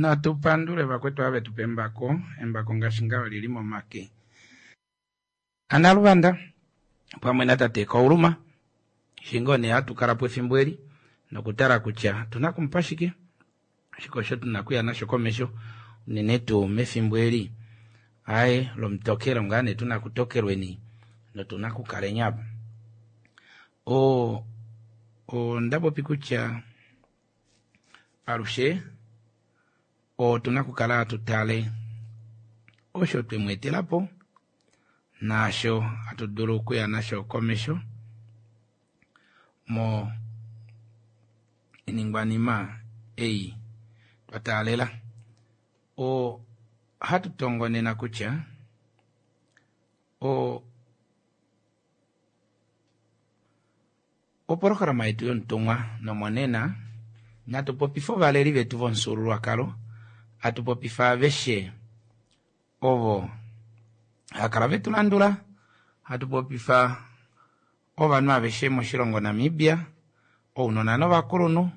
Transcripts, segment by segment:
Natu pandule vakwetu ava vetu pa embako, embako ngaashi ngaho olili momake aNaluvanda pamwe natate Kauluma. Shingo nee hatu kala po efimbo eli nokutala kutya otuna kumupa shike, shike osho tuna okuya nasho komesho unene tuu mefimbo eli aye lomutokelo ngaa nee tuna kutokelweni notuna kukaleni apa. Onda popi kutya alushe otuna okukala hatu tale osho twe mu etela po naasho hatu dulu okuya nasho komesho mo iningwanima ei twa taalela. Ohatu tongonena kutya opolohalama yetu yomutumwa nomonena natu popifa ovaleli vetu vomufyuululwakalo, hatu popifa aveshe ovo hakala vetu landula, hatu popifa ovanhu aveshe moshilongo Namibia, ounona novakulunhu,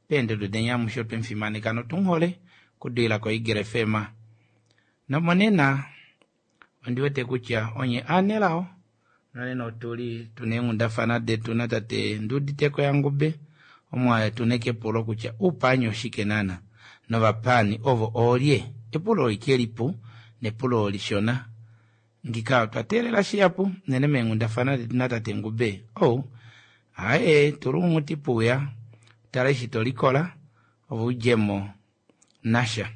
peendodo deni amushe otwe mufimaneka notumuhole okudilila koEagle FM. Nomonena ondi wete kutya onye aanelao nonena otuli tuna eenghundafana detu natate Nduuditeko yaNgube, omo tuna kepulo kutya uupaani oshike naana novapaani ovo oolye. Epulo olike lipu nepulo lishona. Ngika otwa teelela shihapu unene meenghundafana detu natate Ngube. Oh, aye tula omuti puuya tala eshi to likola ove udjemo nasha.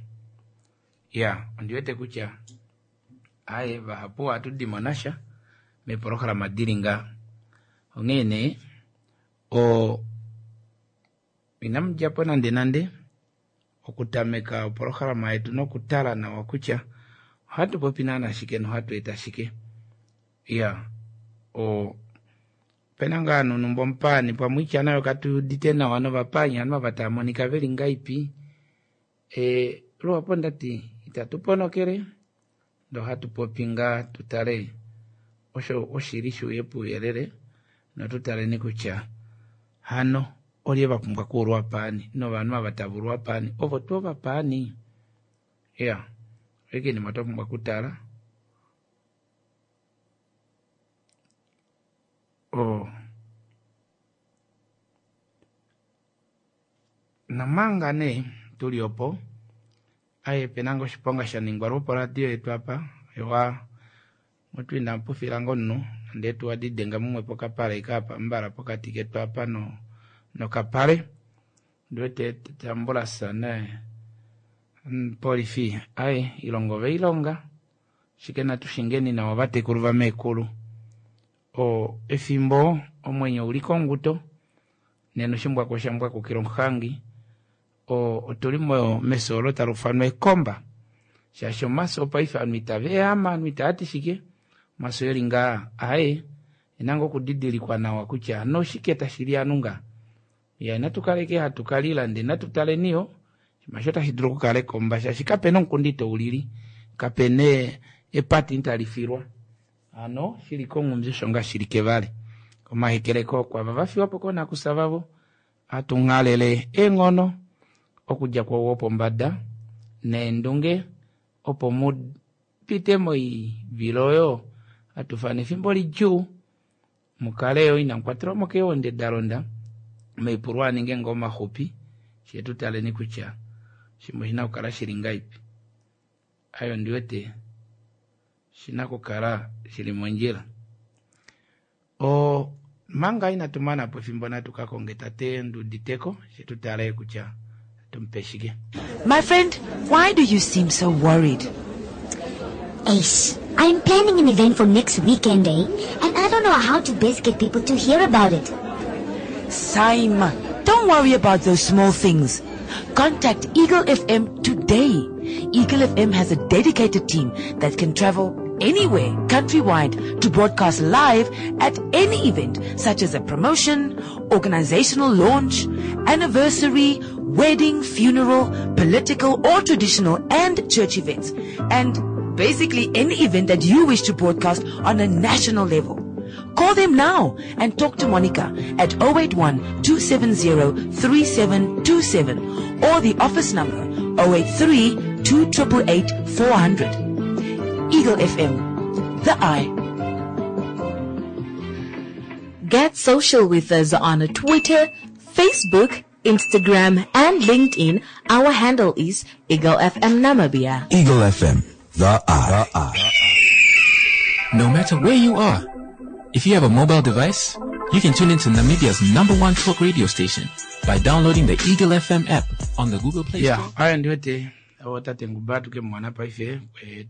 Ya, ondi wete kutya aye vahapu ohatu dimo nasha meepolohalama dili nga. Onghee nee inamu djapo nande nande okutameka opolohalama yetu nokutala nawa kutya ohatu popi naana shike nohatu eta shike. Ya, opena ngaa nonumba omupaani pamwe itya nayo katu udite nawa novapaani hano ava tava monika veli ngaipi. Luhapu ndati itatu ponokele ndoo hatu popi ngaa tutale osho oshili shuuye puuyelele notutaleni kutya hano olye vapumbwa okuulwa paani novanhu ava tava ulwa paani ovo tuu ovapaani. Ya, oike inima twa pumbwa okutala. Nomanga nee tuli opo aye pena ngoo oshiponga sha ningwa lwoporadio yetu apa ewa mutu ina pufila ngoo omunhu nande etuwa didenga mumwe pokapale kaapa mbala pokati ketu apa nokapale. Ndiwete tambulasa ne polifi aye ilongo veilonga shike natu shingeni nawa ovatekulu vameekulu. Efimbo omwenyo uli konguto nena oshimbwako osha mbwakukila omuhangi. Otuli mefyo olo tali ufanwa ekomba shaashi omafyo opaife ovanhu itava ehama, ovanhu itava ti shike, omafyo eli ngaa aye ena ngoo okudidilikwa nawa kutya hano oshike tashi li ovanhu ngaa. Ya, inatu kaleke hatu kalila ndee natu taleni yo oshinima osho tashi dulu okukala ekomba shaashi kapena omukundi itoulili, kapena epati itali filwa. Hano shili konghumbi osho ngaa shili kevale. Omahekeleko kwava vafiwa po koonakusa vavo, hatu nghalele eenghono okudja kwou wopombada neendunge opo mu pite moivilo oyo hatu fana efimbo lidjuu, mukale yo inamu kwatelwa mo keewonde da londa, omaipulu aninge ngoo maxupi fye tu taleni kutya shimwe oshina okukala shili ngaipi. Ayo ondi wete shina okukala shili mondjila. Manga inatu mana po efimbo natu ka konge tate Nduuditeko she tu tale kutya tumupe shike. My friend, why do you seem so worried? Eish, I'm planning an event for next weekend, eh? And I don't know how to best get people to hear about it. Saima, don't worry about those small things. Contact Eagle FM today. Eagle FM has a dedicated team that can travel anywhere countrywide to broadcast live at any event such as a promotion, organizational launch, anniversary, wedding, funeral, political or traditional and church events, and basically any event that you wish to broadcast on a national level. Call them now and talk to Monica at 081 270 3727 or the office number 083 288 400. Eagle FM, the eye. Get social with us on Twitter, Facebook, Instagram, and LinkedIn. Our handle is Eagle FM Namibia. Eagle FM, the eye. The eye. No matter where you are, if you have a mobile device, you can tune into Namibia's number one talk radio station by downloading the Eagle FM app on the Google Play ya Store. aya ndiwete avo tate nguba tuke mwana paife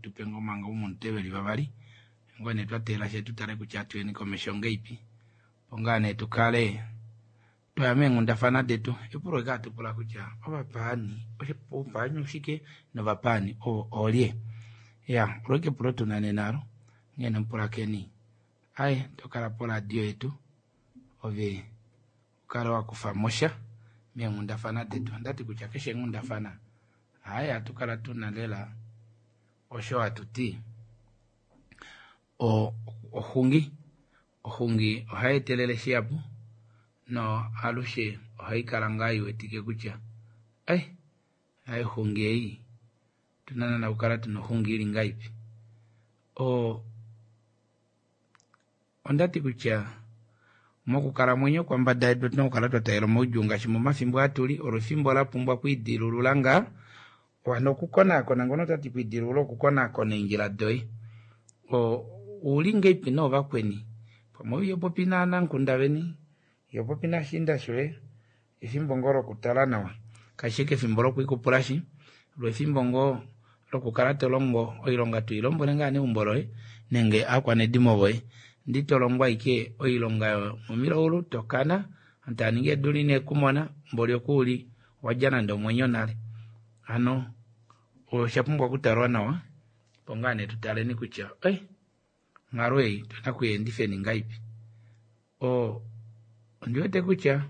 tupe ngomanga umunteveli vavali ngone twatela she tutale kutya atuyeni komesho ngeipi pongane tukale twaya meenghundafana detu epulo ika atupula kutya ovapaani oupaani oshike novapaani ovo olye ya olo epulo tunane nalo nghene mupulakeni aye tokala poradio yetu ove ukale wakufa mosha meenghundafana detu ondati kutya keshe enghundafana hayi atukala tuna lela osho atuti oxungi oxungi ohayi etelele shihapu no alushe ohayi kala ngaa iwetike kutya ai hayi oxungi ei tuna nana okukala tuna oxungi ili ngaipi ondati kutya mokukalamwenyo kwambada yedu otuna okukala twataalela omaudjuu ngaashi momafimbo atuli olo efimbo lapumbwa okwiidilulula ngaa wana okukonaakona ngono tati kwiidilulula okukonaakona eendjila doye ouli ngeipi noovakweni pamwe ihopopi naanamukunda veni ihopopi nashiinda shoye efimbo ngoo lokutala nawa kashi ashike efimbo lokwiikupulashi lo efimbo ngoo lokukala tolongo oilonga twiilombwele ngaa neumbo loye nenge aakwanedimo voye ndi tolongo ashike oilonga yomomilaulu tokana ovanhu taaningi eedula ineekumona mboli okuuli wadja nande omwenyo nale hano oshapumbwa okutalwa nawa opo ngaa nee tutaleni kutya ei onghalo ei otuna okuyeendifeni ngaipi ondiwete kutya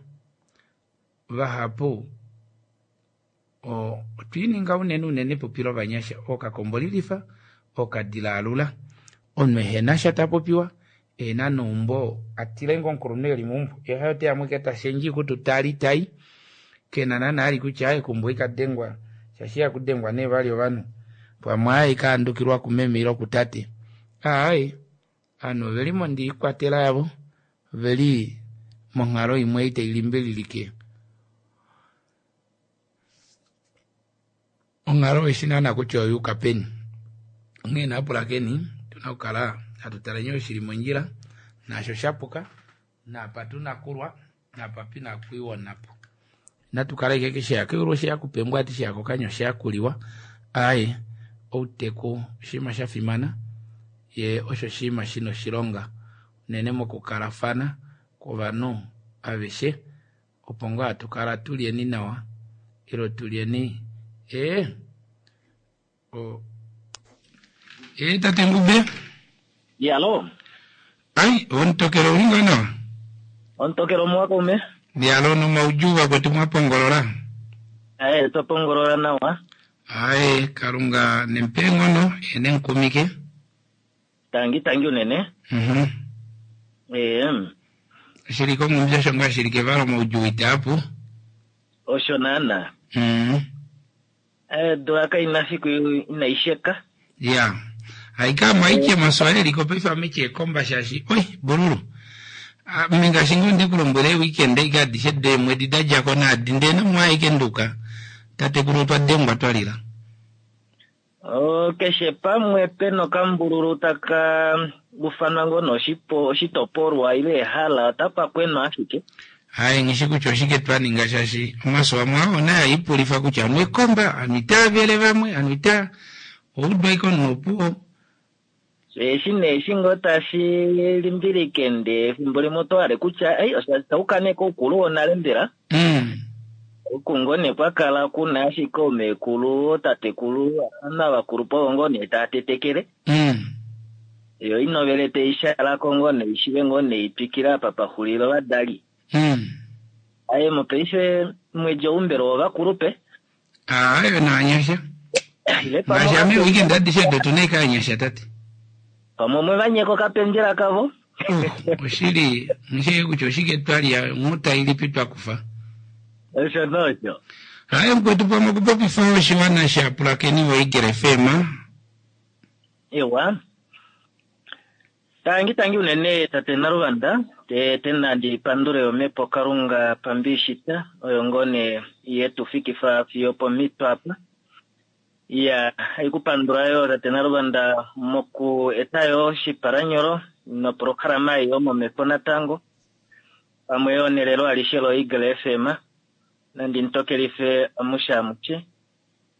vahapu otwiininga unene unene epupi lovanyasha ookakombolilifa ookadila alula omunhu ehenasha tapopiwa ehena neumbo atile ngoo omukulunhu eli meumbo yee haye oteya ashike tashendje oikutu tali tai kena naana ali kutya aaye keumbo ikadengwa shaashi ihakudengwa nee vali ovanhu pamwe aaye ikahandukilwa kumeme ile kutate aaye ovanhu oveli mondiikwatela yavo oveli monghalo imwe ei tailimbililike onghalo eshi naana kutya oyuuka peni onghee naapulakeni otuna okukala hatu taleni osho shili mondjila naasho shapuka naapa tuna okulwa naapa pina okwiiwa onhapo inatukala ashike keshe yakeulu oshe yakupembwa ati sheyakokanya oshe yakuliwa aaye outeku oshinima shafimana ye osho oshinima shina oshilonga unene mokukalafana kwovanhu aveshe opo ngoo hatukala tulyeni nawa ile tulyeni tate Ngube Yalo. Ai, omutokelo ouli ngoo nawa? Omutokelo omuwa kaume. Yalo nomaudjuu vakwetu mwapongolola? Aye, twapongolola nawa. Aye, Kalunga nempe eenghono ye nemukumike. Tangi tangi unene. Shili kongumbi osho ngaa shili kevalo omaudjuu itaapu. Osho naana. Odula kaina fiku inai sheka. Ya. Aika mwaiche maswahili ko paife ameche ekomba shaashi oi bululu. Ame ngaashi ngoo ndikulombwele weekend ike adishe deemwedi dadjako naadi ndee namwe nduka tatekulu otwa dengwa twalila. Keshe pamwe pena okambululu taka ufanwa ngoo noshipo oshitopolwa ile ehala otapa kwenwa ashike. Haye ngishi kutya oshike twaninga shaashi omaso amwe ao naye aipulifa kutya anu ekomba anu itaavele vamwe anu ita oudwa ike omunhu opuwo. Eshi neeshi ngoo tashi limbilike ndee efimbo limwe oto hale kutya ei osha nee koukulu wonale mbela. Oku ngoo nee kwakala kuna ashike omeekulu, ootatekulu, avakulupe ovo ngoo nee taa tetekele. Yo inovele teishalako ngoo nee ishive ngoo nee itwikile apa paxulila ovadali. Aye mopaife mwedi oumbelo wovakulupe. Ayo naanyasha. Ngaashi ame weekend adishe odo tuna ike aanyasha tate. Pamwe omwe vanyeka okapendjela kavo. Oshili, nghishike kutya oshike twa lya, onghuta ilipi twa kufa. Osho nosho. Haye mukwetu pamwe okupopifa oshiwana shapulakeni voEagle FM. Ewa. Tangi tangi unene tate Naluvanda, te te nandi pandule omhepo Kalunga pambishita oyo ngoo nee ye tu fikifa fiyo pomhito apa. Iya, haikupandula yo tate Naluvanda moku eta yo oshipalanyolo noprograma ei yomomhepo natango pamwe yo nelelo alishe loEagle FM. Nandi mutokelife amushe amushe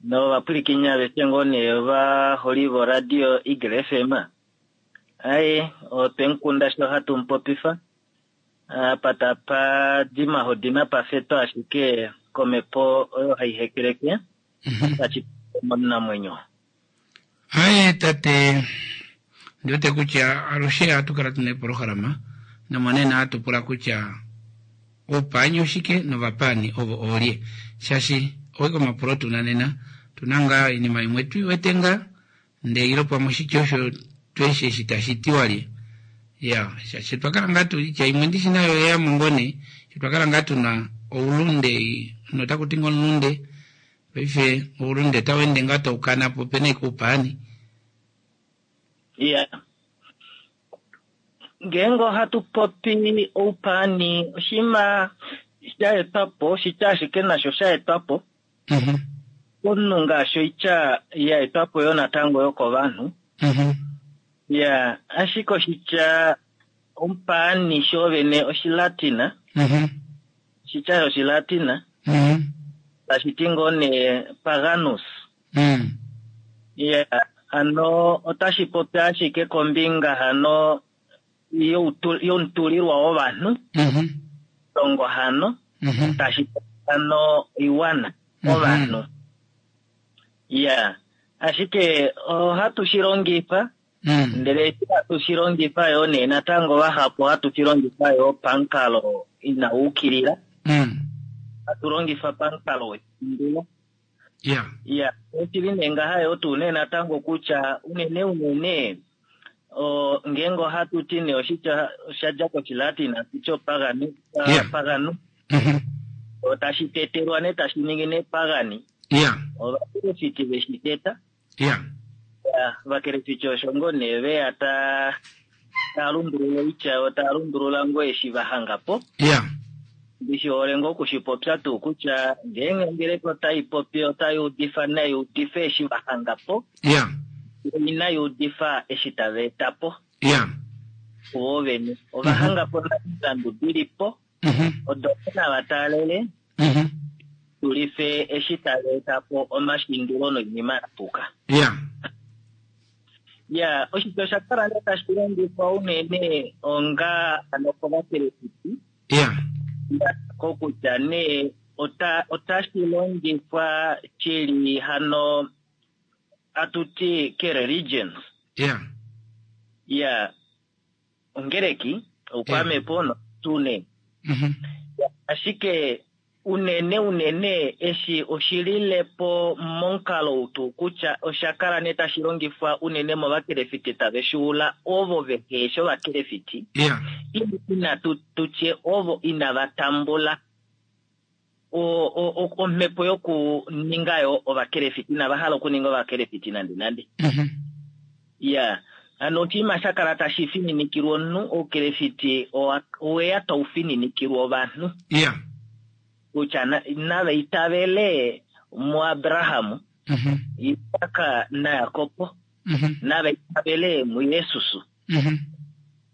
novapwilikinyi aveshe ngoo nee ovaholi voradio Eagle FM. Aye, otwe mukunda sho hatu mupopifa apa tapa di mahodi napa fetwa ashike komhepo oyo hai hekeleke tashi omunamwenyo. Aye tate, ndi wete kutya alushe ohatu kala tuna eepolohalama nomonena ohatu pula kutya oupaani oshike novapaani ovo oolye, shaashi oike omapulo tuna nena, tuna ngaa oinima imwe tui wete ngaa ndee ilo pamwe oshitya osho tweshi eshi tashi ti walye. Ya, shaashi otwa kala ngaa tu itya imwe ndishi nayo oyeyamo ngoo nee, sho twa kala ngaa tuna oulunde notaku ti ngoo omulunde, paife oulunde otau ende ngaa tau kana po, opena ashike oupaani. Ya. Ngeenge ohatu popi oupaani, oshinima sha etwa po, oshitya ashike nasho sha etwa po. Omunhu ngaashi oitya ya etwa po yo natango yokovanhu. Ya, ashike oshitya omupaani shoovene Oshilatina, oshitya shOshilatina, tashi ti ngoo nee paganus. Ya, hano otashi popi ashike kombinga hano yomutulilwa wovanhu, longo hano, tashi popi hano oiwana, ovanhu. Ya, ashike ohatu shi longifa, ndele eshi hatu shi longifa yoo nee natango vahapu ohatu shi longifa yoo pamukalo inau ukilila. Hatu longifa pamukalo weshindulo. Ya, oshili nee ngaha yoo tuu nee natango kutya unene unene ngeenge ohatu ti nee oshitya osha dja kOshilatin hatu ti opagani, paganu. Otashi tetelwa nee tashi ningi nee pagani. Ovakelefiti ve shi teta. Ya, ovakelefiti osho ngoo nee ve ya ta taa lundulula oitya yo taa lundulula ngoo eshi va hanga po. Ndi shi hole ngoo oku shi popya tuu kutya ngeenge ongeleka otai popi otai udifa nai udife eshi va hanga po. Inai udifa eshi tava eta po. Vo vene ova hanga po nale omilandu di li po. Odo nava taalele tulife eshi tava eta po omashindulo noinima ya puka. Ya, oshitya osha kala nee tashi longifwa unene onga ano kovakelefiti. Kokutya nee otashi longifwa shili hano atu ti ke-religions. Ya, ongeleki, oukwamepo notu nee. Ashike unene unene eshi oshilile po momukalo ou tuu kutya osha kala nee tashi longifwa unene movakelefiti tave shi ula ovo vehe shi ovakelefiti, ina tu tye ovo inava tambula omhepo yokuninga yo ovakelefiti, inava hala okuninga ovakelefiti nande nande. Ya, hano oshinima sha kala tashi fininikilwa omunhu, oukelefiti oweya tau fininikilwa ovanhu. Kutya nava itavele muAbraham, Isak naJakob, nava itavele muJesus.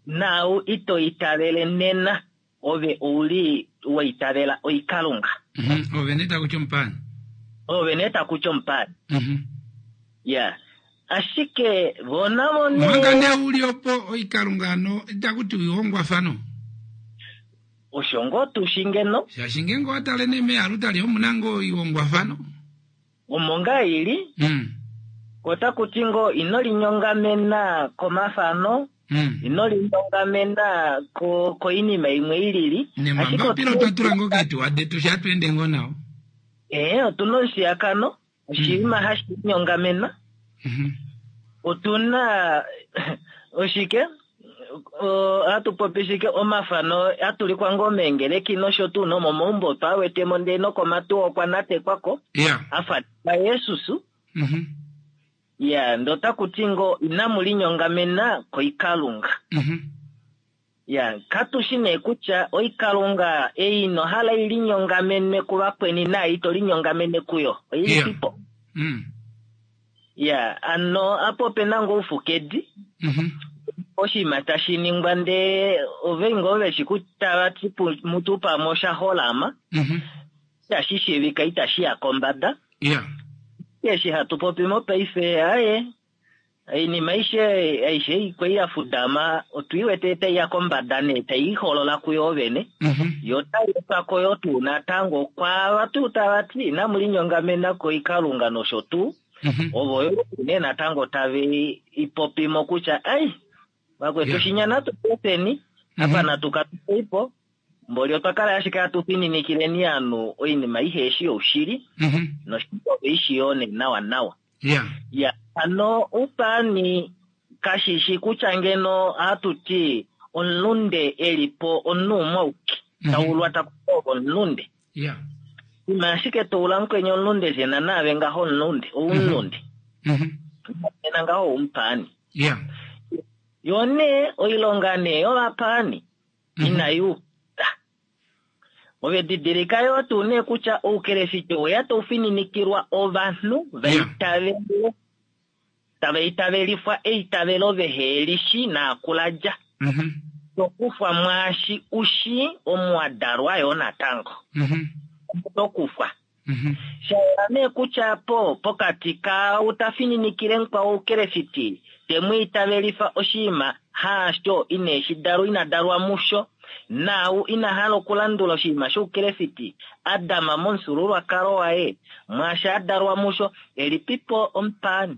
Naau ito itavele nena, ove ouli wa itavela oikalunga. Ove nee taku ti omupaani. Ove nee taku ti omupaani. Ya. Ashike vo navo nee. Manga nee uli opo oikalunga hano itaku ti oihongwafano. Osho ngoo tu shi ngeno. Shaashi ngeenge owa tale nee mealutali omu na ngoo oihongwafano. Omo ngaa i li, otaku ti ngoo ino linyongamena komafano, ino linyongamena koinima imwe i lili. Nemambapila otwa tula ngoo keetuwa detu sha hatu ende ngoo nao. Ee, otu na omushiyakano, oshinima hashi linyongamenwa. Otu na oshike? Ohatu popi shike omafano atulikwa ngoo meengeleki nosho tuu nomomaumbo otwa wetemo ndee nokomatuwa okwa natekwako afa Yesus. Ya, ndee otaku ti ngoo inamu linyongamena koikalunga. Ya, katu shi nee kutya oikalunga ei ino hala i linyongamenwe kuvakweni naai ito linyongamene kuyo oilipipo. Ya, ano apa ope na ngoo oufukedi, oshinima tashi ningwa ndee ove ngoo veshi kutya tava ti mutu pamwe osha holama, itashi shiivika itashi ya kombada. Eshi hatu popi mopaife aye, oinima aishe aishe ikwei ya fudama otu i wete tai ya kombada nee tai iholola kuyo vene. Yo tai etwa ko yo tuu natango kwaava tuu tava ti inamu linyongamena koikalunga nosho tuu. Ovo yo nee natango tave i popi mo kutya ai vakwetu shinya natu peni apa natu katuleipo mboli otwa kala ashike hatu fininikileni ovanhu oinima iheshi youshili noshili ove i shi yoo nee nawa nawa. Ya, hano oupaani kashi shi kutya ngeno ohatu ti omulunde e li po omunhu umwe auke, taulwa taku ti ove omulunde. Ima ashike to ula mukweni omulunde djena naave ngaho omulunde, oumulunde. Nena ngaho oumupaani. Yo nee oilonga nee yovapaani inai uka. Ove didilika yoo tuu nee kutya oukelefiti oweya tau fininikilwa ovanhu va itavele, tava itavelifwa eitavelo vehe li shi naakula dja. To kufwa mwaashi u shii omu wa dalwa yoo natango. Oto kufwa. Sha yela nee kutya po pokati kaau ta fininikile mukwao oukelefiti, te mu itavelifa oshinima haasho ine shi dalwa ina dalwa musho, naau ina hala okulandula oshinima shoukelefiti, a dama momufyuululwakalo waye, mwaashi a dalwa musho, elipipo omupaani?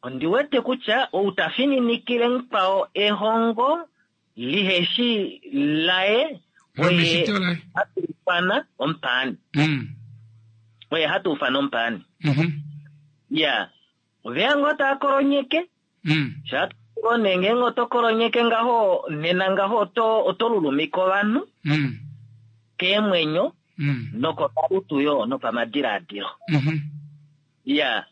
Ondi wete kutya ou ta fininikile mukwao ehongo liheshi laye, oye hatu ufana omupaani. Oye hatu ufana omupaani. Ya, oveya ngoo taa kolonyeke. Sha ngoo nee ngeenge oto kolonyeke ngaho, nena ngaho oto, oto lulumika ovanhu keemwenyo nokomalutu yo nopamadilaadilo. Ya,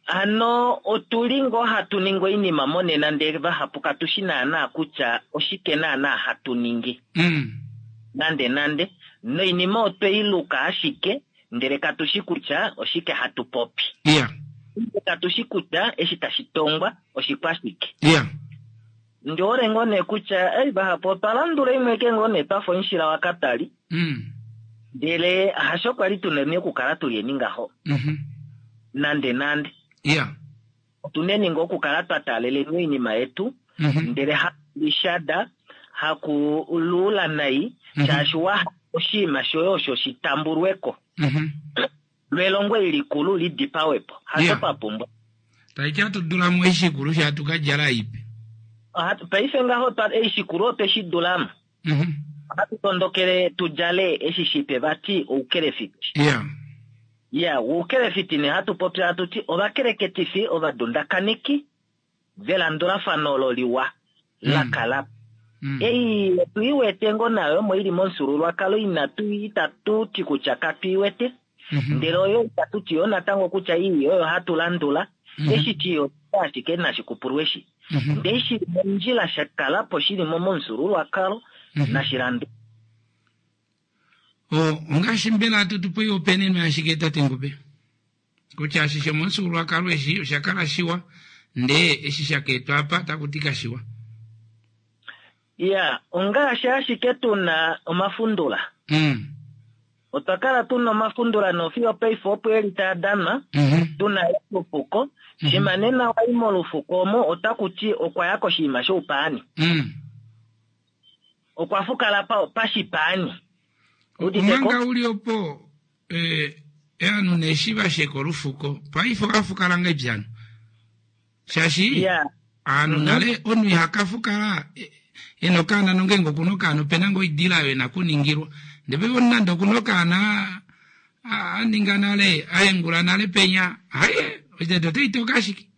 Hano otu li ngoo hatu ningi oinima monena ndele vahapu katu shi naanaa kutya oshike naanaa hatu ningi. Nande nande. Noinima otwe i luka ashike ndele katu shi kutya oshike hatu popi. Katu shi kutya eshi tashi tongwa oshikwashike. Ndi hole ngoo nee kutya ei vahapu otwa landula imwe ke ngoo nee twafa omushila wakatali. Ndele hasho kwali tuneni okukala tulyeni ngaho. Nande nande. Otuneni ngoo okukala twa taaleleni oinima yetu, ndele hakulishada, hakuluula nai, shaashi wa hala oshinima shoye osho shi tambulweko. Lwelongo eli likulu li dipawe po. Hasho twa pumbwa. Taiti hatu dula mo eishikulu sha hatu ka djala ipe. Paife ngaho twa eishikulu otwe shi dula mo. Ohatu tondokele tu djale eshi shipe vati oukelefiti. Ya, oukelefiti nee hatu popi hatu ti ovakeleketifi ovadundakaniki velandulafano olo liwa la kala po. Ei otu i wete ngoo nayo omo i li momufyuululwakalo inatu itatu ti kutya katu i wete. Ndele oyo itatu ti yo natango kutya ii oyo hatu landula. Eshi ti yo ashike nashi kupulwe eshi. Ndee shi li mondjila sha kala po shi li mo momufyuululwakalo nashi landulwe. Ongaashi mbela hatu tu po oihopaenenwa yashike tate Ngube? Kutya eshi shomomufyuululwakalo eshi osha kala shiwa ndee eshi sha ka etwa apa taku ti kashiwa. Ya, ongaashi ashike tu na omafundula. Otwa kala tu na omafundula nofiyo paife opo e li taa danwa, tu na olufuko. Shima nena wa i molufuko omo otaku ti okwa ya koshinima shoupaani. Okwa fukala pashipaani. Udite ko? Omanga u li opo, ovanhu nee eshi va sheka olufuko, paife ova fukala ngahelipi hano? Shaashi ovanhu nale omunhu iha ka fukala e na okaana nongeenge oku na okaana ope na ngoo oidila oyo e na okuningilwa. Ndele paife omunhu nande oku na okaana a ninga nale, a hengula nale penya, haye oitete otai toka ashike.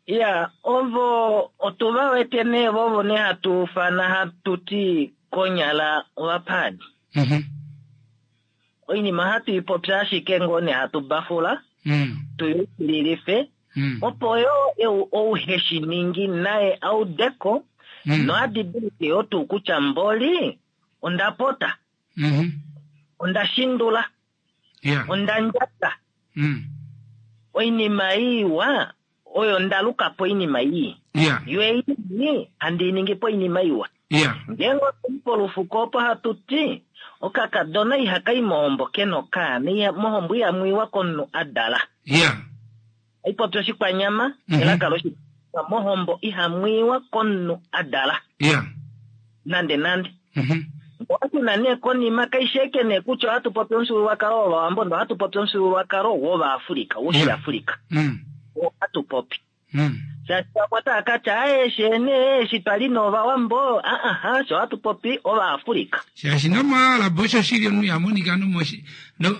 Ya, ovo otu va wete nee vovo nee hatu ufana hatu ti konyala ovapaani. Oinima ohatu i popya ashike ngoo nee hatu bafula, tu yukililife, opo yo ou he shi ningi naye a ude ko, noa didilike yo tuu kutya mboli onda pota, onda shindula, onda ndjata. Oinima iwa oyo nda luka po oinima ii. Yo ei ii handi i ningi po oinima iwa. Ngeenge otwa i polufuko opo hatu ti, okakadona ihaka i mohombo ke na okaana, mohombo ihamu iwa komunhu a dala. Ohai popi oshikwanyama, elaka loshikwanyama, mohombo ihamu iwa komunhu a dala. Nande nande. Ohatu na nee konima, kaishi eke nee kutya ohatu popi omufyuululwakalo wOvawambo ndele ohatu popi omufyuululwakalo wOvaafrika, wOshiafrika. Oo hatu popi. Shaashi vamwe otava ka tya, Aaye, she nee, eshi twa li nOvawambo, aa, fye ohatu popi Ovaafrika. Shaashi nomoArab osho shili omunhu iha monika nomoshi, no,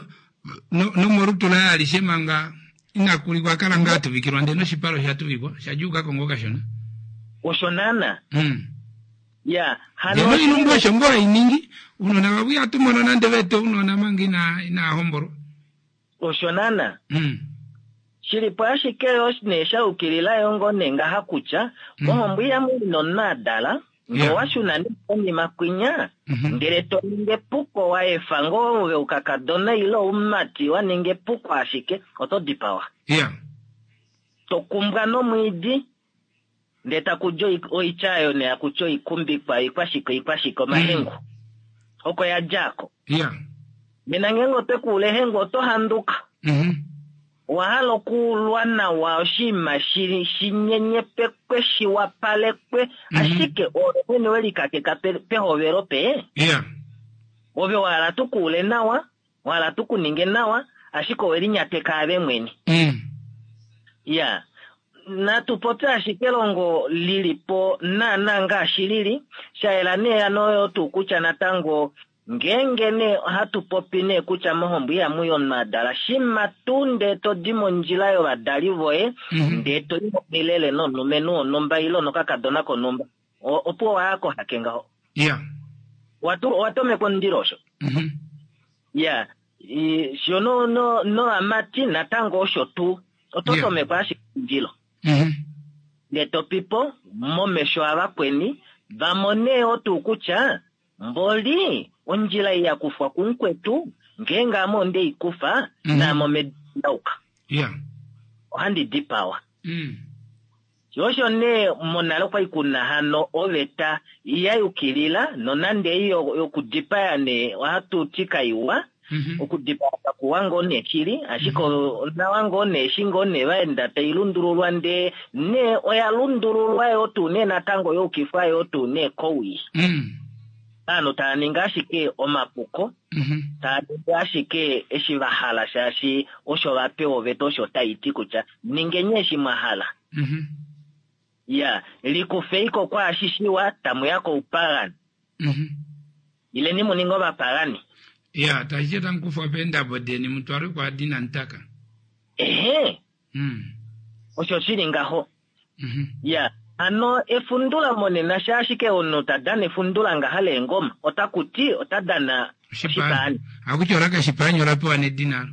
no, nomolutu laye alishe manga ina kulikwa, a kala ngaa a tuvikilwa, ndele noshipala osha tuvikwa, osha djuuka ko ngoo kashona. Osho naana. Ya, hano Ndele oilumbu osho ngoo hai ningi, ounona vavo ihatu mono nande va ete ounona manga ina inaa hombolwa. Osho naana. Shili po ashike yo nee sha yukilila yo ngoo nee ngaha kutya, mohombo ihamu i nomunhu a dala, ngee owa shuna nee konima kwinya, ndele to ningi epuko wa efa ngoo ove oukakadona ile oumati wa ninga epuko ashike, oto dipawa. To kumbwa nomwiidi. Ndee taku di oitya oyo nee haku ti oikumbikwa, oikwashike, oikwashike, omahengu. Oko ya dja ko. Nena ngeenge otwe ku ula ehengu oto handuka. Owa hala okuulwa nawa oshinima shi nyenyepekwe, shi wapalekwe, ashike oove mwene we likakeka pehovelo pe. Ove wa hala tu ku ule nawa, wa hala tu ku ninge nawa, ashike owe linyateka ave mwene. Ya, natu popye ashike elongo li li po naanaa ngaashi li li, sha yela nee hano oyo tuu kutya natango ngeenge nee ohatu popi nee kutya mohombo ihamu i omunhu a dala, shimha tuu ndee to di mondjila yovadali voye ndee to i momilele nomulumenhu wonhumba ile nokakadona konhumba, opuwo wa ya kohake ngaho. Owa tomekwa omundilo osho. Ya, sho no, no, novamati natango osho tuu. Oto tomekwa ashike omundilo. Ndee to pi po momesho avakweni va mone yoo tuu kutya mboli ondjila ei ya kufwa kumukwetu, ngeenge ame onde i kufa, naame omedu nda yuka. Ohandi dipawa. Sho osho nee monale okwali kuna hano oveta ya yukilila nonande ei yokudipaya nee ohatu ti kaiwa, okudipaya kakuwa ngoo nee shili, ashike onawa ngoo nee eshi ngoo nee vaenda tai lundululwa ndee nee oya lundululwa yoo tuu nee natango ya ukifwa yoo tuu nee kowii. Ovanhu tava ningi ashike omapuko, tava ningi ashike eshi va hala shaashi osho va pewa oveta osho tai ti kutya ningeni eshi mwa hala. Ya, likufei ko kwaashi shiwa, tamu ya koupagani. Ileni mu ninge ovapagani. Ya, tashi ti otamu kufwa peendabo deni mu twalwe kwaadi inamu taka. Ehe. Osho shi li ngaho. Ya, hano efundula monena sha ashike omunhu ta dana efundula ngaha leengoma, otaku ti ota dana oshipaani. Ohaku ti ola kashipaani ola pewa nedina alo.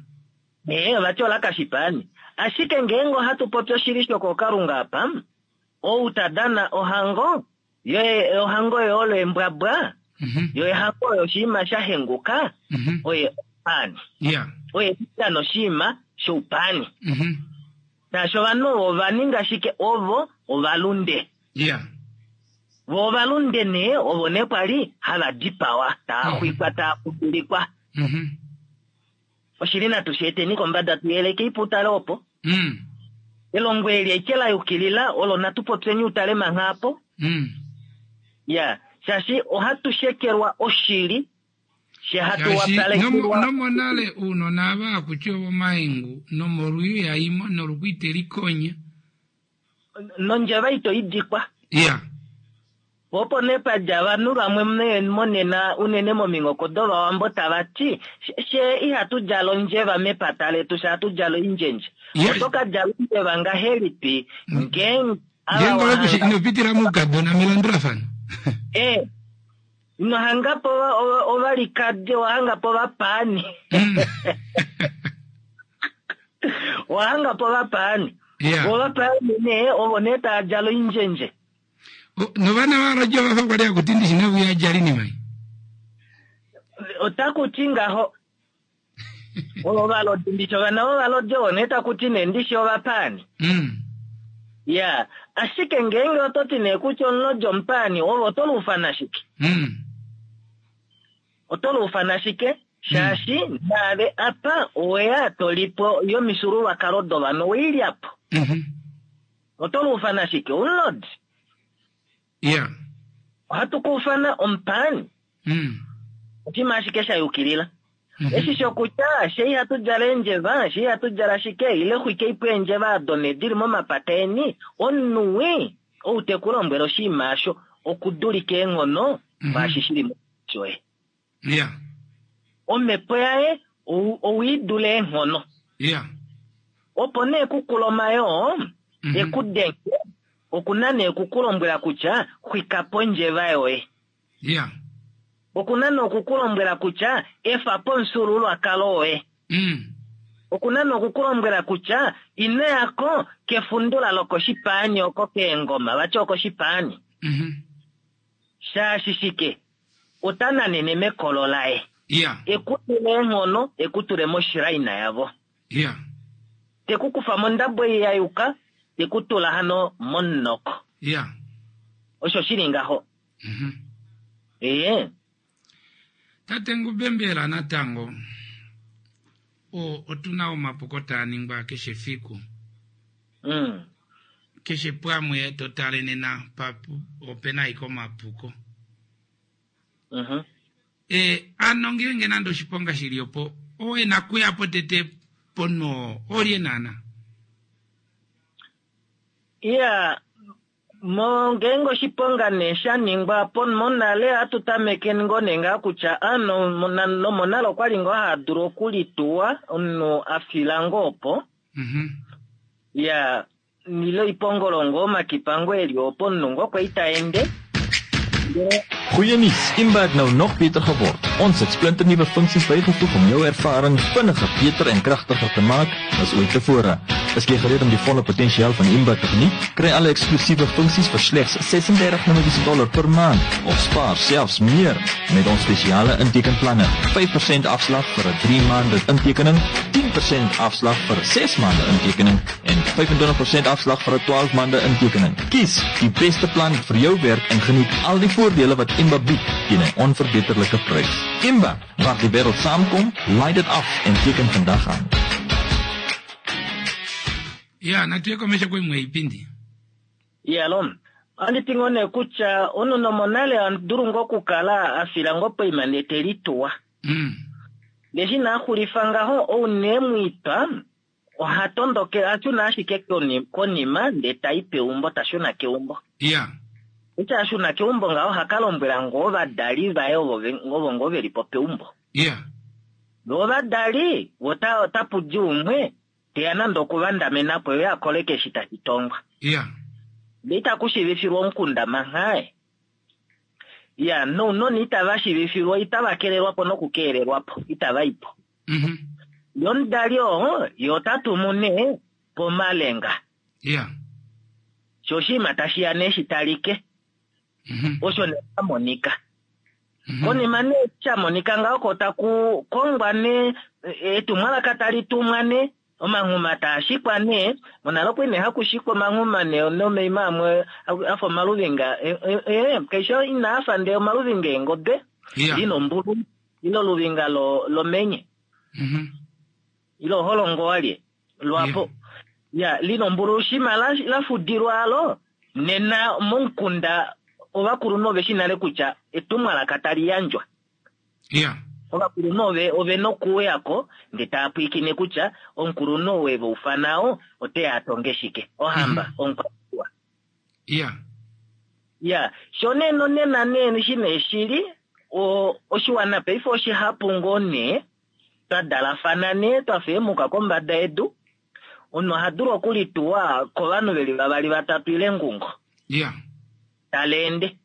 Ee, ova ti ola kashipaani. Ashike ngeenge ohatu popi oshili shokookalunga apa, ou ta dana ohango, yo ohango oyo olo embwabwa, yo ehango oyo oshinima sha henguka, oye omupaani. Oye ta dana oshinima shoupaani. Shaashi ovanhu ovo ova ninga shike? Ovo ovalunde. Vo ovalunde nee, ovo nee kwa li hava dipawa, tava xwikwa, tava kudulikwa. Oshili natu shi eteni kombada tu yeleke ipo utale opo. Elongo eli aike la yukilila olo natu popyeni utale mangha apo. Ya, shaashi ohatu shekelwa oshili, she hatu Shaashi wapalekelwa. nomonale uunona ava hakuti ovomahengu nomolwiyo yaimo noluku ite likonya. Nondjeva ito i dikwa. Ya. Po opo nee pa dja ovanhu vamwe monena unene mominghoko dOvawambo tava ti, Fye ihatu djala ondjeva mepata letu, fye ohatu djala oindjendje. Oto ka djala ondjeva ngahelipi ngeenge ava wa hanga. Ino pitila moukadona melandulafano. Eh, ino hanga po ovalikadi, owa hanga po ovapaani. Owa hanga po ovapaani. Ovapaani nee ovo nee tava djala oindjendje. Novana valodja ovafa kwali hakuti ndishi navuya djali nimai. Otaku ti ngaho. Ovalodi ndishi ovana vovalodi ovo nee taku ti nee ndishi ovapaani. Ya, ashike ngeenge oto ti nee kutya omulodi omupaani, ove oto luufana shike? Oto luufana shike? Shaashi naave apa oweya to li po yomifyuululwakalo dovanhu, owei lya po. Oto luufana shike? Omulodi? Ya. Ohatu ku ufana omupaani. Oshinima ashike sha yukilila. Eshi shokutya she ihatu djala eendjeva, she ihatu djala shike, ile xwikei po eendjeva ado nee dili momapata eni, omunhu wii ou te ku lombwele oshinima osho okudulika eenghono kwaashi shi li shoye. Yeah. Omhepo yaye owe i dula eenghono. Yeah. Opo nee kukula omayoo e ku denge, oku na nee oku ku lombwela kutya xwika po ondjeva yoye. Yeah. Oku na nee oku ku lombwela kutya efa po omufyuululwakalo woye. Oku na nee oku ku lombwela kutya ino ya ko kefundula lokoshipaani oko keengoma, vati okoshipaani. Shaashi shike? Ota nanene mekolo laye. Yeah. E ku tule eenghono, e ku tule moshraina yavo. Yeah. Te ku kufa mondabo ei ya yuka, te ku tula hano momunoko. Yeah. Osho shi li ngaho. Ee. Tate Ngube mbela natango o, otu na omapuko taa ningwa keshe fiku. Keshe pwamwe to tale nena pa, ope na ashike omapuko. E, ano ngeenge nande oshiponga shi li opo, oo e na kuya po tete ponho oo, olye naana? Iya, mo ngeenge oshiponga nee sha ningwa po monale ohatu tameke ngoo nee ngaa kutya a no, nomonale okwali ngoo haa dulu okulituwa omunhu a fila ngoo opo. Ya, ile oipongolo ngoo omakipa ngoo eli opo omunhu ngoo kwali ta ende. Ndele Goeie nuus, Imba het nou nog beter geword. Ons het splinternuwe funksies bygevoeg om jou ervaring vinniger, beter en kragtiger te maak as ooit tevore. Is jy gereed om die volle potensiaal van Imba te geniet? Kry alle eksklusiewe funksies vir slegs 36 Namibiese dollar per maand of spaar selfs meer met ons spesiale intekenplanne. 5% afslag vir 'n 3 maande intekening, 10% afslag vir 'n 6 maande intekening en 25% afslag vir 'n 12 maande intekening. Kies die beste plan vir jou werk en geniet al die voordele wat Imba bied teen 'n onverbeterlike prys. Imba, waar die wêreld saamkom, laai dit af en teken vandag aan. Ya, natu ye komesho koimwe yoipindi. Iyalo, ohandi ti ngoo nee kutya omunhu nomonale oha dulu ngoo okukala a fila ngoo poima ndee te lituwa. Ndee eshi nee a xulifa ngaho, ou nee mwitwa oha tondoke, oha shuna ashike konima ndee ta i peumbo, ta shuna keumbo. Eshi a shuna keumbo ngaho oha ka lombwela ngoo ovadali vaye ovo ovo ngoo ve li po peumbo. Vo ovadali otapu di umwe te ya nande okuvandamena po ye a koleke eshi tashi tongwa. Ndee itaku shiivifilwa omukunda mangha. Ya, nounona itava shiivifilwa, itava kelelwa po nokukeelelwa po, itava i po. Ye omudali oo, ye ota tumu nee pomalenga. Sho oshinima tashi ya nee shi talike. Osho nee sha monika. Konima nee sha monika ngaho ko taku kongwa nee etumwalaka tali tumwa nee, omanghuma taa shikwa nee. Monale okwali nee haku shikwa omanghuma nee nomaima amwe a fa omaluvinga, kaishi inaa fa ndee omaluvinga eengobe, ile ombulu, ile oluvinga lomenye. Ile oholongo walye lwapo. Ya, lina ombululu shima la fudilwa alo, nena momukunda ovakulunhu ove shi nale kutya etumwalaka tali yandjwa. Ovakulunhu ove na okuuya ko ndee tava pwilikine kutya omukulunhu ou e va ufana oo ote ya a tonge shike. Ohamba, omukwaniilwa. Ya, sho nee nonena nee eshi nee shili, oshiwana paife oshihapu ngoo nee, twa dalafana nee twa fa eemuka kombada yedu, omunhu oha dulu okulituwa kovanhu veli vavali vatatu ile ngungo. Ya. Tala ende.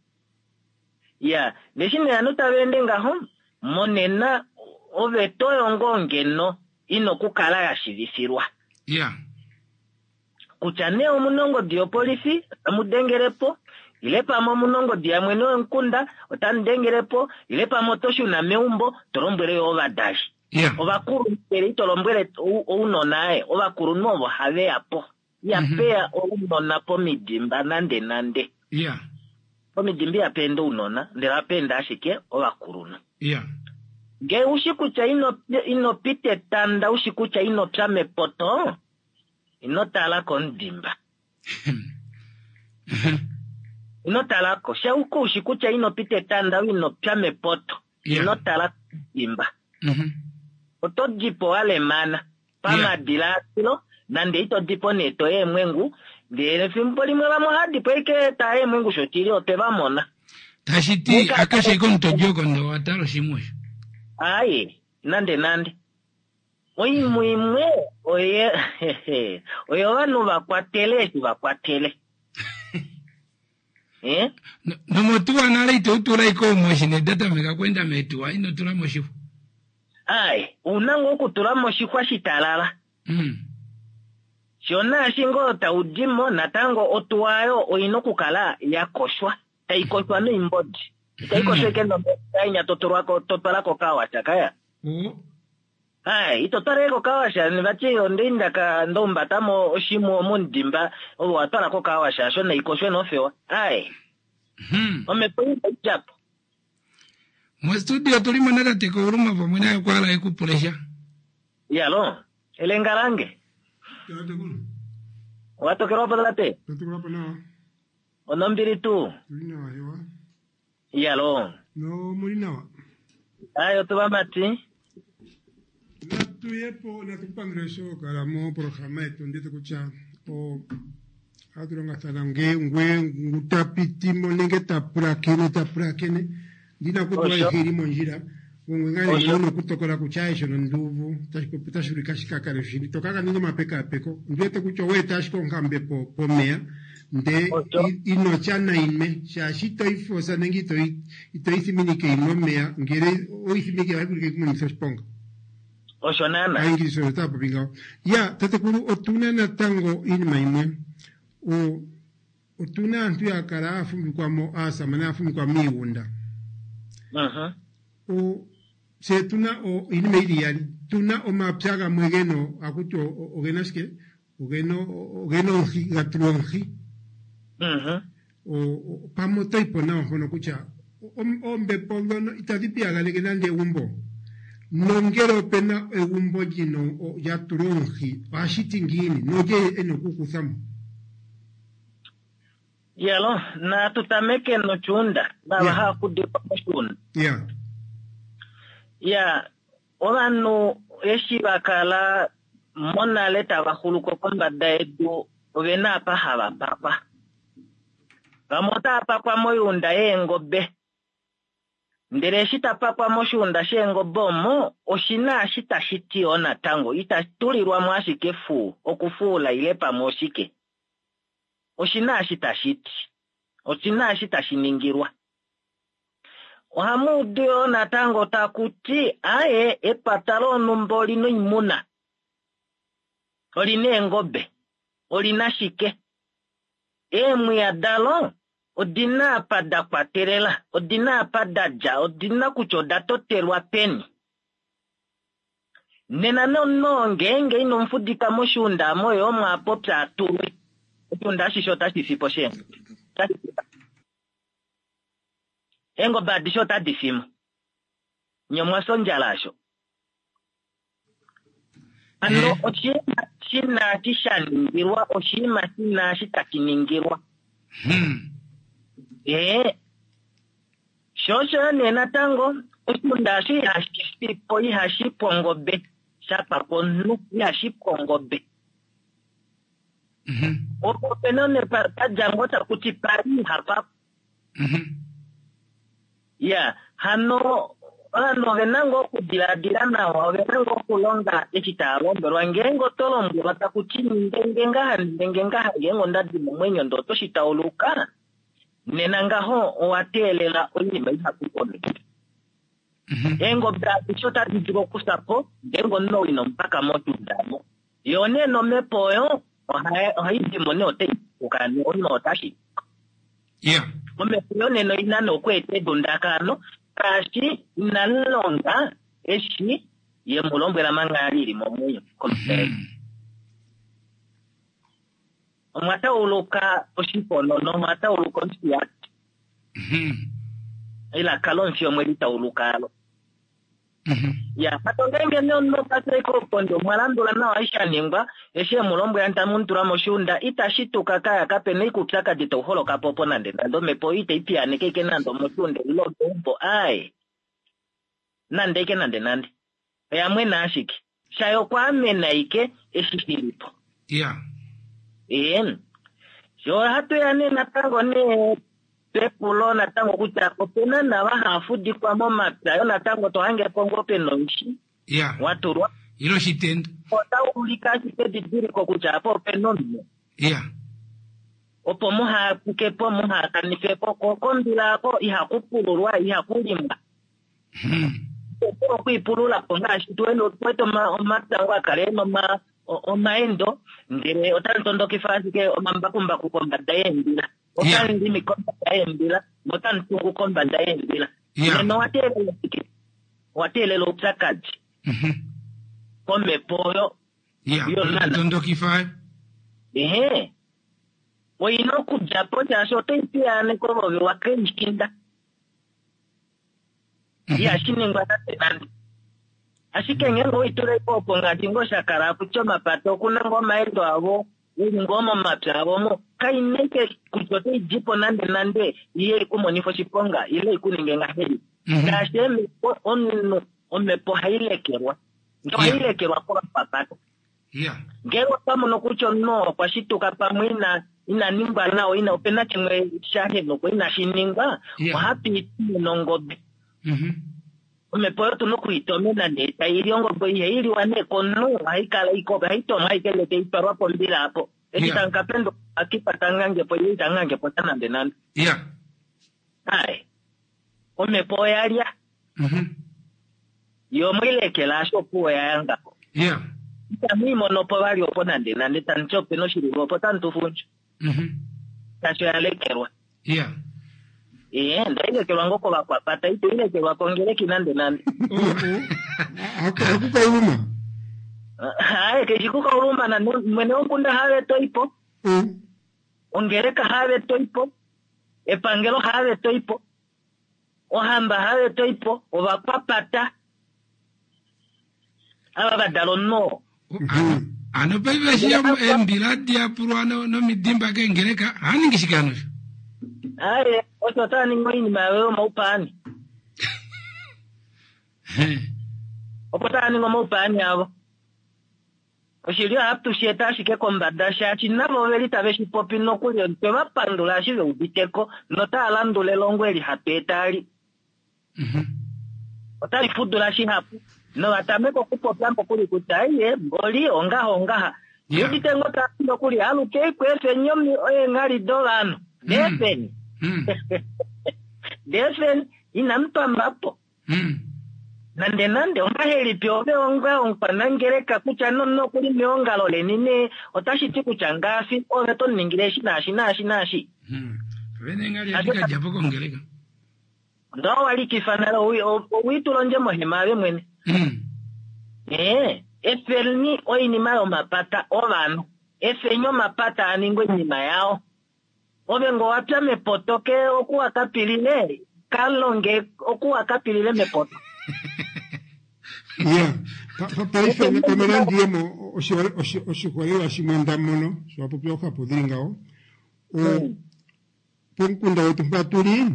Ya, neshi nee ovanhu tava ende ngaho, monena oveta oyo ngoo ngeno ina okukala ya shivifilwa. Ya. Kutya nee omuna ongodi yopolifi, otamu dengele po, ile pamwe omuna ongodi yamwene womukunda, otamu dengele po, ile pamwe oto shuna meumbo, to lombwele yo ovadali. Yeah. Ovakulunhu ndele ito lombwele ounona aye, ovakulunhu ovo have ya po. Ihape ya ounona pomidimba nande nande. Yeah. Pomidimba ihape ende ounona, ndele ohape ende ashike ovakulunhu. Yeah. Ngee ushi kutya ino, ino pita etanda, ushi kutya ino pya mepoto, ino tala komudimba. Ino tala ko. Shauka ushi kutya ino pita etanda, ino pya mepoto, ino tala komudimba. Oto di po wa lemana pamadilaadilo, nande ito di po nee to eemwengu, ndele efimbo limwe vamwe ohava di po ashike taa eemwengu shoshili otwe va mona. Tashi ti akeshe ike omuntu odi oko ndee owa tala oshimwe osho. Aaye, nande nande. Oimhu imwe oye oyo ovanhu va kwatele eshi va kwatele. Eh? Nomotuwa nale ito tula ike omo eshi nee da tameka okweenda meetuwa ino tula moshixwa. Aye, ouna ngoo okutula moshixwa shitalala. Sho naashi ngoo tau di mo natango otuwa oyo oina okukala ya koshwa, tai koshwa noimbodi. Itai koshwa ike nomeva enya to tulwa ko to twala kokawasha kaya. Aye, ito twala ike kokawasha vati onda ndaka nda umbata mo oshimhu omomudimba ove wa twala kokawasha asho nai koshwe nofewa. Aye. Omhepo inai dja po. Mostudio otuli mo natate Kauluma pamwe naye okwa hala eku pule sha. Iyalo, elenga lange. Owa tokelwa po tate? Tokelwa po nawa. Onombili tuu? Tuli nawa hewa. Iyalo. No muli nawa. Ayo tuvamati. Natu ye po natu kupandule sho kala mo programa yetu ndete kutya o ohatu longathana nge ngwe ngu ta piti mo nenge ta pulakene ta pulakene ndina kutula Osho. ayihe ili mondjila ngwe ngaa Osho. una okutokola kutya aye shono nduuvu tashi popi otashi ulike ashike a kale oshili to kaka ninga omapekaapeko ondi wete kutya owa eta ashike onkambe po pomeya nde inotya nainwe shaashi ito yi fosa nenge ito yi ito yi thiminike yinwe omeya ngele oyi thiminike ohayi vulika ikumonithe oshiponga Osho naana. Aaingilisa osho taya popi ngawo. Ya, tatekulu, otu na natango iinima yimwe. O, otu na aantu ya kala haya fumvikwa mo, aasamane haya fumvikwa miigunda. O, tse otu na o, iinima yi li iyali. Tu na omapya gamwe ge na, haku ti oge na shike? Oge na, oge na omuhi, ga tulwa omuhi. O, o, pamwe oto yi po nawa mpono kutya oombepo ndhono itadhi piyaganeke nande egumbo. Nongele ope na egumbo li na lya tulwa omuhi, ohashi ti ngiini nolye e na oku kutha mo? Iyalo, natu tameke nochuunda, nava hava kudikwa moshuunda. Ya. Ya, ovanhu eshi va kala monale tava xuluko kombada yedu, ove na apa hava pakwa. Vamwe otava pakwa moyuunda yeengobe. Ndele eshi ta pakwa moshuunda sheengobe omo, oshi na eshi tashi ti yoo natango. Ita tulilwa mo ashike fuu, okufuula ile pamwe oshike. Oshi na eshi tashi ti. Oshi na eshi tashi ningilwa. Ohamu udu yoo natango taku ti, aye, epata lonhumba oli na oimuna. Oli na eengobe. Oli na shike? Eemwiya dalo odi na apa da kwatelela, odi na apa da dja, odi na kutya oda totelwa peni. Nena nomunhu oo ngeenge ino mu fudika moshuunda omo ye omo a popya a tulwe, oshuunda ashishe otashi fi po sheengobe. Eengobe adishe otadi fi mo. Nye omwa fya ondjala asho. Hano oshinima shi na eshi sha ningilwa, oshinima shi na eshi tashi ningilwa. Ee, sho osho yo nee natango, oshiunda osho ihashi fi po, ihashi pu ongobe, sha pakwa omunhu, ihashi pu ongobe. Opo ope na nee pa dja ngoo taku ti pali ihapa. Ya, hano ovanhu ove na ngoo okudiladila nawa, ove na ngoo okulonga eshi tava lombwelwa. Ngeenge oto lombwelwa taku ti ninge nge ngaha, ninge nge ngaha, ngeenge onda di momwenyo ndee oto shi tauluka, nena ngaho owa teelela oinima ihapu komesho. Eengobe adishe otadi dulu okufya po ngeenge omunhu ou ino mu paka motunda mo. Yo nee nomhepo oyo ohai di mo nee otai tukuka nee omunhu otashi. Omhepo oyo nena oi na nee okweeta edundakano shaashi ina longa eshi ye mu lombwela manga a li li momwenyo kombada yedu. Omwa tauluka oshiponono, omwa tauluka omufiyati. Elaka lomufi omwe li tauluka alo. Ya, hano ngeenge nee omunhu okwa tya ashike oponde, omwa landula nawa eshi sha ningwa, eshi e mu lombwela tamu mu tula moshiunda, ita shituka kaya, kape na ashike oupyakadi tau holoka po opo nande nande, omhepo oyo itai piyaaneke ashike nande omoshiunda ile omeumbo, aaye, nande ashike nande nande. Oya mwena ashike. Shaye okwaamena ashike eshi shi li po. Ya. Ee. Sho ohatu ya nee natango nee pepulo natango kutya ope na nava hava fudikwa momapya yo natango to hange po ngoo pe na omushi Ya. wa tulwa. Ile oshitendo. Otau ulike ashike edidiliko kutya apa ope na omunhu. Ya. Opo muha puke po, muha kanife po, ko kombila ako ihaku pululwa, ihaku limwa. Opo okwiipulula po ngaashi tu wete omapya ngo a kale e na omaendo, ndele otamu tondokifa ashike omambakumbaku kombada yeembila. Otamu limi kombada yeembila notamu tungu kombada yeembila. Nena owa teelela shike? Owa teelela oupyakadi komhepo oyo yonana. Tondokifa. Ehe. Oi na okudja po shaashi otai piyaaneke ovo ve wa keishinda. Ihashi ningwa nande nande. Ashike ngeenge owei tula po opo ngaashi ngoo sha kala kutya omapata oku na ngoo omaendo avo, e li ngoo momapya avo omo, kai na ashike kutya otai di po nande nande iye i ku monife oshiponga ile i ku ninge ngahelipi. Ngaashi eemhepo, omunhu omhepo ohai lekelwa. Ndee ohai lekelwa kovakwapata. Ngeenge otwa mono kutya omunhu oo okwa shituka pamwe ina ina ningwa nawa, ina ope na shimwe sha henukwa inashi ningwa, ohatu i tumine ongobe. Omhepo oyo otu na oku i tomena nee tai li ongobe. Ihai liwa nee komunhu, ohai kala ike ohai tomwa ashike ndele tai twalwa pombila apo. Eshi tamu ka penduka omakipa ta ngange po ile ita ngange po sha nande nande. Ai, omhepo oya lya. Yo omwe i lekela ashike opuwo oya ya ngaho. Itamu i mono po vali opo nande nande, tamu ti ope na oshililo opo tamu tu fundju. Shaashi oya lekelwa. Ee, ndele oya lekelwa ngoo kovakwapata, itai lekelwa kongeleki nande nande. Hakukauluma. Aye, keshi kukauluma nande, mwene womukunda haave to i po. Ongeleka haave to i po. Epangelo haave to i po. Ohamba hayo to i po, ovakwapata ava va dala omunhu oo. Hano paife eshi eembila diyapulwa nomidimba keengeleka, ohava ningi shike hano osho? Aye, osho otava ningi oinima yavo yomaupaani. Opo tava ningi omaupaani avo. Oshili ohatu shi eta ashike kombada shaashi navo oveli tave shi popi nokuli otwe va pandula eshi ve udite ko notava landula elongo eli hatu eta ali. Otali fudula shihapu nova tameka okupopya nokuli kutya aiye mboli ongaha ongaha. Ndi udite ngoo tava ti nokuli alukei kweefeni eenghali dovanhu. Deefeni. Deefeni inamu pamba po. Nande nande, ongahelipi ove onga omukwanangeleka kutya nomunhu oku li meongalo leni nee otashi ti kutya ngaashi ove to mu ningile eshi naashi naashi naashi? Vene ngali adi ka dja po kongeleka. Onda owa likifa nale, owi itula ondje mohema ave mwene. Ee, efeni oinima yomapata ovanhu. Efeni omapata a ninge oinima yao. Ove ngo wa pya mepoto ke oku wa ka pilile, ka longe oku wa ka pilile mepoto. Ya, paife pamwe nandi ye mo oshiholelwa shimwe nda mono sho wa popi oohapu dhili ngawo. Pomukunda wetu mpa tu li,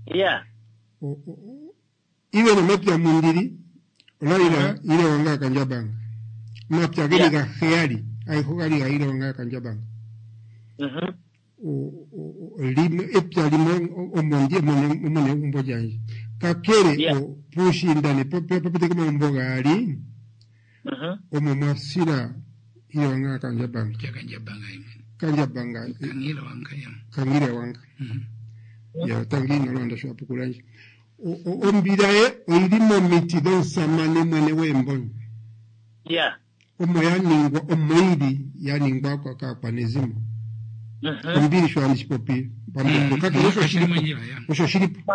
Ya. Ive nomapya mundili ola li la ilewa ngaa kandjabanga. Omapya geli gaheyali ayehe ogali ga ilewa ngaa kandjabanga. Limwe epya limwe omo ndi omo negumbo lyandje kakele puushiinda ne popete komagumbo gaali omo mwa sila Hilewanga Kandjabanga. Kandjabanga. Kangile Wanga. Ya tangi Nalwanda sho a pukula ndje. Ombila ye oyili momiti dhomusamane mwene gweembonyo. Ya. Omo ya ningwa, omo yili ya ningwa kaakwanezimo. Ombili sho handi shi popi pambepo. Kakele osho shi li po. Osho shi li po.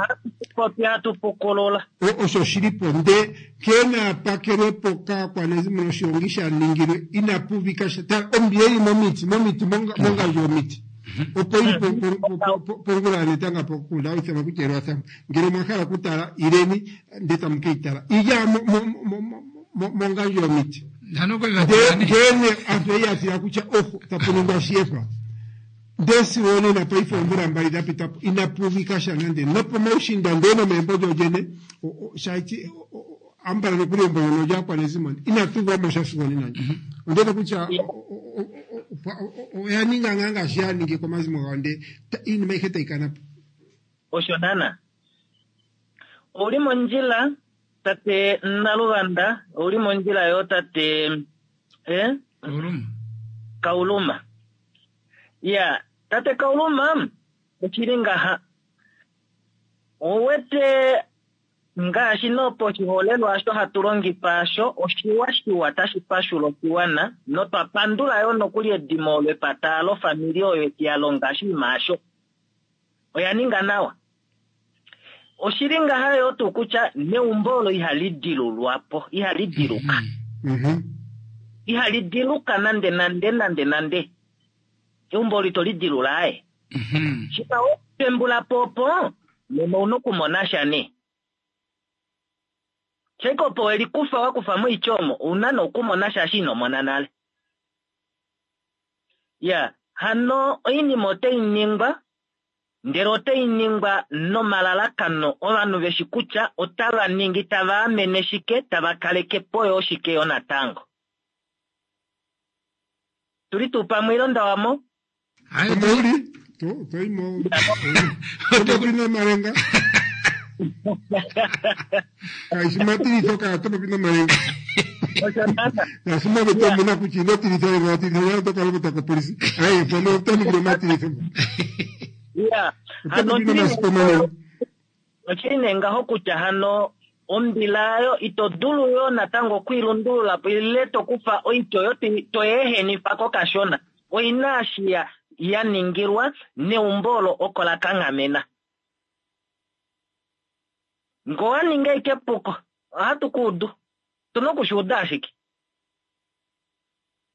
Popi hatu pukolola. Osho shi li po. Nde nkene a pakelwe po kaakwanezimo noshigongi sha ningilwe inapu uvika sha. Tala, ombila yi li momiti, momiti, mongandjo yomiti. Opo yi li pongula yanetanga pokunda hawu ithanwa kutya Elwathanga. Ngele omwa hala okutala, ileni ndele tamu ke yi tala. Yi li mongandjo yomiti. Ndele aantu oya ya tila kutya oho tapu ningwa oshiyefa. Ndele sigo onena paife oomvula mbali dha pita po inapu uvika sha nande nopomaushinda ndele nomeembo lyolyene shaashi ambala nokuli embo lyono lyaakwanezimo inatu uva mo sha sigo onena ndji. Ondele kutya oya ninga ngaa ngaashi ya ningi komazimo gawo ndele iinima ayihe tayi kana po. Osho naana. Ouli mondjila Tate Naluvanda, ouli mondjila yo tate eh? Kauluma. Kauluma. Ya, tate Kauluma, oshili ngaha. Owete ngaashi noposhiholelwa osho hatu longifa osho oshiwa shiwa tashi pashula oshiwana notwa pandula yo nokuli edimo olo epata lofamili oyo eshi ya longa oshinima osho. Oya ninga nawa. Oshili ngaha yo tuu kutya neumbo olo ihali dilulwa po, ihali diluka. Ihali diluka nande nande nande nande. Eumbo olo ito li dilula aye. Shika we pembula po opo, nena ouna okumona sha nee. Shike opo we li kufa wa kufa moitya omo, ouna nee okumona sha eshi ino mona nale. Ya, hano oinima otai ningwa ndele otai ningwa nomalalakano ovanhu ve shi kutya otava ningi tava amene shike, tava kaleke po yo shike yo natango. Tu li tuu pamwe ile onda wa mo? Omo u li, to i mo. Oto popi nomalenga. Kaishi matilitho kaa to popi nomalenga. Ngaashi maveta omu na kutya ino tilitha lela wa tilitha lela oto ka lopota kopolisi. Aye, mpono oto ningile omatilitho. Ya, Oto hano popi nomasiku omanene. Oshili nee ngaho kutya hano ombila oyo ito dulu yoo natango okwiilundulula po ile to kufa oitya oyo to yeehenifa ko kashona. Oi na eshi ya ya ningilwa neumbo olo oko la kanghamena. Ngee owa ninga ashike epuko, ohatu ku udu. Otu na oku shi uda ashike.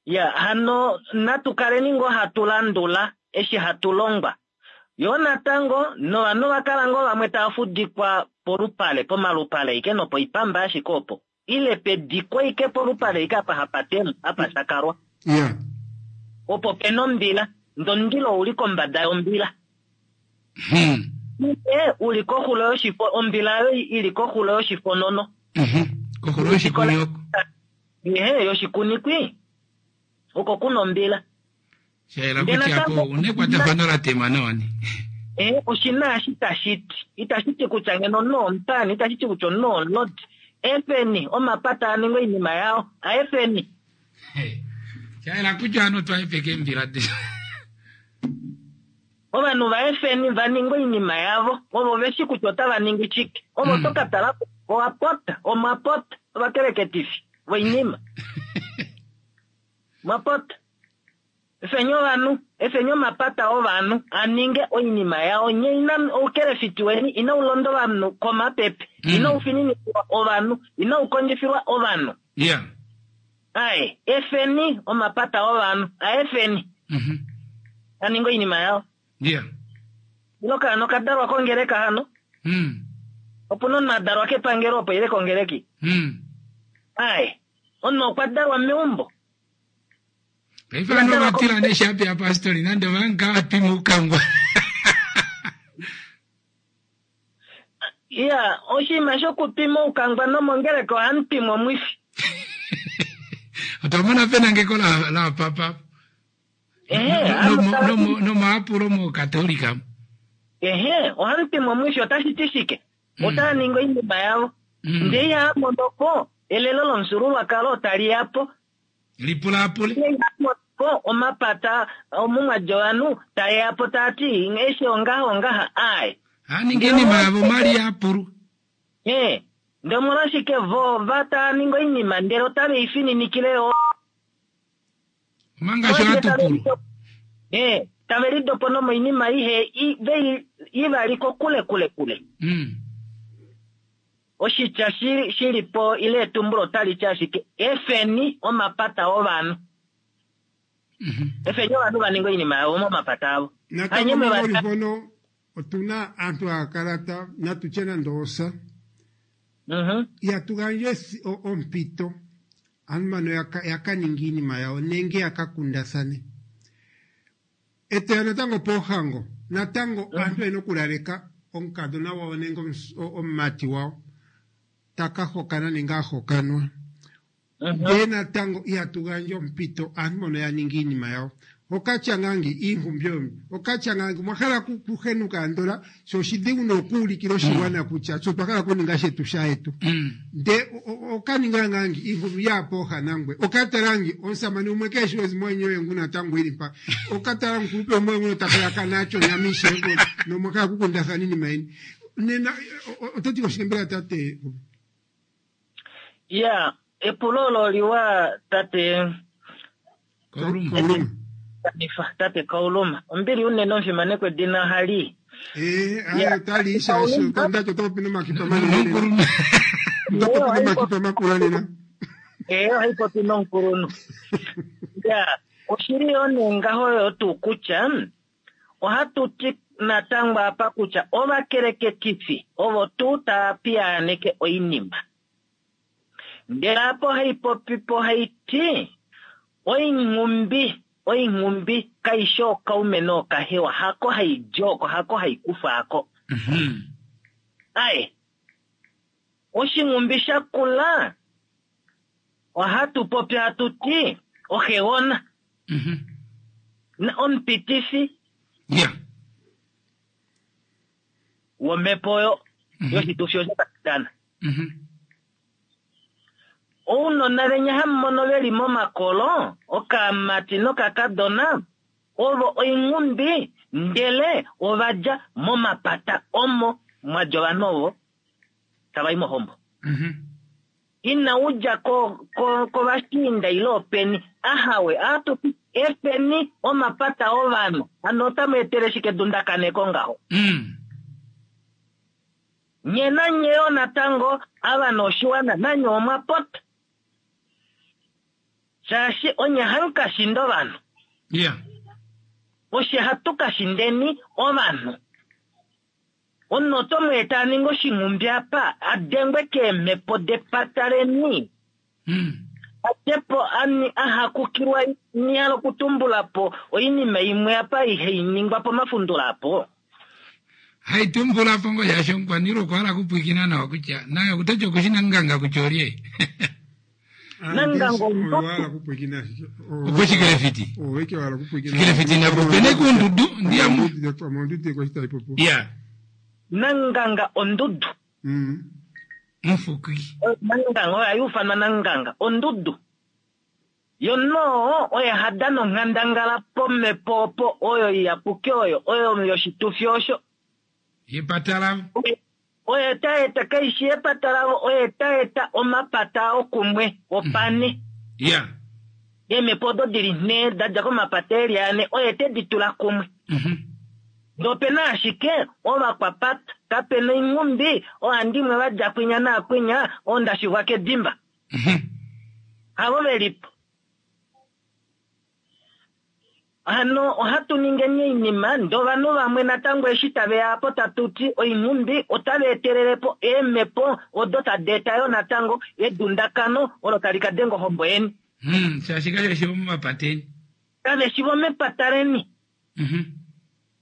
Ya, hano natu kaleni ngoo hatu landula eshi hatu longwa. Yoo natango, novanhu ova kala ngoo vamwe tava fudikwa polupale, pomalupale ashike nopoipamba ashike opo, ile pediko ashike polupale ashike apa hapa temwa, apa shakalwa. Ya. Opo pe na ombila, ndee omundilo ou li kombada yombila. Ile u li koxulo yoshifo, ombila oyo i li koxulo yoshifonono. Koxulo yoshikuni oko. Ehe, yoshikunikwi oko kuna ombila. Sha yela kutya apo una ekwatafano la tema nawa ne. Eh, oshina eshi tashi ti. Itashi ti kutya ngeno omunhu omupaani, itashi ti kutya omunhu omulodi. Efeni omapata a ninge oinima yao. A efeni. Sha yela kutya ovanhu otwa hepeka eembila detu. Ovanhu va efeni va ninge oinima yavo. Ovo ve shi kutya otava ningi shike. Ovo to ka tala ko, owa pota, omwa pota, ovakeleketifi voinima. Mwa pota. Efeni ovanhu, efeni omapata ovanhu a ninge oinima yao. Nye ina, oukelefiti weni inau londa ovanhu komapepe. Inau fininikilwa ovanhu. Inau kondjifilwa ovanhu. Yeah. Ae, efeni omapata ovanhu, a efeni a ninge oinima yao. Yeah. Ile okaana oka dalwa kongeleka hano? Opu na omunhu a dalwa kepangelo opo ile kongeleki? Ae, omunhu okwa dalwa meumbo. Paife ovanhu ova tila neshapi yapastori nande ova nga twima oukangwa. Ya, oshinima shokutwima oukangwa nomongeleka ohamu twimwa omwifi. Otwa mona penangeko la, la papa. Ehe, Nomaapulo mokatolika. Ehe, ohamutima omwifi otashi ti shike? Otava ningi oinima yavo. Ndee ihava mono po elelo lomufyuululwakalo tali ya po. Lipulaapule. Ndee ihava mono po omapata omumwadji ovanhu tae ya po taa ti eshi ongaha ongaha aaye. Haningi oinima yavo mali yapulu. Ee, ndee omolwashike vo va taa ningi oinima ndele otave i fininikile yo. Omanga sho hatu pulu. Ee, tave lidopo nomoinima ihe i, ve i vali kokule kule kule. Oshitya shi, shi li po ile etumbulo otali ti ashike efeni omapata ovanhu. Efeni ovanhu va ninge oinima yavo momapata avo. Natango Hanye mwe va mongoli mpono otuna aantu haya kala ta natu tye nande osa. Ihatu gandja esi- o- ompito aantu mbano ya ya ka ninge iinima yawo nenge ya ka kundathane. Etoya natango poohango, natango aantu oyena okulaleka omukadhona gwawo nenge omumati gwawo ta ka hokana nenge a hokanwa. Ndee natango ihatu gandja ompito aantu mbono ya ninge iinima yawo. Okatya ngaa ngi, iinkumbi oyo mbi. Okatya ngaa ngi, omwa hala oku, okuhenuka andola, sho oshidhigu nokuulikila oshigwana kutya tse otwa hala okuninga shetu shayetu. Nde oka ninga ngaa ngi, iinkumbi yaa pooha nangwe. Oka tala ngi, omusamane umwe kee shi ezimo enye oye ngu natango e li mpa. Oka tala omukulupe umwe oye nguno ta kala nacho onyama ishewe, nomwa hala okukundathana iinima yeni. Nena, oto ti ko shike mbela tate? Ya, epulo olo oliwa tate Kauluma. Tate Kauluma. Ombili unene omufimanekwa edina ohali. Eh, aye otali shaashi ndacho oto popi nomakipa manene nena. Oto popi nomakipa makula nena. Eh, ohai popi nomukulunhu. Ya, oshili yo nee ngaho yo tuu kutya ohatu ti natango apa kutya ovakeleketifi ovo tuu tava piyaaneke oinima. Ndele apa ohai popi po hai ti, Oinghumbi, oinghumbi kai shi ookaume nookahewa, hako hai di oko, hako hai kufwa ako. Aye, oshinghumbi sha kula ohatu popi hatu ti oxegona. Na omupitifi womhepo oyo yoshitufi osho tashi dana. Ounona venya hamu mono ve li momakolo, okamati nokakadona, ovo oinghumbi ndele ova dja momapata omo mwa dja ovanhu ovo tava i mohombo. Ina u dja ko, ko, kovashiinda ile openi. Ahawe, ohatu ti efeni omapata ovanhu. Hano otamu etele shike edundakaneko ngaho? Nye nanye yo natango, ava noshiwana, nanye omwa pota. Shaashi onye hamu ka shinda ovanhu. Yeah. Oshe hatu ka shindeni ovanhu. Omunhu oto mu eta a ninge oshinghumbi apa, a dengwe keemhepo depata leni. A dje po a hakukilwa, ni hala okutumbula po oinima imwe apa ihai ningwa pomafundula apo. Hai tumbula po ngoo shaashi omukwaniilwa okwa hala okupwiikina nawa kutya naye okutoti oku shi Nanganga kutya olye. Nanganga Opo shikelefiti. Shikelefiti napopene kuundudu ndiya mu. Ya. Nanganga ondudu. Mufuki. Nanganga oyo hayi ufanwa Nanganga ondudu. Yo noo oye ha dana onghandangala pomhepo opo oyo iyapuki oyo oyo yoshitufi osho. Yepata lavo. Oye ta eta, kai shi yepata lavo, oye ta eta omapata ao kumwe, opane. Ya. Eemhepo odo di li nhee da dja komapata e li ane, oye te di tula kumwe. Ndee ope na ashike ovakwapata, kape na oinghumbi, oohandimwe va dja kwinya naakwinya, oondashivwa kedimba. Havo ve li po. Hano ohatu ningeni oinima ndee ovanhu vamwe natango eshi tave ya apo tatu ti oinghumbi otava etelele po eemhepo odo tadi eta yo natango edundakano olo tali ka denga ohombo yeni. Shaashi kave shi vomomapata eni. Kave shi vomepata leni.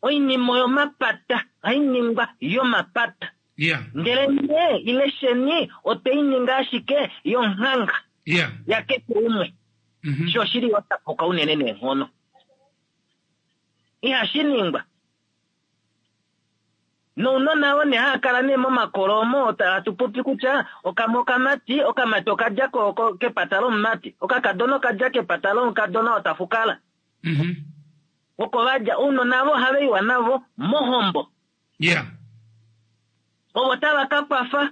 Oinima oyomapata, ohai ningwa yomapata. Ndele nye ile sheni otwe i ninga ashike yonghanga yakeshe umwe. Sho oshili yo sha puka unene neenghono. Ihashi ningwa. Nounona oo nee haa kala nee momakolo omo hatu popi kutya okamwe okamati, okamati okadja kepata lomumati, okakadona okadja kepata lomukadona oo ta fukala. Oko va dja. Ounona avo ohava iwa navo mohombo. Yeah. Ovo tava ka kwafa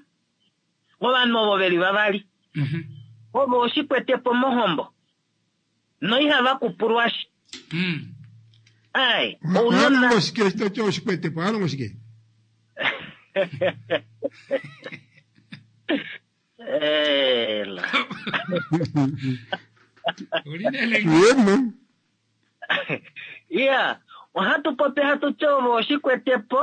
ovanhu ovo ve li vavali. Ovo oshikwetepo mohombo. Noihava kupulwashi. Ai, ounona. Oha longo shike eshi to ti oshikwetepo? Oha longo shike? Ela. Yemo. Iya, ohatu popi hatu ti ovo oshikwetepo,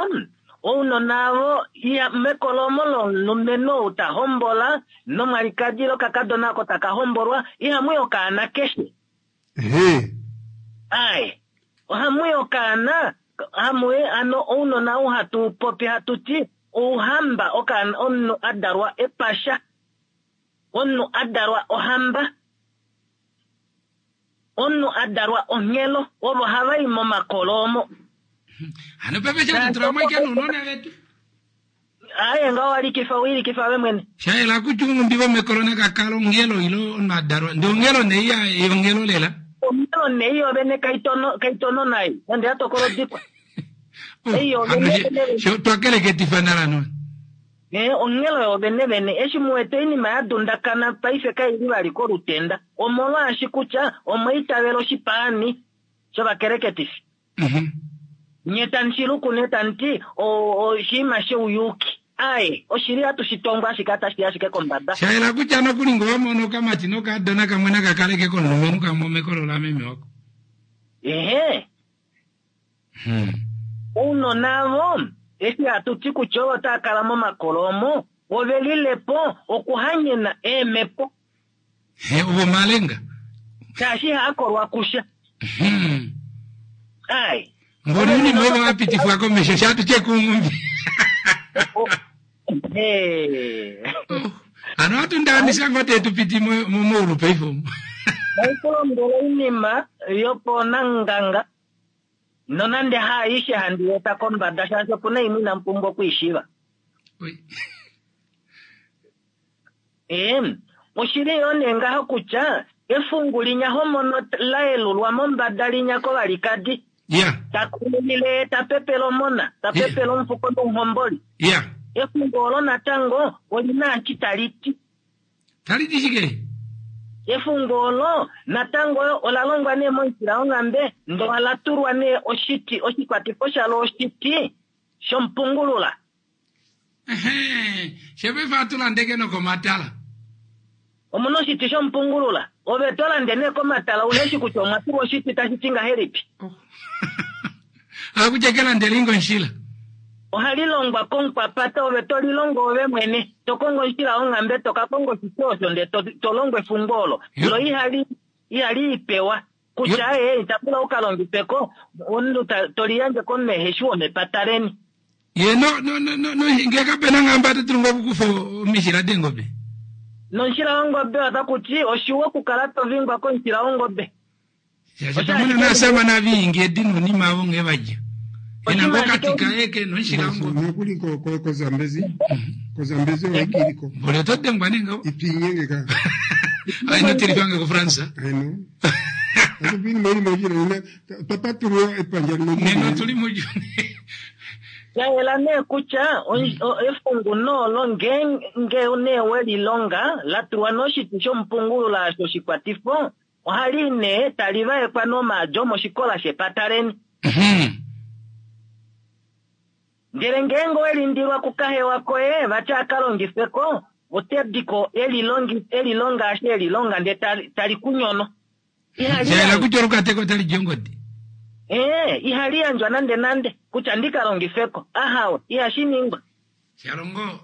ounona avo iya mekolomo lomulumenhu ou ta hombola nomwalikadi ile okakadona oko taka hombolwa, ihamu i okaana keshe. Ehe. Ai, ohamu i okaana, hamu i ano ounona ou hatu popi hatu ti ouhamba, okaana omunhu a dalwa epasha, omunhu a dalwa ohamba. Omunhu a dalwa onghelo, ovo hava i momakolo omo. Hano paife sha tu tula mo ashike nounona vetu. Aaye ngaho wa likifa, we likifa ove mwene. Sha yela kutya ounghumbi vomekolo naka kala onghelo ile omunhu a dalwa. Ndee onghelo nee iya onghelo lela. Onghelo nee iyo vene kaitono kaitono nai, nande ya tokola odikwa. Oh, Ei yo hano vene she- vene. she twa keleketifa nala no. Eh, onghelo yo vene vene eshi mu wete oinima ya dundakana paife kai li vali kolutenda omolwaashi kutya omwa itavela oshipaani shovakeleketifi. Nye tamu shi luku nee tamu ti oshinima shouyuki. Aaye, oshili hatu shi tongo ashike otashi i ashike kombada. Sha yela kutya nokuli ngee owa mono okamati nokaadona kamwe naka kaleke komulumenhu kamwe omekolo lameme wako. Ehe. Ounona avo eshi hatu ti kutya ovo tava kala momakolo omo ove lile po okuhanyena eemhepo. He, ovo omalenga. Shaashi ihaa kolwa kusha. Ai. Ngoli unima ovo va pitifwa komesho sha tu tye kuungumbi. Hano ohatu ndaanisa ngoo tee tu piti momaulu paife omu. Naiku lombwela oinima yoponanganga nonande haaishe handi eta kombada shaashi opu na imwe inamu pumbwa okwiishiiva. Ee, oshili yoo nee ngaho kutya efungu linya homono la yelulwa mombada linya kovalikadi. Ta kululile ta pepele omona, ta pepele omufuko nomuhomboli. Efungu olo natango oli na eshi tali ti. Tali ti shike? Efungu olo natango ola longwa nee momushila wonghambe ndele ola tulwa nee oshiti, oshikwatifo shalo oshiti shomupungulula. Ehe, shepaife ohatu lande ke nokomatala. Omuna oshiti shomupungulula. Ove to lande nee komatala uhe shi kutya omwa tulwa oshiti tashi ti ngahelipi. Akutya ke landele inga onshila. Ohali longwa komukwapata, ove to lilongo ove mwene. To kongo omushila wonghambe, to ka konga oshiti osho ndee to longo efungo olo. Lo ihali, ihali ipewa. Kutya ee, ita pula u ka longife ko, omunhu to liyandje komunhu ehe shi womepata leni. Ye no, no, no, no, no, ngee kape na nghambe ota dulu ngoo okukufa omishila deengobe? Nomushila wongobe otaku ti oshiwa okukala to vingwa komushila wongobe. Shaashi pamwe naasama naviingi edi nounima avo nghee va dja. Ena ngoo okati kaye ke nomushila wongobe. Nokuli koZambezi, koZambezi oikiliko. Mboli oto dengwa nee ngaho. Itwiinyenge ka. Ai ino tilifange kuFrance. Aino. Atu pini meli mojira ina twa patulula epandja limwe. Nena otu li muJuni. Sha yela nee kutya efungu noolo ngeenge nee we lilonga la tulwa noshiti shomupungulula osho shikwatifo, ohali nee tali vaekwa nomaadi omoshikola shepata leni. Ndele ngeenge owe lindilwa kukahewa koye vati a ka longife ko, ote di ko e lilonga eshi e lilonga ndele tali ku nyono. Ihali Sha yela yandjwa. kutya olukateko otali di ongodi. Ee, ihali yandjwa nande nande kutya ndi ka longife ko. Ahawe, ihashi ningwa. Shalongo,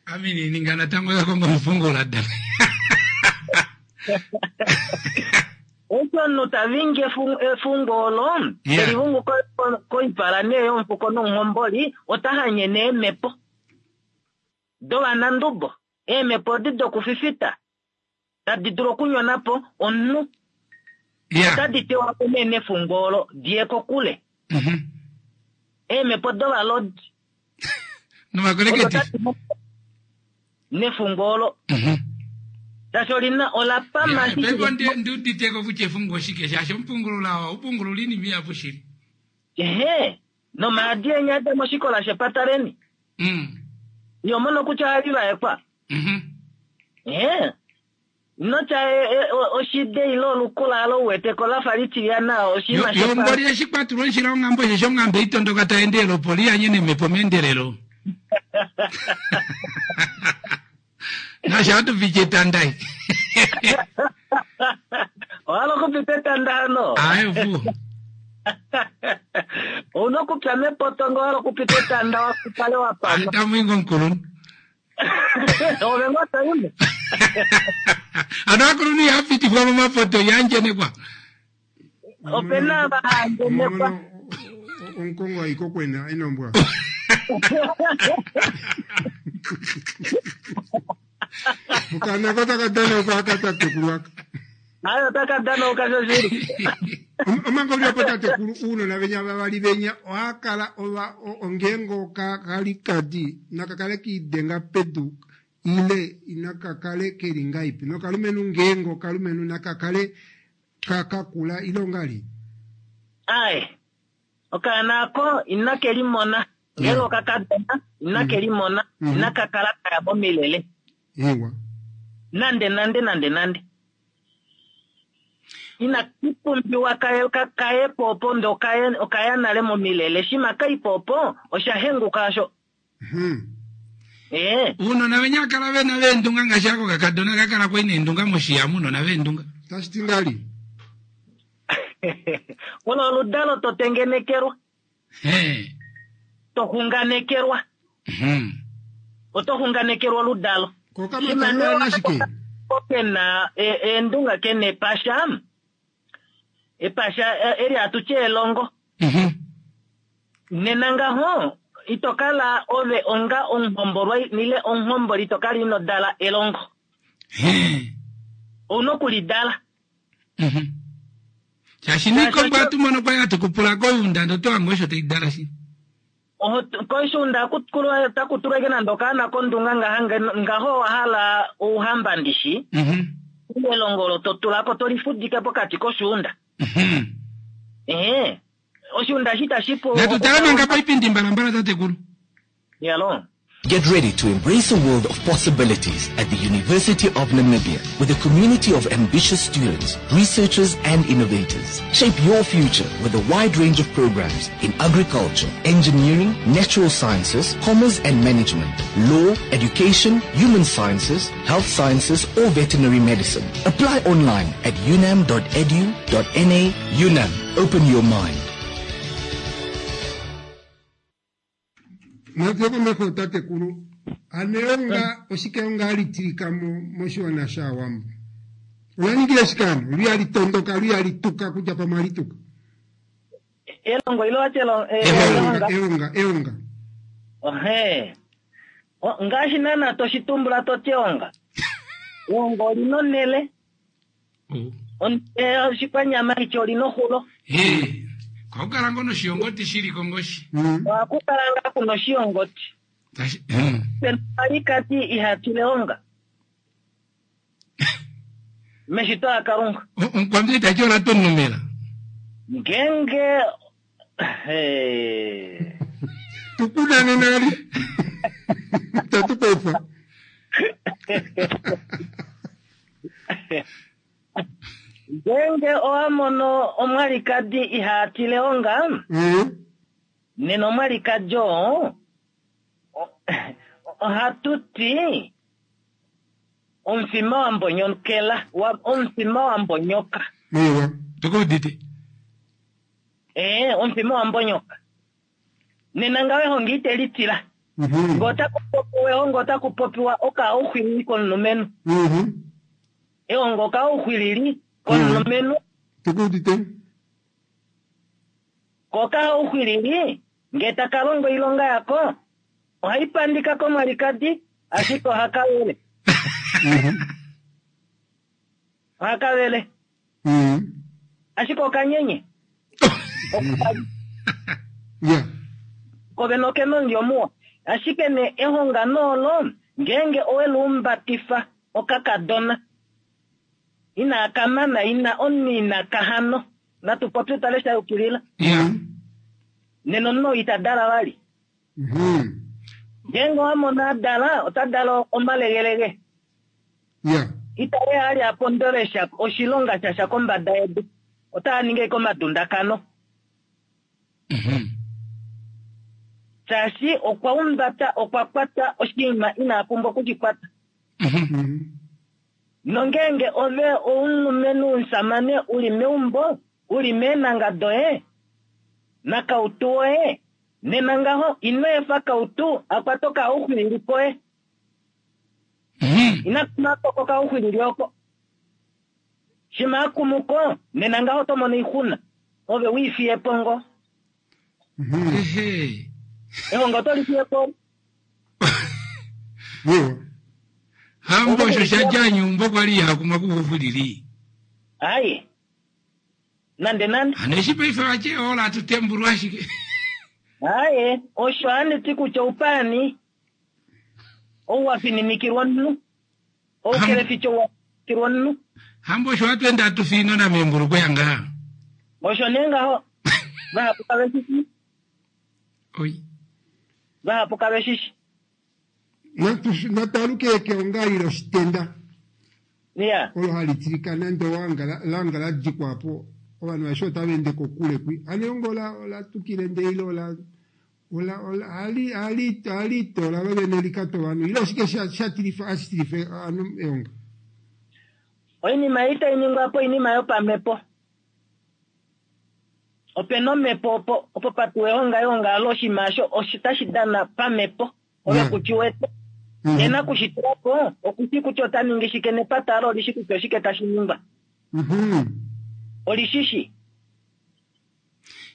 ame inandi ninga natango ya konga omufungula da. Eshi omunhu ta vingi efungo olo, te li vungu koipala nee yomufuko nomuhomboli, ota hanyene eemhepo dovanandubo, eemhepo odi dokufifita, tadi dulu okunyona po omunhu. Otadi tewa po nee nefungo olo, di ye kokule. Eemhepo dovalodi. Novakoleketi. Nefungo olo. Shaashi olina ola pama shi. Paife ndi uditeko kutya efungo oshike shaashi omupungulula oo upungulula iinima ihapu shili. Ehe, nomaadi enya ada moshikola shepata leni. Iho mono kutya ohali vaekwa. Ehe. Notya oshide ile olukula alo u wete ko lafa litilyana oshinima shepa. Yo mboli eshi kwa tulwa omushila wonghambe osheshi onghambe itondoka tai endelele opo li anye nemhepo meendelelo. Nasho ohatu piti etanda ei. Owa hala okupita etanda hano? Aye opuwo. Ouna okupya mepoto ngee owa hala okupita etanda wa kale wa pama. Tamu ingo omukulunhu. Ove ngoo to imo. Ano aakulunhu ihava pitifwa momapoto iha andjenekwa. Ope na ava ha andjenekwa. Omukongo ayi kokwena enombwa. Okaana ko taka danauka aka tatekulu aka. Ayo otaka danauka shoshili. Omanga uli opo tatekulu uunona venya vavali venya ohaa kala ova ongeenge okalikadi naka kale kiidenga pedu ile inaka kale keli ngaipi nokalumenhu ngeenge okalumenhu naka kale ka kakula ile ongali. Ae, okaana ako inake limona ngeenge okakadona inake limona inaka kala kaya momilele. Ewa. Nande nande nande nande. Ina pumbiwa kaye kaye po opo nde okaye okaya nale momilele shima kai po opo osha henguka osho. Ee. Uunona venya kala vena veendunga ngaashi ako kakadona ka kala kwai neendunga moshiya muunona veendunga. Tashi ti ngali? Olo oludalo to tengenekelwa. To xunganekelwa. Oto xunganekelwa oludalo. Ke na eendunga ke na epasha. Epasha eli hatu tye elongo. Nena ngaho ito kala ove onga omuhombolwa ile omuhomboli ito kala ino dala elongo. Ouna okulidala. Shaashi niikombo hatu mono kwali hatu kupula koyuunda ndee oto hange osho tai dala shi. Koishuunda otaku tulwa ashike nande okaana kondunga ngaha ngaho owa hala ouhamba ndishi. Elongo olo to tula ko to lifudike pokati koshuunda. Ehe. Oshuunda eshi itashi pu. Natu tale manga paipindi mbalambala tatekulu. Yalo. Get ready to embrace a world of possibilities at the University of Namibia with a community of ambitious students, researchers and innovators. Shape your future with a wide range of programs in agriculture, engineering, natural sciences, commerce and management, law, education, human sciences, health sciences or veterinary medicine. Apply online at unam.edu.na. UNAM, open your mind. Natu komeho tatekulu. Ano eonga oshike eonga hali tilika mo moshiwana shaawambo? Ola ningile shike ano? Lu hali tondoka, lu hali tuka kutya pamwe hali tuka. Elongo ile wati elonga? Eonga, eonga, eonga. Ohe. Ngaashi naana to shi tumbula to ti eonga. Eonga oli na onhele. Oshikwanyama ityo oli na oxulo. Ohaku kala ngoo noshiyongoti shi li ko ngoshi. Ohaku kala ngaa ku na oshiyongoti. Pena omwalikadi iha tile onga. Meshito laKalunga. Omukwambi ita ti ola tonumela. Ngeenge Tukunane nali. Tatupefa. Ngeenge owa mono omwalikadi ihaa tile onga, nena omwalikadi oo ohatu ti omufima wa mbonyokela, omufima wa mbonyoka. Tukuudite. Ee, omufima wa mbonyoka. Nena ngaho ehongo ite li tila. Ngee otaku popiwa ehongo otaku popiwa okaauxwilili komulumenhu. Ehongo okaauxwilili komulumenhu. Tukuudite. Ko okaauxwilili ngee taka longo oilonga yako ohai pandika komwalikadi ashike ohaka vele. Ohaka vele. Ashike okanyenye. Ya. Ko vene okena omulyo muwa. Ashike nee ehongano olo ngeenge owe luumbatifa okakadona inaa kamana ina omunhu ina kahano natu popye tale sha yukilila. Ya. Nena omunhu ita dala vali. Ngeenge owa mona a dala ota dala omalegelege. Ya. Ita ali a pondole sha oshilonga shasha kombada yedu. Ota ningi ashike omadundakano. Shaashi okwa umbata, okwa kwata oshinima ina pumbwa okushikwata. Nongeenge ove oumulumenhu omusamane u li meumbo, u li meenanga doye, nakautu woye, nena ngaho ino efa kautu a kwate okauxwilili koye. Ina kuma ko kokauxwilili oko. Shima a kumuko, nena ngaho oto mono oixuna. Ove u ifiye po ngo. Ehongo oto li fiye po. Hambo osho sha dja nyumbo kwa li iha kumwa kuuxwilili. Ai. Nande nande. Hano eshi paife vati ola atu tembulwa ashike. Aye, osho handi ti kutya oupaani ou wa fininikilwa omunhu. Oukeleficho wa fininikilwa omunhu. Hambo osho hatu ende hatu fiinona meembulukweya ngaha. Osho nee ngaho. Vahapu kave shi shi. Oi. Vahapu kave shi shi. Nataluke keonga ile oshitenda. Ya. Olo hali tilika nande owanga langa la dikwa po. Ovanhu aveshe otava ende kokule kwi. Hano eonga ola tukile nde ile ola ola ola hali hali hali tola lo vene likata ovanhu. Ile oshike sha tilifa, hashi tilifa ovanhu eonga? Oinima ei tai ningwa po oinima yopamhepo. Ope na omhepo opo patuwa eonga, eonga alo oshinima osho otashi dana pamhepo. Ove ku shi wete. Ye nakushitula po, oku shi kutya ota ningi shike nepata alo oli shi kutya oshike tashi ningwa. Oli shi shi.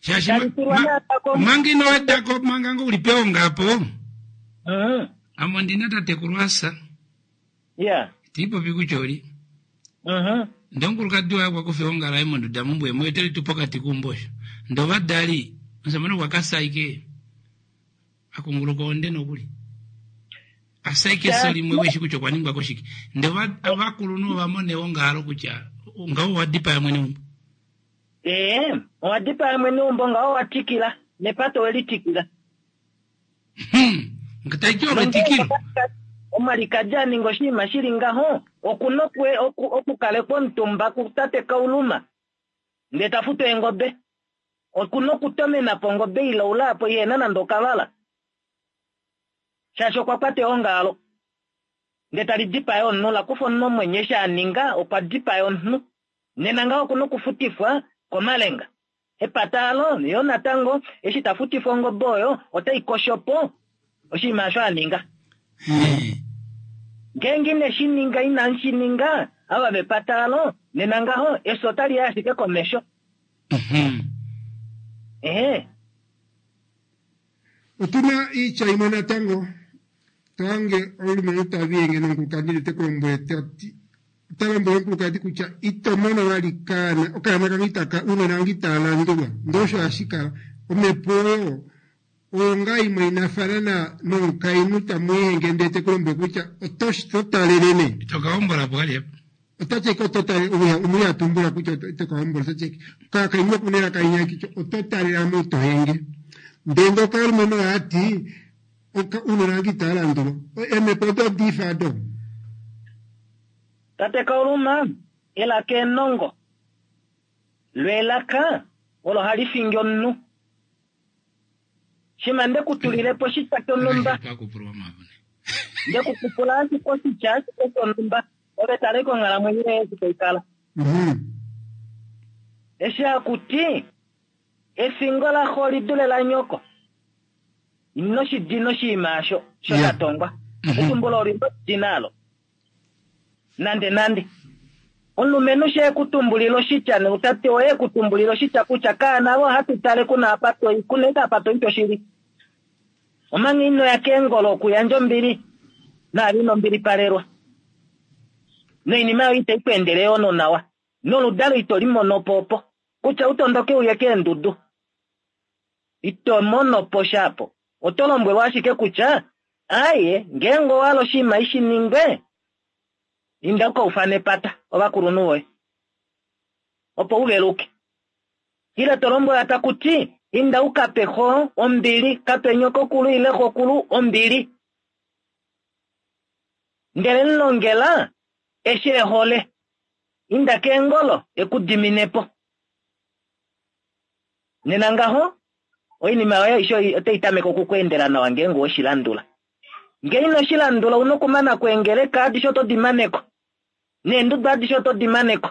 Shaashi Tali tulwa naatako. manga ino weda ko, manga ngo uli peonga apo. Ame ondi na tatekulu asa. Tiipopi kutya oli. Ndee omukulukadi waye okwa kufa eonga laye monduda mumbwe mu etele tu pokati keumbo osho. Ndee ovadali, omusamane okwa ka saike a kunguluka onde nokuli. A saike efyo limwe weshi kutya okwa ningwa koshike. Ndee ovakulunhu ova mona eonga alo kutya ngaho owa dipaya mwene weumbo. Ee, owa dipaya mwene weumbo ngaho owa tikila. Nepato we li tikila. Ngetai ti olo etikilo. Omwalikadi a ninga oshinima shi li ngaho, oku na okukalekwa omutumba kutate Kauluma, ndee ta futu eengobe. Oku na okutomena po ongobe ilaula apo ihena nande okavala. Shaashi okwa kwata eonga alo. Ndee tali dipaya omunhu, la kufa omunhu omwenyo eshi a ninga, okwa dipaya omunhu. Nena ngaho oku na okufutifwa komalenga. Epata alo, yo natango, eshi ta futifwa ongobe oyo, otai kosho po oshinima osho a ninga. Ngeenge ine shi ninga, inamu shi ninga, ava vepata alo, nena ngaho, efyo otali ya ashike komesho. Ehe. Otu na oitya imwe natango, to hange omulumenhu ta viyenge nomukulukadi ndele te ku lombwele ta ti, ota lombwele omukulukadi kutya ito mono vali kaana, okaana kange itaka, uunona wange itaa landulwa. Ndee osho hashi kala. Omhepo oyo, oyo ngaa imwe inafana nomukainhu tamu ihenge ndele te ku lombwele kutya oto talele nee. Ito ka hombola po vali apa. Ota ti eke oto talele, umwe a tumbula kutya ito ka hombola, ota ti eke, kakainhu oku na elaka linya kutya oto talela mo ito henge. Ndele ngee okalumenhu oha ti, uunona wange itaa landulwa. Eemhepo odo odiifa do. Tate Kauluma, elaka enongo. Lo elaka olo hali fingi omunhu. Shima nde ku tulile po oshitya shonhumba. Nde ku kupula ashike oshitya ashike shonhumba. Ove tale konghalamwenyo yoye eshi tai kala. Eshi haku ti, efingo laxo oli dule lanyoko. Ino shi dina oshinima osho, sho sha tongwa. Etumbulo oli dina alo. Nande nande. Omulumenhu she ku tumbulila oshitya, noutate oye ku tumbulila oshitya kutya kaana vo ohatu tale kuna apa toi, kuna eka apa toi toshili. Omanga ino ya keengolo okuyandja ombili, naave ino mbilipalelwa. Noinima yoye itai ku endele yo nonawa. Noludalo ito li mono po opo. Kutya u tondoke uye keendudu. Ito mono po sha apo. Oto lombwelwa ashike kutya, aaye, ngeenge owa hala oshinima ishi ningwe, inda u ka ufane epata, ovakulunhu voye, opo u veluke. Ile to lombwelwa taku ti, inda u ka pe xo ombili, ka pe nyokokulu ile xokulu ombili. Ndele mu longela eshi e hole. Inda keengolo e ku dimine po. Nena ngaho, oinima yoye aishe otai tameke oku ku endela nawa ngeenge owe shi landula. Ngee ino shi landula, ou na okumana ko eengeleka adishe oto di mane ko, neenduda adishe oto di mane ko.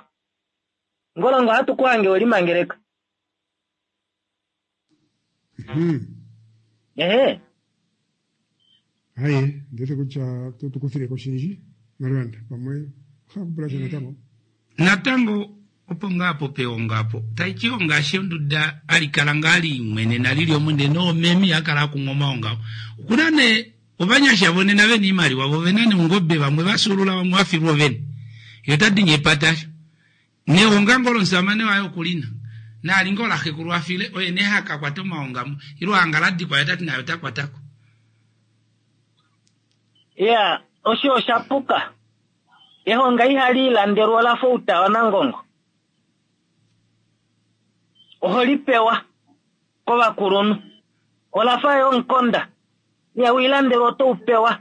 Ngolongo ohatu ku hange we limangeleka. Ehe. Haye, ndete kutya to tu kufile ko shindji, Marwanda, pamwe oha kupula sha natango. Natango opo ngaa po peongo apo taiti ongaashi onduda ali kala ngaa liimwenena lili omo ndee noomeme iha kala akumwa omaongo ao. Okuna nee ovanyasha vonena vena iimaliwa vo ovena neungobe vamwe vafyuulula vamwe vafilwa ovene. Ye ota dini epata asho. Nehonga ngoo lomusamane waye okulina. Naali ngoo laxekulu afile oye nee haka kwata omaonga mo ile hanga ladikwa ye otati naye ota kwatako. Iya, osho osha puka. Ehonga ihali ilandelwa ola fa outa wanangongo. Oho li pewa kovakulunhu. Ola fa yo omukonda. Ihau ilandelwa oto u pewa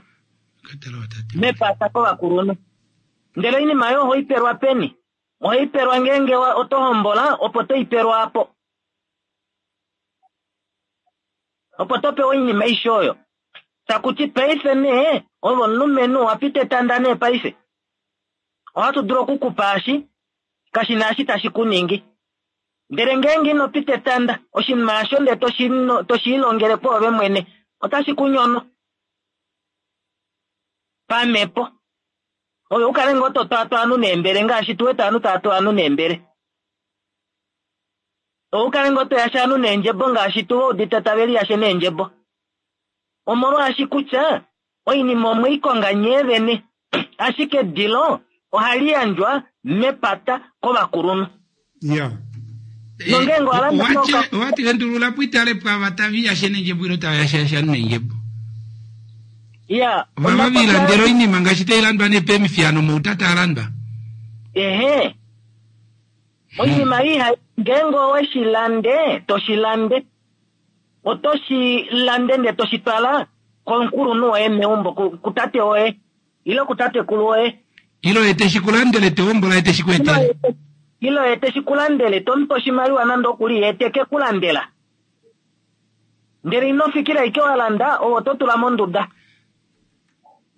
mepata kovakulunhu. Ndele oinima oyo oho i pelwa peni? Oho i pelwa ngeenge oto hombola opo to i pelwa apo. Opo to pewa oinima aishe oyo. Taku ti paife nee ove omulumenhu owa pita etanda nee paife. Ohatu dulu oku ku pa eshi, kashi na eshi tashi ku ningi. Ndele ngeenge ino pita etanda, oshinima osho ndele to shi lilongele kwoove mwene, otashi ku nyono pamhepo. Ove u kale ngoo to twaatwa ovanhu neembele ngaashi tu wete ovanhu tava tu ovanhu neembele. Ove u kale ngoo to yashe ovanhu neendjebo ngaashi tu va udite tave liyashe neendjebo. Omolwaashi kutya oinima omwe i konga nyee vene, ashike edilo ohali yandjwa mepata kovakulunhu. Ya. Nongeenge owa landa Owa owati endulula po itale pwava tava iyashe nendjebo ile tava yashayasha nendjebo. Ya. Ovava vi ilandela oinima ngaashi tai landwa nee peemifiyano mouta taa landwa. Ehe. Oinima ei ngeenge owe shi lande, to shi lande. Oto shi lande ndele to shi twala komukulunhu woye meumbo, kutate woye ile kutatekulu woye. Ile oye te shi ku landele, te hombola ye te shi ku etele. Ile oye te shi ku landele, to mu pe oshimaliwa nande okuli, ye te ke ku landela. Ndele ino fikila ashike wa landa, ove oto tula monduda.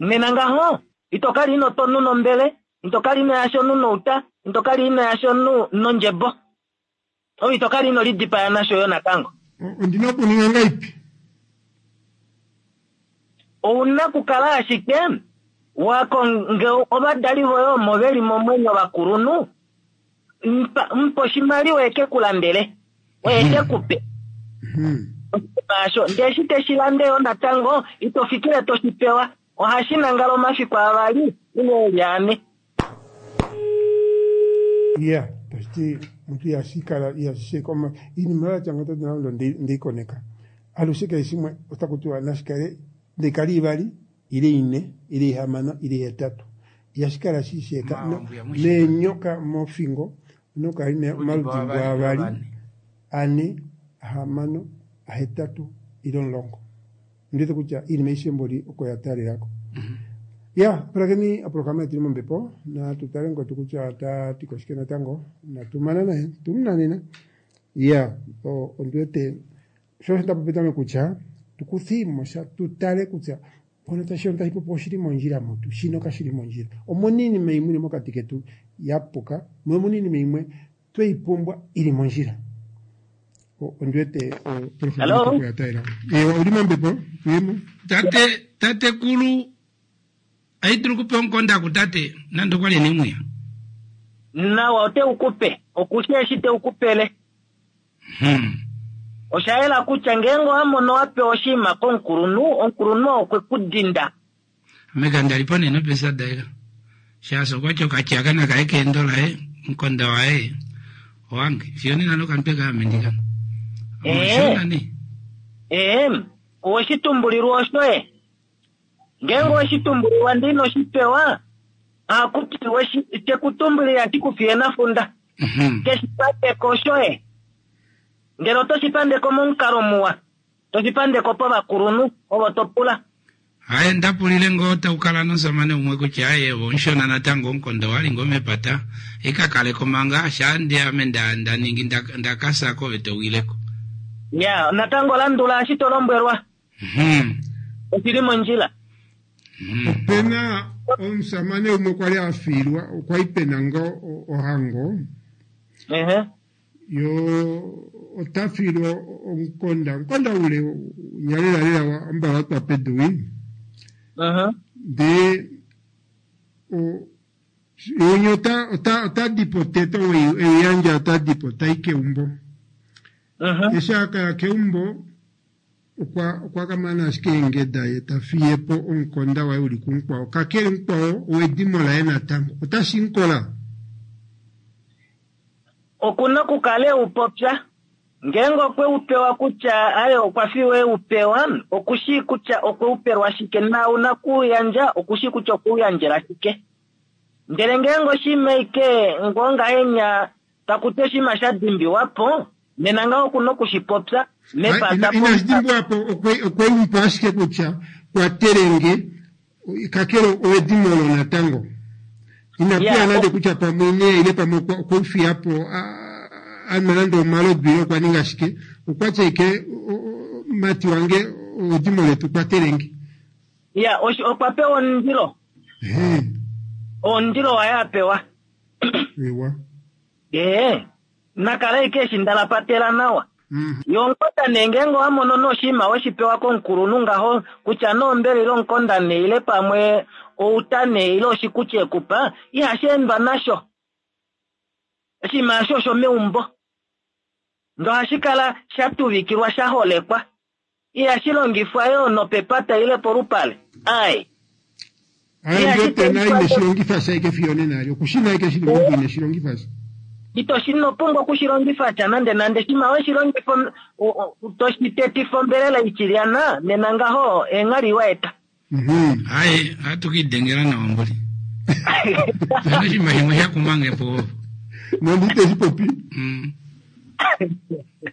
Nena ngaho, ito kala ino twa omunhu nombele, ito kala ino yasha omunhu nouta, ito kala ino yasha omunhu nondjebo. Ove ito kala ino lidipaya nasho yo natango. Ondi na okuninga ngaipi? Ou na okukala ashike wa konge ovadali voye omo ve li momwenyo vakulunhu, mu pa oshimaliwa e ke ku landele, oye te ku pe oshinima osho. Ndele eshi te shi lande yo natango, ito fikile to shi pewa, ohashi nangala omafiku avali ile e li ane. Iya, tashi ti omuntu ihashi kala ihashi sheka oma iinima ya tya ngawo nando ndeyi koneka alushe kehe shimwe otaku tiwa nashi kale nde kale ivali ile ine ile ihamano ile ihetatu ihashi kala shi sheka neenyoka mofingo ouna okukala ina omaludimbo avali ane ahamano ahetatu ile omulongo. Ondiwete kutya iinima aishe mboli oko ya taalelako. Ya, pulakeni oprograma yetu ili mombepo, natu tale ngwetu kutya ota ti ko shike natango. Natu mana naye, tu mu nanena. Ya, ondi wete sho osho nda popi petameko kutya tu kuthii mo sha tu tale kutya mpono tashi tashi popi oshili mondjila mutu, shino kashi li mondjila. Omuna iinima imwe ili mokati ketu ya puka, mo omuna iinima imwe tweyi pumbwa ili mondjila. Ondi wete Hello? Ewa, uli mombepo tuyemo. Tate tatekulu aidulu kupe omukonda kutate nande okwa li ena emwiya. Nawa ote u kupe, okushi eshi te u kupele. Osha yela kutya ngeenge owa mono wa pewa oshinima komukulunhu, omukulunhu oo okwe ku dinda. Ame kanda li po nee nopesa daye shaashi okwa ti okatyaka nakaye keendo laye omukonda waye owange fiyo nena nokamutwe kaye ame ndi kana. Omushona nee. Ee, oweshi tumbulilwa oshoye. Ngeenge oweshi tumbulilwa ndee ino shi pewa, ohaku ti weshi teku tumbulile ati kufiye nafunda. Keshi pandeko oshoye. Ndele oto shi pandeko momukalo muwa, to shi pandeko povakulunhu ovo to pula. Haye nda pulile ngoo tau kala nomusamane umwe kutya aye ove omushona natango omukonda owa li ngoo mepata i ka kaleko manga shaa ndi ame nda nda ningi nda nda ka fya ko ove to wileko. Ya, natango landula eshi to lombwelwa. Oshi li mondjila. Ope na omusamane umwe kwa li a fiilwa, okwa li pe na ngoo ohango. Yo ota fiilwa omukonda, omukonda ule unya lela lela wa ambala wa twa pedu wi. Ndee o ye winya ota ota ota di po tete ou ei yandja ota di po tai keumbo. Eshi a kaya keumbo okwa okwa ka mana ashike eengeda ye ta fiye po omukonda waye uli kumukwao. Kakele mukwao owedimo laye natango. Otashi mukola. Oku na okukala e u popya. Ngeenge okwe u pewa kutya aye okwa fiwa e u pewa, oku shii kutya okwe u pelwa shike, naau naku u yandja oku shii kutya okwe u yandjela shike. Ndele ngeenge oshinima ashike ngoo ngahenya taku ti oshinima sha dimbiwa po, nena ngaho oku na oku shi popya mepata. Inashi dimbiwa po, okwe mu pa ashike kutya kwatele nge Kakele owedimo olo natango ina pula nande kutya pamwe ine ile pamwe okwe u fiya po a nwa nande omalodu ile okwa ninga shike. Okwa ti ashike mati wange owedimo letu kwatele nge. Ya, okwa pewa omundilo. Omundilo waye a pewa. Ewa. Ee, na kale ashike eshi ndalapatela nawa. Ye omukonda nee ngeenge owa mono nee oshinima we shi pewa komukulunhu ngaho, kutya nee ombele ile omukonda nee ile pamwe outa nee ile oshikuti e ku pa, ihashi endwa nasho. Oshinima osho oshomeumbo. Ndee ohashi kala sha tuvikilwa sha holekwa. Ihashi longifwa yoo nopepata ile polupale. Ai. Aye ndete na ine shi longifa sha ike fiyo nena ali. Oku shi na ike shili meumbo ine shi longifa sha. Ito shi no pumbwa oku shi longifa sha nande nande. Shima we shi longifa to shi tetifa ombelela itilyana, nena ngaho eenghali wa eta. Aye, ohatu ka idengela nawa mboli. Pena oshinima shimwe sha kuma nge po. Nondi te shi popi.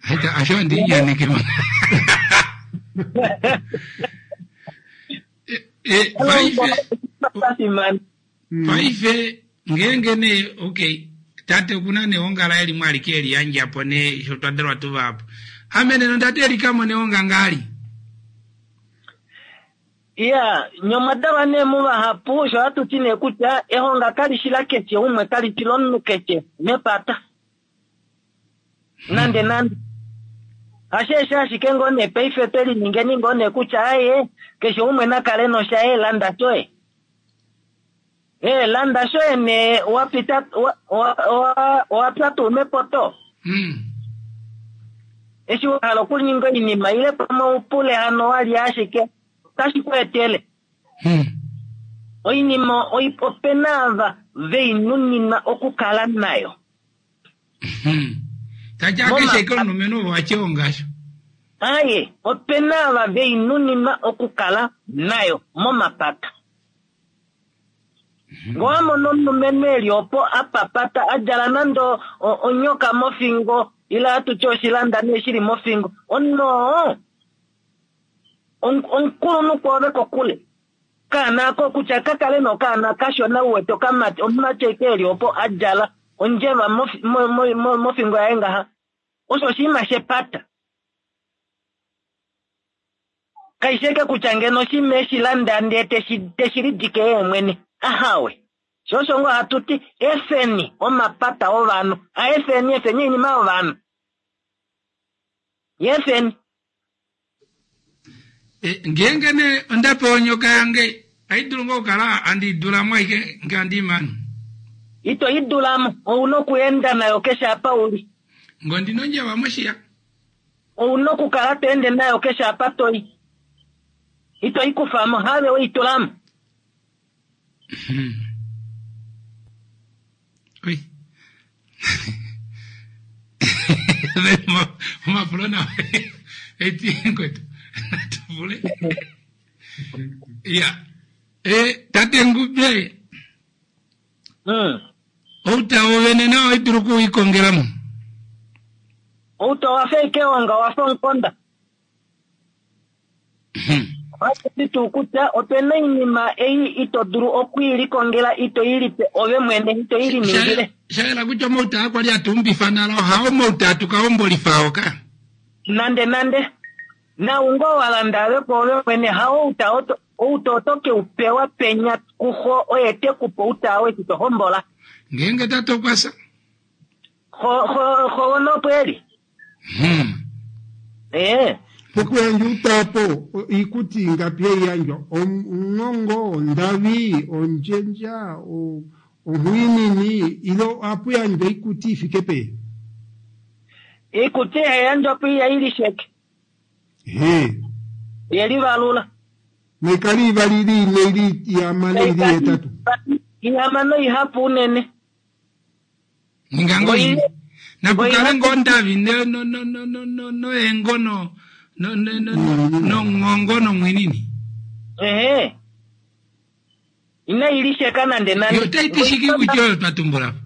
Aita, asho andi nyaneke ma. E, paife, paife ngeenge nee okay tate okuna nehonga laye limwe alike eli yandja po nee sho twa dalwa tu vahapu ame nena onda teelika mo nehonga ngaali Iya, nye omwa dalwa nee muvahapu, osho hatu ti nee kutya ehonga kali shi lakeshe umwe, kali shi lomunhu keshe mepata. Nande nande. Hasheesho ashike ngoo nee paife twe liningeni ngoo nee kutya aye, keshe umwe na kale noshaye, landa shoye. Ee, landa shoye nee, wa pita, wa, wa, wa, wa pya tuu mepoto. Eshi wa hala okuninga oinima ile pamwe u pule hano wa lya ashike, otashi ku etele. Oinima ope na ava ve i nuninwa okukala nayo. Tati akeshe eke omulumenhu ovo atye ongasho. Aye, ope na ava ve i nuninwa okukala nayo momapata. Ngee owa mono omulumenhu e li opo a papata, a djala nande onyoka mofingo, ile hatu ti oshilanda nee shi li mofingo, omunhu oo omukulunhu kwoove kokule. Okaana ako kutya ka kale nee okaana kashona u wete okamati, omumati ashike e li opo a djala ondjeva mofingo yaye ngaha, osho oshinima shepata. Kaishi eke kutya ngeno oshinima eshi landa ndee teshi teshi lidike yee mwene. Ahawe. Sho osho ngoo hatu ti efeni omapata ovanhu. A efeni efeni oinima yovanhu. Ye efeni. E, ngeenge nee onda pewa onyoka yange, ai dulu ngoo okukala handi i dula mo aike nge handi i mane? Ito i dula mo. Ou na okuenda nayo keshe apa u li. Nge ondi na ondjeva moshiya. Ou na okukala to ende nayo keshe apa to i. Ito i kufa mo, haave we i tula mo. Oi. Omapulo nawa. Eti kwetu. Natuvule. Ya. E tate Ngube. Outa wovene nawo oidulu okuwikongela mo. Outa owa fa ashike eonga, owa fa omukonda. Ohashi ti tuu kutya ope na oinima ei ito dulu oku i likongela, ito i lipe ove mwene, ito i liningile. Sha yela kutya omauta aa kwali hatu umbifa nale ohao omauta hatu ka hombolifa oo ka. Nande nande. Nau ngoo wa landa ave kwoove mwene, hao outa oto, outa oto ke u pewa penya kuxo oye te ku pe outa oo eshi to hombola. Ngeenge tate okwa fya. Xo, xo, xo wona opo e li. Hmm. Ee. Pokuyandja outa opo, oikuti ingapi hai yandjwa? Omungongo, ondavi, ondjendja, onghwiinini, ile ohapu yandjwa oikuti i fike peni? Oikuti hai yandjwa po ihai lisheke. He. Ye livalula. Naikale ivali ili ine ili ihamano ili ihetatu. Ihamano ihapu unene. Ninga ngoo ine. Nakukale ngoo ndavi no no no no no no noengo no no no no nongongo nomwinini. Ehe. Inai lisheka nande nande. Yo otai ti shike kutya oyo twa tumbula po?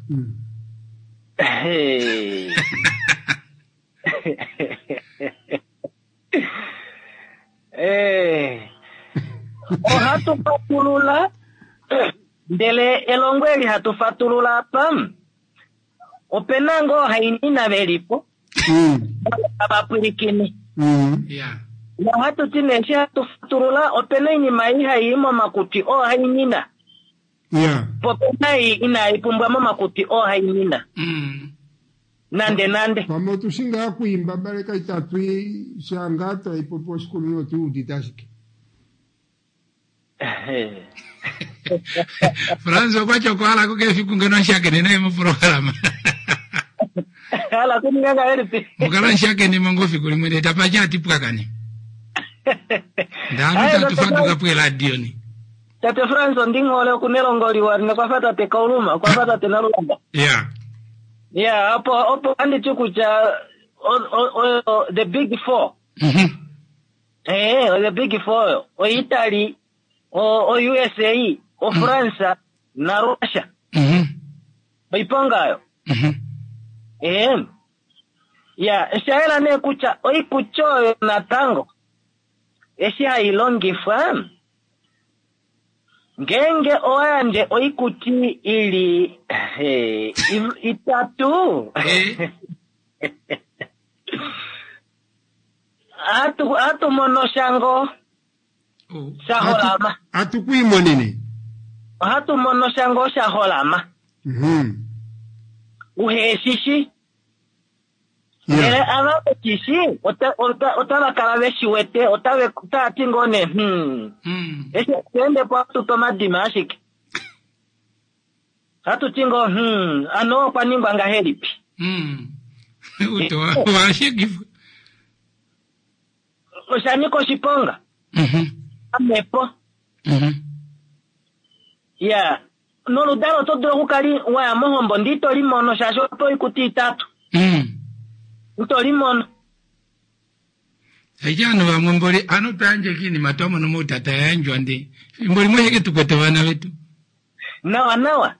Eh. Ohatu fatulula ndele elongo eli hatu fatulula apa ope na ngoo hainina ve li po tava pwilikine. Nohatu ti nee eshi hatu fatulula ope na oinima ei hai i momakutwi oohainina. Po ope na ei inai pumbwa momakutwi oohainina. Nande nande. Pamwe otu shi ngaa okuimba baleka itatu i sha ngaa tai popi oshikunino otu i udite ashike. Frans okwa ti okwa hala ko efiku ngeno nshakene naye moprograma. Hala kuninga ngahelipi? Mukala nshakene mo ngo fiku limwe ndee tapa dja ati pwakane. Ndaanu tatu faduka po eladio ni. Tate Frans ondinghole oku nelongo liwa nokwa fa tate Kauluma, okwa fa tate Nalulamba. Yeah. Yeah, opo opo andi ti kutya o, the big four. Eh, the big four oyo. OItaly, o, o USA, o France na Russia. Oiponga oyo. Eh. Ya, osha yela nee kutya oikuti oyo natango eshi hai longifwa ngeenge owa yandje oikuti i li itatu ohatu mono sha ngoo sha holama. Hatu ku imonene. Ohatu mono sha ngoo sha holama. Uhe shi shi. Ndele ava ve shi shi, otava kala ve shi wete, otava ti ngoo nee, Hmm. Eshi hatu ende po ohatu tu omadima ashike. Ohatu ti ngoo, Hmm, ano okwa ningwa ngahelipi? Osha nyika oshiponga. Pamhepo. Ya. Noludalo oto dulu okukala wa ya mohombo ndee ito li mono shaashi owa pewa oikuti itatu. Ito li mono. Aishe ovanhu vamwe mboli ano twa yandja oinima twa mona omautata ya yandjwa ndee fimbo limwe oshike tu kwete ovana vetu. Nawa nawa.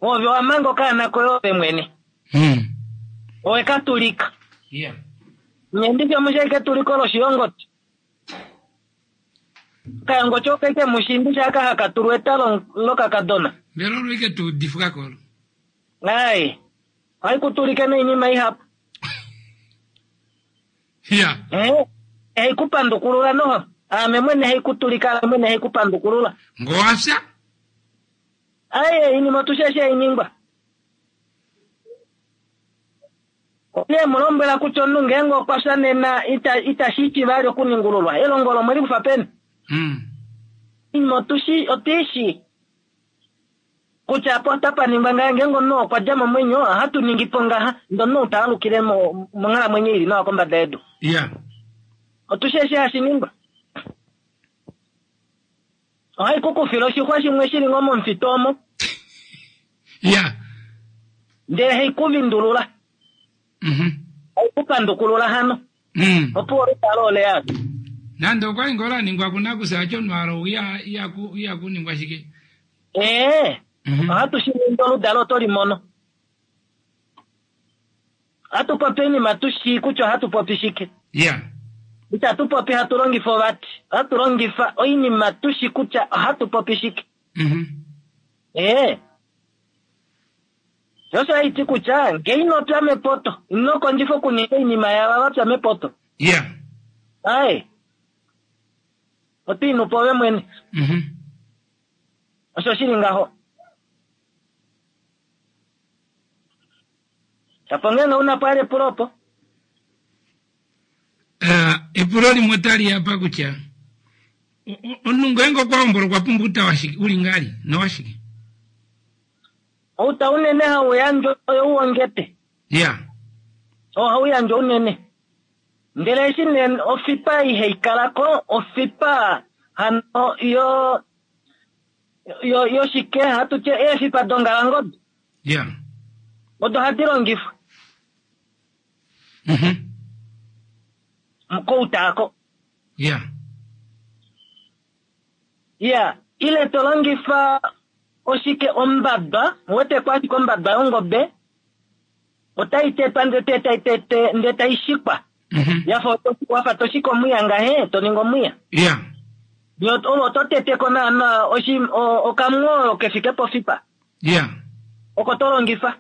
Ove owa manga okaana koye ove mwene. Owe ka tulika. Nye ndishi omushi ashike etuliko loshiyongoti. Okayongoti oko eke mushi ndishi aka haka tulwa etalo lokakadona. Mbela olo ike tu udifwa kolo? Ai. Ohai ku tulike noinima ihapu. Ya. Eh, hai ku pandukulula noho. Ame mwene hai ku tulika, ame mwene hai ku pandukulula. Ngo wa fya? Ai, oinima otu shi eshi hai ningwa. Oye e mu lombwela kutya omunhu ngeenge okwa fya nena ita, itashi ti vali okuningululwa. Elongo olo omwe li kufa peni? Oinima otu shi, otu i shii kutya apa otapa ningwa ngaha, ngeenge omunhu okwa dja momwenyo, ohatu ningi po ngaha, ndee omunhu ou ta alukile mo, monghalamwenyo i li nawa kombada yedu. Ya. Otu shi eshi hashi ningwa. Ohai ku kufile oshixwa shimwe shi li ngoo momufitu omo. Ya. Ndele hai ku vindulula. Hai ku pandukulula hano. Opuwo oludalo ole ya. Nande okwa li ngoo la ningwa kunakusa acho omunhu ou ihaku ningwa shike. Ee, ohatu shi ningi oludalo oto li mono. Ohatu popi oinima tu shii kutya ohatu popi shike. Ya. Itatu popi hatu longifa ovati. Ohatu longifa oinima tu shi kutya ohatu popi shike. Ee. Sho osho hashi ti kutya ngee ino pya mepoto, ino kondjifa okuninga oinima yaava va pya mepoto. Ya. Aye. Oto i nu po ove mwene. Osho shi li ngaho. Tapo ngeenge u na po ali epulo opo. Eh, epulo limwe otali ya pa kutya omunhu ngeenge okwa hombola okwa pumbwa outa washike uli ngali nowashike? Outa unene hau yandjwa oyou wongete. Ya. Oo hau yandjwa unene. Ndele eshi nee ofipa ihai kala ko, ofipa hano yo yo yoshike hatu tye eefipa dongalangobe. Ya. Odo hadi longifwa. Kouta ako. Ya. Ya, ile to longifa oshike ombaba, wete kwa ashike ombaba yongobe otai tetwa ndele tai tete ndele tai shikwa. Yafa wafa to shika omwiya ngahe, to ningi omwiya. Ya. Yo oto tete ko naana oshi okamwoyo kefike pofipa. Ya. Oko to longifa.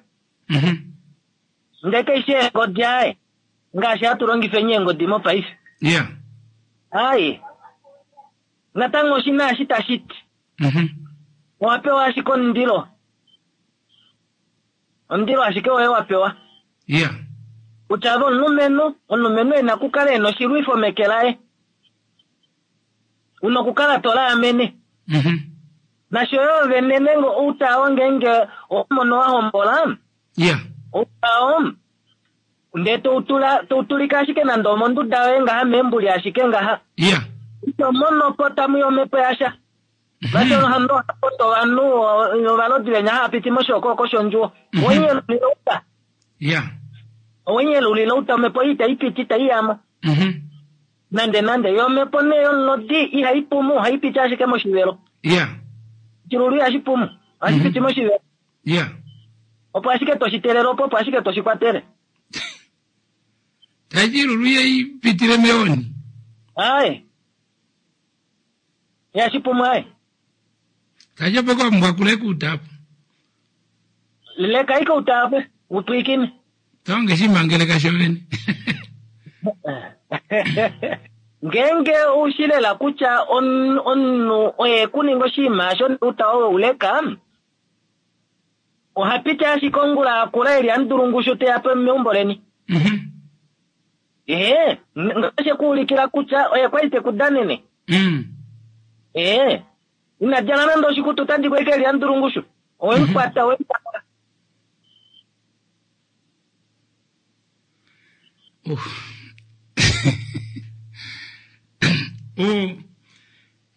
Ndele kaishi eengodi aye. Ngaashi hatu longifa eengodi mopaife. Ya. Aye. Natango oshina eshi tashi ti. Owa pewa ashike omundilo. Omundilo ashike woye wa pewa. Ya. Kutya ave omulumenhu, omulumenhu e na okukala e na oshilwifo meke laye. U na okukala to laamene. Nasho yo vene nenge outao ngeenge owa mono wa hombola. Ya. Outao ndee toutula toutulika ashike nande omonduda yoye ngaha meembuli ashike ngaha. Ya. Ito mono po tamu i omhepo yasha. Nasho hano ohapoto ovanhu ovalodi venya hava piti moshokooko shondjuwo. Owenyelulila outa. Ya. Owenyelulila outa omhepo ei itai piti itai yamo. Nande nande yo omhepo nee yomulodi ihai pumu ohai piti ashike moshivelo. Ya. Oshilulu ihashi pumu ohashi piti moshivelo. Ya. Opo ashike toshi telele opo opo ashike toshi kwatele. Taiti ilulu ihai pitile meoni. Aye. Ihashi pumu aye. Taiti opo kwa pumbwa kuleka outa apo. Leka ike outa apo upwiikine. Tonge shimangeleka shovene. Ngeenge ou shi lela kutya omunhu oye ku ninga oshinima osho outa owe u leka, oha piti ashike ongula akula e li amudulungushu te ya meumbo leni. Ee, ngaashi e ku ulikila kutya oye kwa li te ku danene. Ee, ina djala nande oshikutu ota di ko ashike e li amudulungushu. Owe mu kwata, owe mu kwata.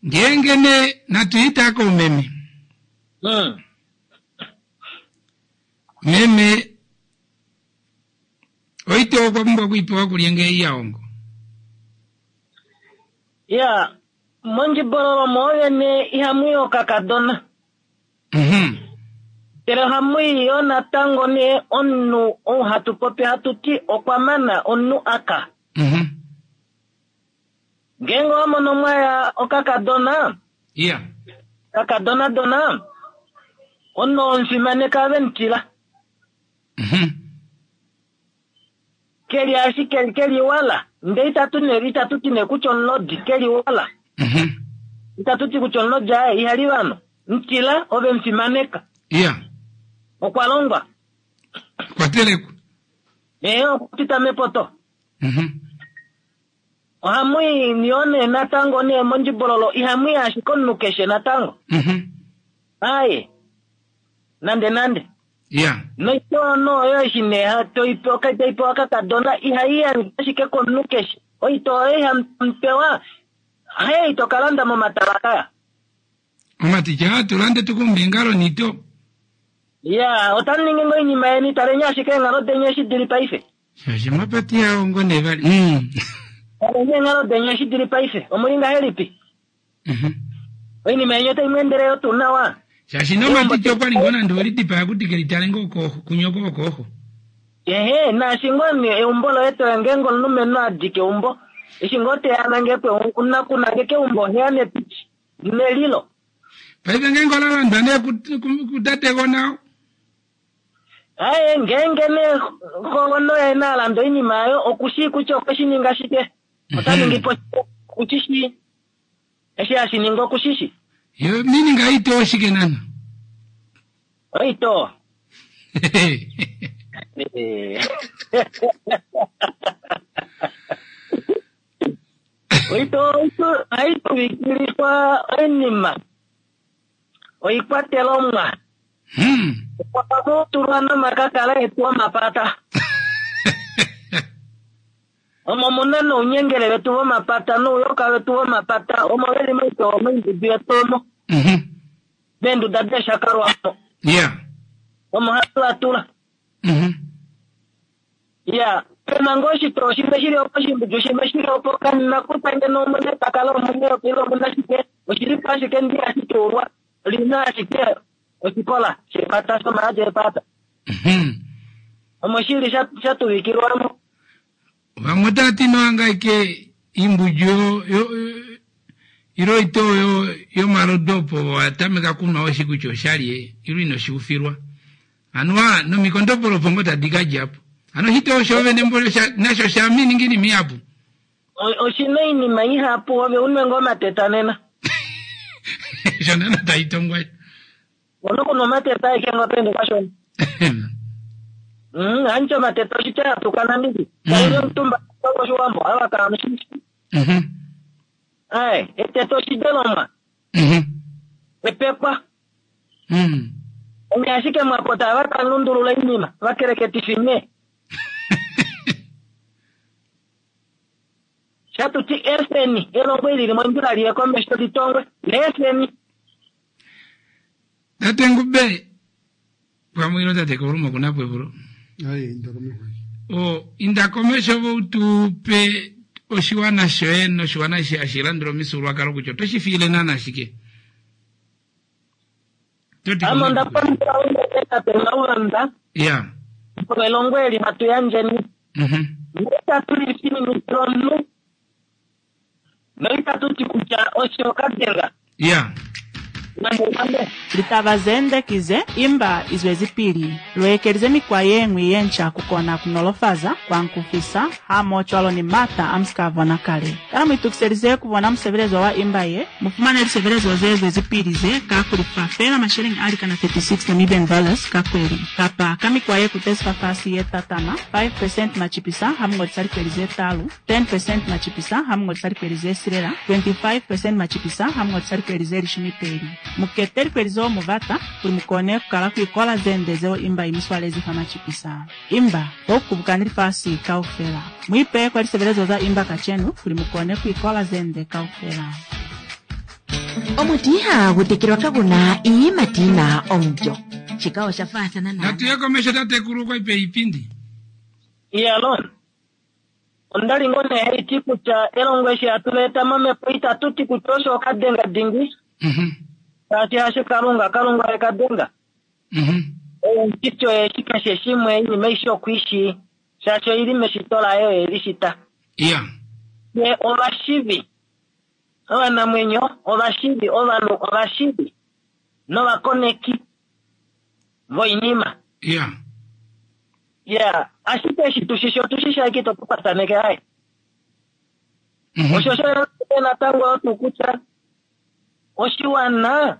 Ngeenge ne natu ita koumeme. Meme oite okwa pumbwa okuipewa kulye ngee iya hongo. Ya, mondjibololo mwoovene ihamu i okakadona. Ndele ohamu i yo natango nee omunhu ou hatu popi hatu ti okwa mana omunhu aka. Ngeenge owa mono mwaya okakadona, kakadonadona, omunhu oo omufimaneka ove mu tila. Ke li ashike ke li wala, ndele itatu ne itatu ti nee kutya omulodi, ke li wala. Itatu ti kutya omulodi aye, iha li vanhu. Mu tila, ove mu fimaneka. Okwa longwa. Okwa telekwa. Ee, okwa pita mepoto. Ohamu i yo nee natango nee mondjibololo, ihamu i ashike omunhu keshe natango. Aye. Nande nande. Noitoo oyo eshi nee toi pewa kakadona, ihai yandjwa ashike komunhu keshe. Oitoo oyo ihamu pewa, haye ito ka landa momatala kaya. Omatitya aa tu lande tu kumbe eengalo niito. Ya, otamu ningi ngoo oinima yeni, taleni ashike eenghalo deni eshi di li paife. Shaashi mwapati yao ngo nee vali. Kaleni eenghalo deni eshi dili paife, omuli ngahelipi? Oinima yeni otai mu endele yo tuu nawa? Shaashi nomatiti okwa li ngoo nande we lidipaya kuti ke litale ngoo kooxo, kunyoko wokooxo. Ehe, naashi ngoo nee eumbo loye toya ngeenge omulumenhu a dika eumbo, eshi ngoo teya nangekwe, nakunangeka eumbo oheya netiti, nelilo. Paife ngeenge ola landwa nee kutategona. Aye, ngeenge nee xogona oye na landa oinima yayo, oku shii kutya okwe shi ninga shike, ota ningi po shike, oku shi shii. Eshi hashi ningwa oku shi shi. Yo meaning oitoo oshike nana? Oitoo. Oitoo ohai tuvikilifwa oinima, oikwatelomwa. Ohamu tulwa nomakakala etu omapata. Omo mu na nounyengele vetu vomapata nouyoka vetu vomapata, omo ve li moitoo moindudu yetu omo. Meenduda deeshakalwa omo. Omo hatu va tula. Ya, pe na ngoo oshitoo shimwe shi li opo, oshimbudju shimwe shi li opo, kanina kutya ngeno omu na epakala, omu na eyoka ile omu na shike, oshi li po ashike ndi hashi tuulwa, li na ashike oshikola shepata, shomaadi epata. Omo shi li sha tuvikilwa mo. Vamwe otava ti nohangaike imbudju yo, yo, ilo oitoo yo, yomalodu opo wa tameka kunwa weshi kutya oshali ilo ino shi ufilwa. Anuwa nomikondopolo opo ngoo tadi ka dja po. Hano oshitoo shoovene mboli osha, nasho osha mininga oinima ihapu. Oshi na oinima ihapu, ove unwe ngoo omateta nena. Osho nana tai tongwa. Ono kunwa omateta aeke ngoo pende kashona. Hanitya omateta oshitya yatuka Namibia. Taili omutumba koshiwambo, ava kaamushishi. Ae, eteta oshidelomwa. Epekwa. Onye ashike mwakota ava tamu lundulula oinima, vakeleketifi nye. Shatu ti efeni elongo eli li mondjila liye komesho litongwe, leefeni. Tate Ngube, pamwe ilo tate Kauluma oku na po epulo. Ai, inda komesho. O, inda komesho vo u tu pe oshiwana shoye noshiwana eshi hashi landula omifyuululwakalo kutya oto shi fiile naana shike. Ame onda pandula unene tate Maulanda. Ya. Elongo eli hatu yandjeni. Noitatu li fininikile omunhu. Noitatu ti kutya osho okadenga. Ya. Nande nande. Litaba zende ki ze, imba izwezipili. Lu ekelize mikwa ye ñwi ye nca ku kona ku nolofaza, ku ankufisa, hamohocwalo ni m'ata a mu si ka bona kale. Kana mu itukiselize ku bona musebelezo wa imba ye? Mu fumane lisebelezo ze zwezipili ze ka ku lifa feela masheleñi a likana 36 Namibian dollars ka kweli, kapa ka mikwa ye kutezi fafasi ye tatama, 5 percent macipisa ha mu ngolisa likweli ze talu, 10 percent macipisa ha mu ngolisa likweli ze silela, 25 percent macipisa ha mu ngolisa likweli ze lishumi peli. Mu kete likweli zeo mu bata kuli mu kone ku kala ku ikola ze nde zeo imba i mi swalezi fa macipisa. Imba, bo ku kubukani lifasi kaufela. Mu ipeye kwa lisebelezo za imba kacenu kuli mu kone ku ikola ze nde kaufela. Omuti ihaagu tekelwa kagu na iiyimati yi na omulyo. Shika osha faathana Natu ye naanaa. komesho tatekulu okwa ipe iipindi. Iyalon, Onda li ngoo nee hai ti kutya elongo eshi hatu li eta momhepo itatu ti kutya osho okadenga dingi, shaashi hasho Kalunga, Kalunga oye kadenga. Oye omushiti oye eshi keshe shimwe, oinima aishe oku i shii, shaashi oi li meshito laye oye e li shita. Fye ovashivi, ovanamwenyo, ovashivi, ovanhu ovashivi novakoneki voinima. Ya, ashike eshi tu shishi otu shishi ashike ito tu pataneke haye. Osho osho natango otu kutya oshiwana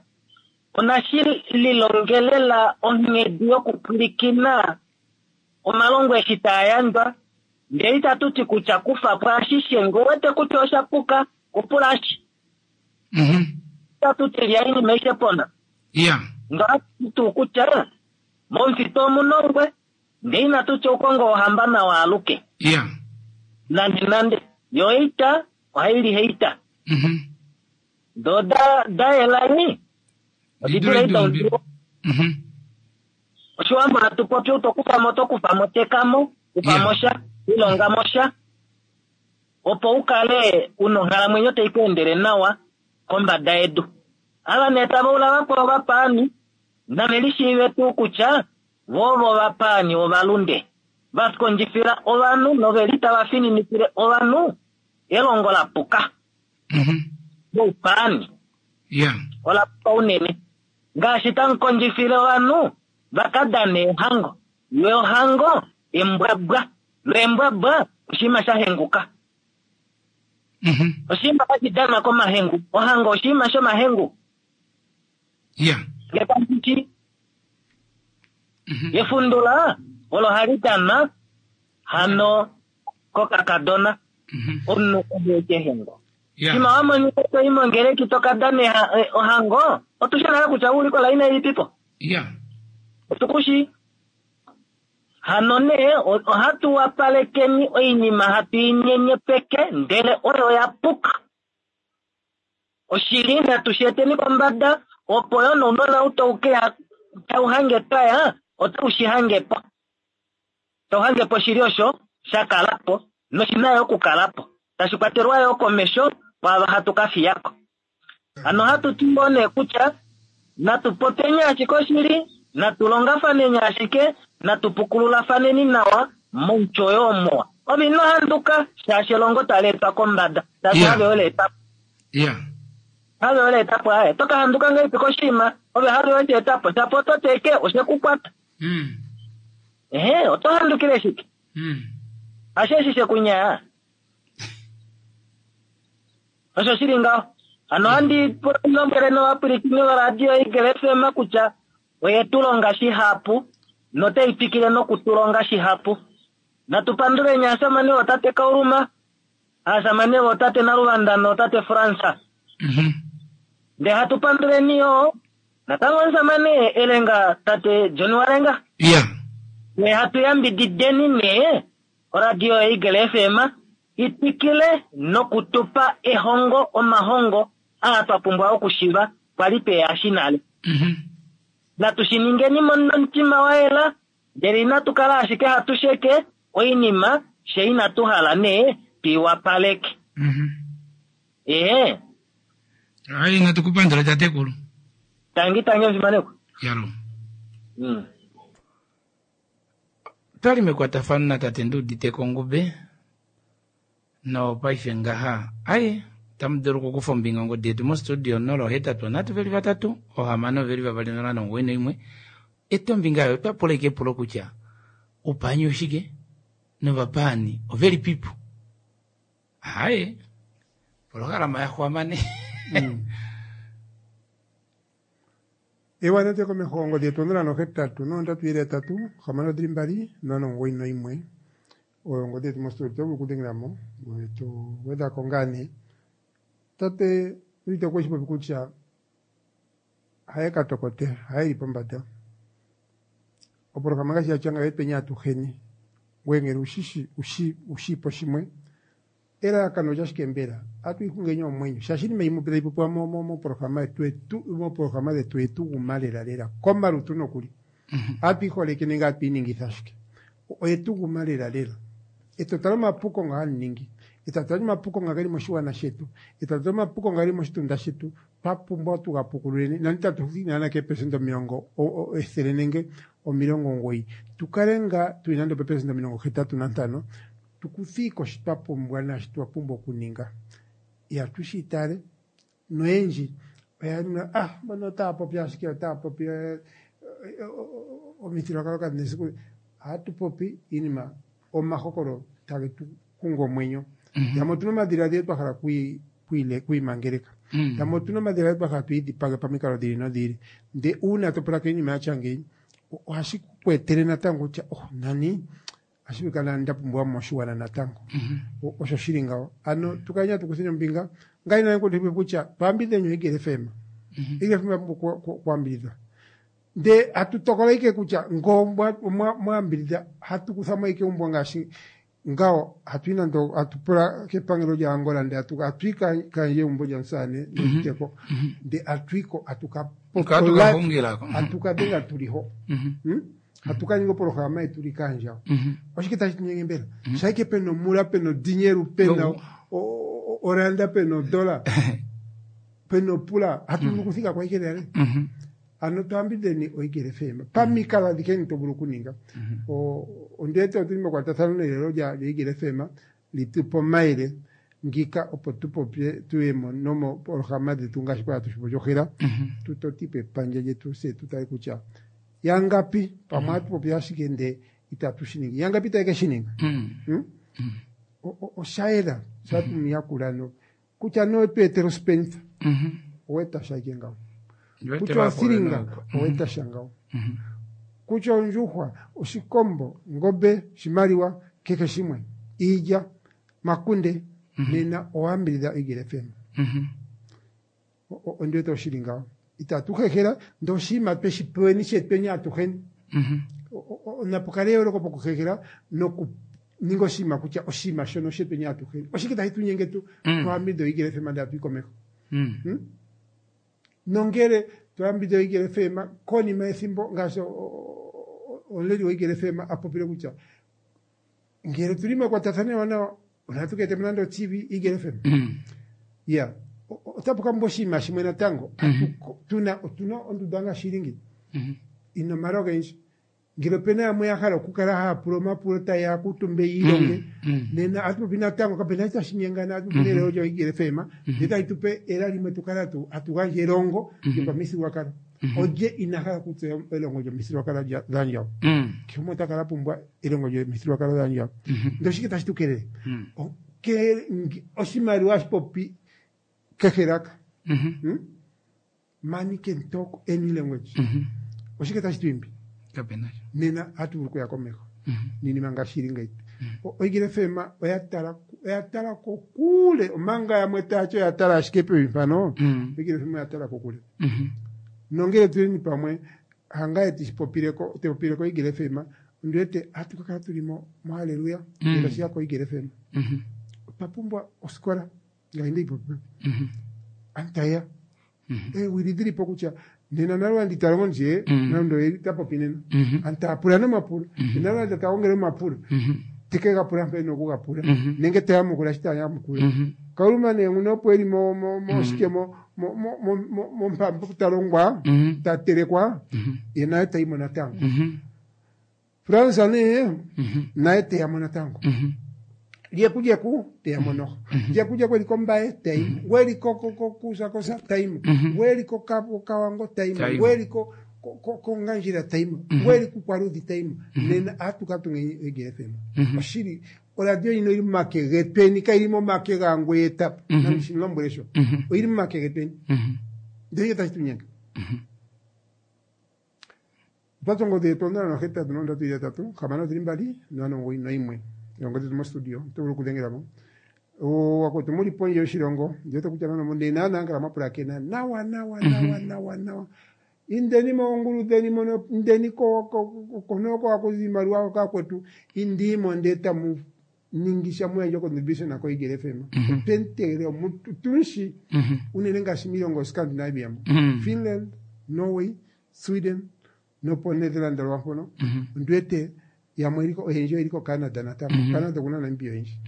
onashi lilongelela onghedi yokupwilikina omalongo eshi taa yandjwa, ndele itatu ti kutya kufa po ashishe, ngee uwete kutya osha puka, kupula ashi. Itatu ti lya oinima aishe pona. Ndele ohatu ti tuu kutya Momufitu omu na ongwe, ndee inatu tya oukongo wohamba nawa aluke. Nande nande. Yo oita ohai li heita. Do da da yela nyi, odi dule heita ondilo. Oshiwambo hatu popi, ou to kufa mo, oto kufa mo, teka mo, kufa mo sha. Lilonga mo sha opo u kale u na onghalamwenyo tai ku endele nawa kombada yedu. Ava nee tava ula vakwao ovapaani, nave lishiive tuu kutya vo ovo ovapaani ovalunde, va kondjifila ovanhu nove li tava fininikile ovanhu elongo la puka loupaani. Ola puka unene. Ngaashi tamu kondjifile ovanhu va ka dane ehango, yo ohango embwabwa, lo embwabwa oshinima sha henguka. Oshinima hashi danwa komahengu. Ohango oshinima shomahengu. Nge tamu ti, efundula olo hali danwa hano kokakadona, omunhu oye kehengo. Shima wa monika to i mongeleki to ka dana ohango, otu shi nale kutya ou li kolaina ilipipo. Otu ku shii. Hano nee, ohatu wapalekeni oinima hatu i nyenyepeke, ndele oyo oya puka. Oshili natu shi eteni kombada, opo yo nounona ou tau ke ya, tau hange twa ya, otau shi hange po. Tau hange po oshili osho sha kala po, noshi na yo okukala po, tashi kwatelwa yo komesho kwaava hatu ka fiya ko. Hano ohatu ti ngoo nee kutya natu popyeni ashike oshili, natu longafaneni ashike, natu pukululafaneni nawa moutyo oyo omuwa. Ove ino handuka shaashi elongo tali etwa kombada, shaashi have ole eta po. Have ole eta po aye. Oto ka handuka ngahelipi koshinima ove have we shi eta po, shapo oto ti eke oshe ku kwata. Ehe, oto handukile shike? Hasho eshi she ku nyaa. Osho shi li ngaho. Hano ohandi lombwele novapwilikini voradio Eagle FM kutya oye tu longa shihapu notai twikile noku tu longa shihapu. Natu panduleni aasamane vootate Kauluma, aasamane vootate Naluvanda nootate Frans. Ndee hatu panduleni yo natango omusamane Elenga tate John Walenga. Ndee hatu yambidideni nee oradio Eagle FM i twikile noku tu pa ehongo, omahongo aa twa pumbwa okushiva kwali twe a shi nale. Natu shi ningeni nomutima wa yela, ndele inatu kala ashike hatu sheke oinima fye inatu hala nee tu i wapaleke. Ee. Ai, natu ku pandula tatekulu. Tangi, tangi omufimanekwa. Yalo. Otwali mekwatafano natate Nduuditeko Ngube nopaife ngaha aye tamu dulu okukufa ombinga ongodi yetu mostudio 083 3 6 2 0 91 Eta ombinga yoye otwa pula ike epulo kutya oupaani oshike novapaani ovelipipo aye polohalama ya xwama ne. Ewa nate komeho ongodhi yetu 083 3 6 2 091 oyo ongodhi yetu mostudio oto vulu okudhengela mo ngoye to gwedha ko ngaa nee. Tate Rita okwe shi popi kutya haye katokote haye li pombada opolohalama ngaashi yatya ngayo etweni atuheni ngoye ngele ushishi ushi ushiipo shimwe Elalakano olyashike mbela? Ohatu ixungeni omwenyo, shaashi iinima imwe tayi popiwa mopolohalama yetu mopolohalama dhetu oye tu guma lelalela komalutu nokuli. Ohatu iholeke nenge ohatu iningitha ashike. Oye tu guma lelalela. E to tala omapuko nga hanu ningi, e tatu tala omapuko nga geli moshigwana shetu, e tatu tala omapuko nga geli moshitunda shetu, twa pumbwa tu ga pukululeni, nande tatu thiki naana keepelesenda 100 nenge 90, tu kale nga tuli nande opeepelesenda 85, Tu kuthii ko shi twa pumbwa naashi twa pumbwa okuninga. Ihatu shi itaale, noyendji oya ninga, Ah, mbono otaya popi ashike, otaya popi eh, eh, omithigululwakalo kadhi na esiku. Ohatu popi iinima, omahokolo tage tu hungu omwenyo. Yamwe otu na omadhiladhilo twa hala okwi- okwiile- okwiimangeleka. Yamwe otu na omadhiladhilo twa hala tu idhipage pamikalo dhi ili nodhi ili. Nde uuna to pulakene iinima ya tya ngeyi, ohashi ku etele natango kutya, oh, nani Ohashi vulika nani nda pumbiwa moshigwana natango. Osho shi li ngawo. Ano tu kaleni hatu kutheni ombinga. Ngai nani ku kutya twambidheni oEagle FM. Eagle FM oya pumbwa okuambidhidhwa. Nde hatu tokola ike kutya ngo mwa ambidhidha hatu kutha mo ike umbwa ngaashi ngawo hatu yi nando hatu pula kepangelo lya Angola nde hatu hatu yi kandje egumbo lyamusamane Nduteko nde hatu yi ko hatu ka hatu ka dhenga tuli ho. Hatu ka ninga opolohalama yetu li kaandjawo. Oshike tashi tu nyenge mbela? Shaike pena omula, pena odinyelu, pena oranda, pena odola, pena opula, hatu vulu okuthika ko ashike lelale. Ano tu ambidheni oEagle FM pamikalo adhihe ndhi to vulu okuninga. Ondi wete otuli mekwatathano nelelo lyaEagle FM li tu pe omayele ngiika opo tu popye tuye mo nomopolohalama dhetu ngaashi kwa hatu shi popi ohela tu totipo epandja lyetu se tu tale kutya yangapi pamwe hatu popi ashike nde itatu shi ningi yangapi taye ke shi ninga. Hmm? Osha yela sha tu mu yakula no kutya no tu etele ospenitha oweta sha ike ngawo kutya othilinga oweta sha ngawo kutya ondjuhwa oshikombo ongombe oshimaliwa kehe shimwe iilya makunde nena owambidhidha Eagle FM. Ondi wete oshili ngawo itatu hehela ndee oshinima tweshi peweni shetweni atuheni. Napu kale eyooloko pokuhehela nokuninga oshinima kutya oshinima shono oshetweni atuheni. Oshike tashi tu nyenge tu twambidhidhe oEagle FM ndee hatu yi komeho? Hmm? Nongele twambidhidha oEagle FM konima yethimbo ngaashi omuleli woEagle FM a popile kutya ngele tuli mekwatathano ewanawa onatu ka etemo nande oTV Eagle FM. Ya otapu ka mba oshinima shimwe natango. Tuna otuna ondunda ngaashi ili ngi ina omala ogendji. Ngele opena yamwe ya hala okukala haya pula omapulo taye ya kuutumbe yi ilonge nena atu popi natango kapena shi tashi nyengana atu popi nelelo lyo Eagle FM ndele tali tupe ela limwe tu kale hatu gandja elongo lyopamithigululwakalo. Olye ina hala okutseya elongo lyomithigululwakalo dhaandjawo? Kehe gumwe ota kala a pumbwa elongo lyomithigululwakalo dhaandjawo. Ndele oshike tashi tu kelele? Oshimaliwa hashi popi kehe elaka. Hmm? Money can talk any language. Oshike tashi tu imbi? Nena ohatu vulu okuya komeho niinima ngaashi ili ngayi. Oeagle FM oya tala oya tala kokule omanga yamwe taya ti oya tala ashike pevi mpano. Oeagle FM oya tala kokule. Nongele tuleni pamwe hangaye tishi popileko te popileko Eagle FM ondi wete ohatu ka kala tuli mo mohaleluya ngele tashi ya koEagle FM. Otwa pumbwa osikola ngaashi ndeyi popi. Aantu taye ya. Eewili dhili po kutya nena nalwandi ta longo ndje nando ye ta popi nena. Aantu taya pula nomapulo. Nena nalwandi ta gongele omapulo. Te ke ga pula mpa e na oku ga pula. Nenge ta yamukula shi ta yamukula. Kauluma nee nguno opo eli mo mo mo shike mo mo mo mo mo mompambo ta longwa ta telekwa ye naye ta yi mo natango. Frans nee naye te ya mo natango. Lyeku lyeku te ya mo noho. Lyeku lyeku eli kOmbaye te yi mo. Ngu eli ko ko ko kuSakosa ta yi mo. Ngu eli ko Kawango ta yi mo. Ngu eli ko ko kOngandjera ta yi mo. Ngu eli kUukwaluudhi ta yi mo. Nena ohatu ka tunga Eagle FM. Oshili oradio ndjino oyili momake getweni kayili momake gaangu e eta po. Nandi shi mu lombwele sho. Oyili momake getweni. Ndele oshike tashi tu nyenge? Otwa tsu ongodhi yetu 081 3 6 091. Oongodhi dhetu mostudio oto vulu okudhengela mo. Wakwetu mu li pondje yoshilongo ndi wete kutya nano ne naanaa kala mwa pulakena nawa nawa nawa nawa nawa. Indeni moongulu dheni mono, indeni ko ko haku zi iimaliwa hoka akwetu, indii mo ndee tamu ningi sha mu yandje ocontribution koEagle FM. Otwe mu tegelela otu mu shi unene ngaashi miilongo yoScandinavia mo. Finland, Norway, Sweden nopo Netherland lwampono ondi wete yamwe oyeli oyendji oyeli ko Canada natango. Canada okuna Namibia oyendji.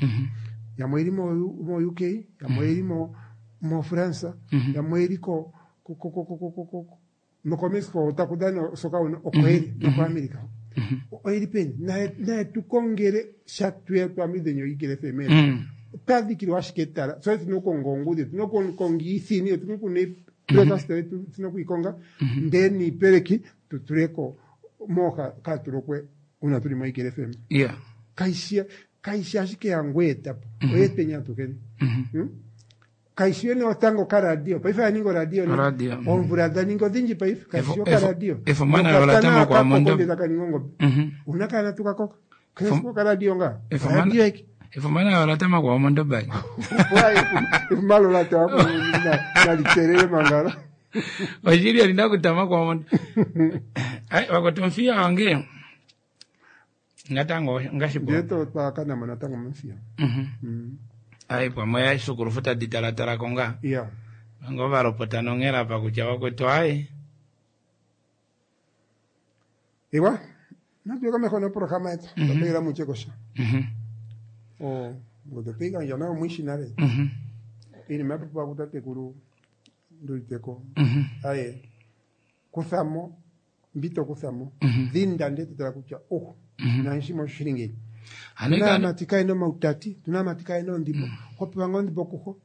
Yamwe oyeli mo mo UK, yamwe oyeli mo mo France, yamwe oyeli ko ko ko ko ko ko ko noko Mexico otaku dhana osoka hono oko yeli noko America. Oyeli peni? Naye naye tu kongele sha tuye tu ambidhidhe oEagle FM. Otwa dhikilwa ashike etala. Tse otuna okukonga oongudhi, otuna okukonga iithini, otuna okuna breakfast yetu tuna okuyikonga ndee niipeleki tu tuleko mooha kaatulokwe uuna tuli moEagle FM. Yeah. Kayishi kayishi ashike yangoye etapo oyetweni atuheni. Hmm? Kayishi yene otango okaradio paife oya ninga oradio ne. Oradio, Oomvula dha ningi odhindji paife kayishi Efo- okaradio. efomana lola tama kwa mondo. Nokatana ka ninga ongombe. Una kana tukakoka. Kayishi okaradio nga. Efomana- Oradio eke. Efumana lola tama kwa mondo bai. Efumano la tama nalitelele mangala. Oshili alina kutama kwa mondo. Ai wakotomfia wange. Natango ngashipo. Ndiye twakanamo natango momuthiya. Ai pamwe aisukulufu tadi talatala ko ngaa. Yeah. Ngo valopota nonghela apa kutya wakwetu ai. Ewa. Natu komeho noprograma yetu. Twapeela mutye kosha. Oh, ngoto twigandja nayo mwishi nale. Iinima ya popiwa kutatekulu Nduliteko. Aye. Kuthamo mbi to kuthamo. Dhinda ndele to tala kutya oh, nanshimwe osho shili ngeyi. Ano Tuna ika- aamati kayena omautati, tuna aamati kayena oondhimbo. Ho pewa ngaa ondhimbo kuho.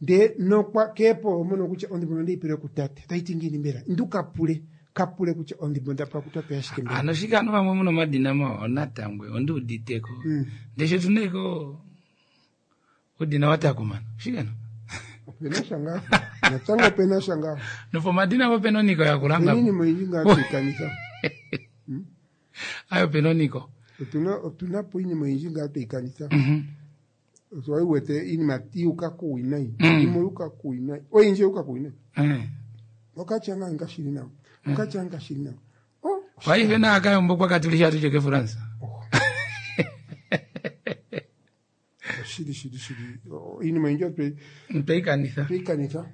Ndee nokwa keepo omono kutya ondhimbo onde yi pele kutate. Otayi ti ngiini mbela? Indu ka pule, ka pule kutya ondhimbo onda pewa kutate yashike mbela. Ano shike ano vamwe muna omadina mawa onatangwe ondi uditeko. Ndee sho tuna iko udina watakumana. Shike no? Opena sha ngaa. Natango opena sha ngaa. Nopomadina po pena oniko ya kulanga. Opena iinima oyindji ngaa twiikanitha. Ayo pena oniko. Otuna otuna po iinima oyindji ngaa twiikanitha. Otwa wete iinima yuuka kuuwinayi. Yimwe yuuka kuuwinayi. Oyindji yuuka kuuwinayi. Okatya ngaa ngashili nawa. Okatya ngashili nawa. Oh, Paife na akayombo kwa katulisha tuje ke France. shili shili shili. Oh, Iinima oyindji otwe Tweikanitha. twiikanitha.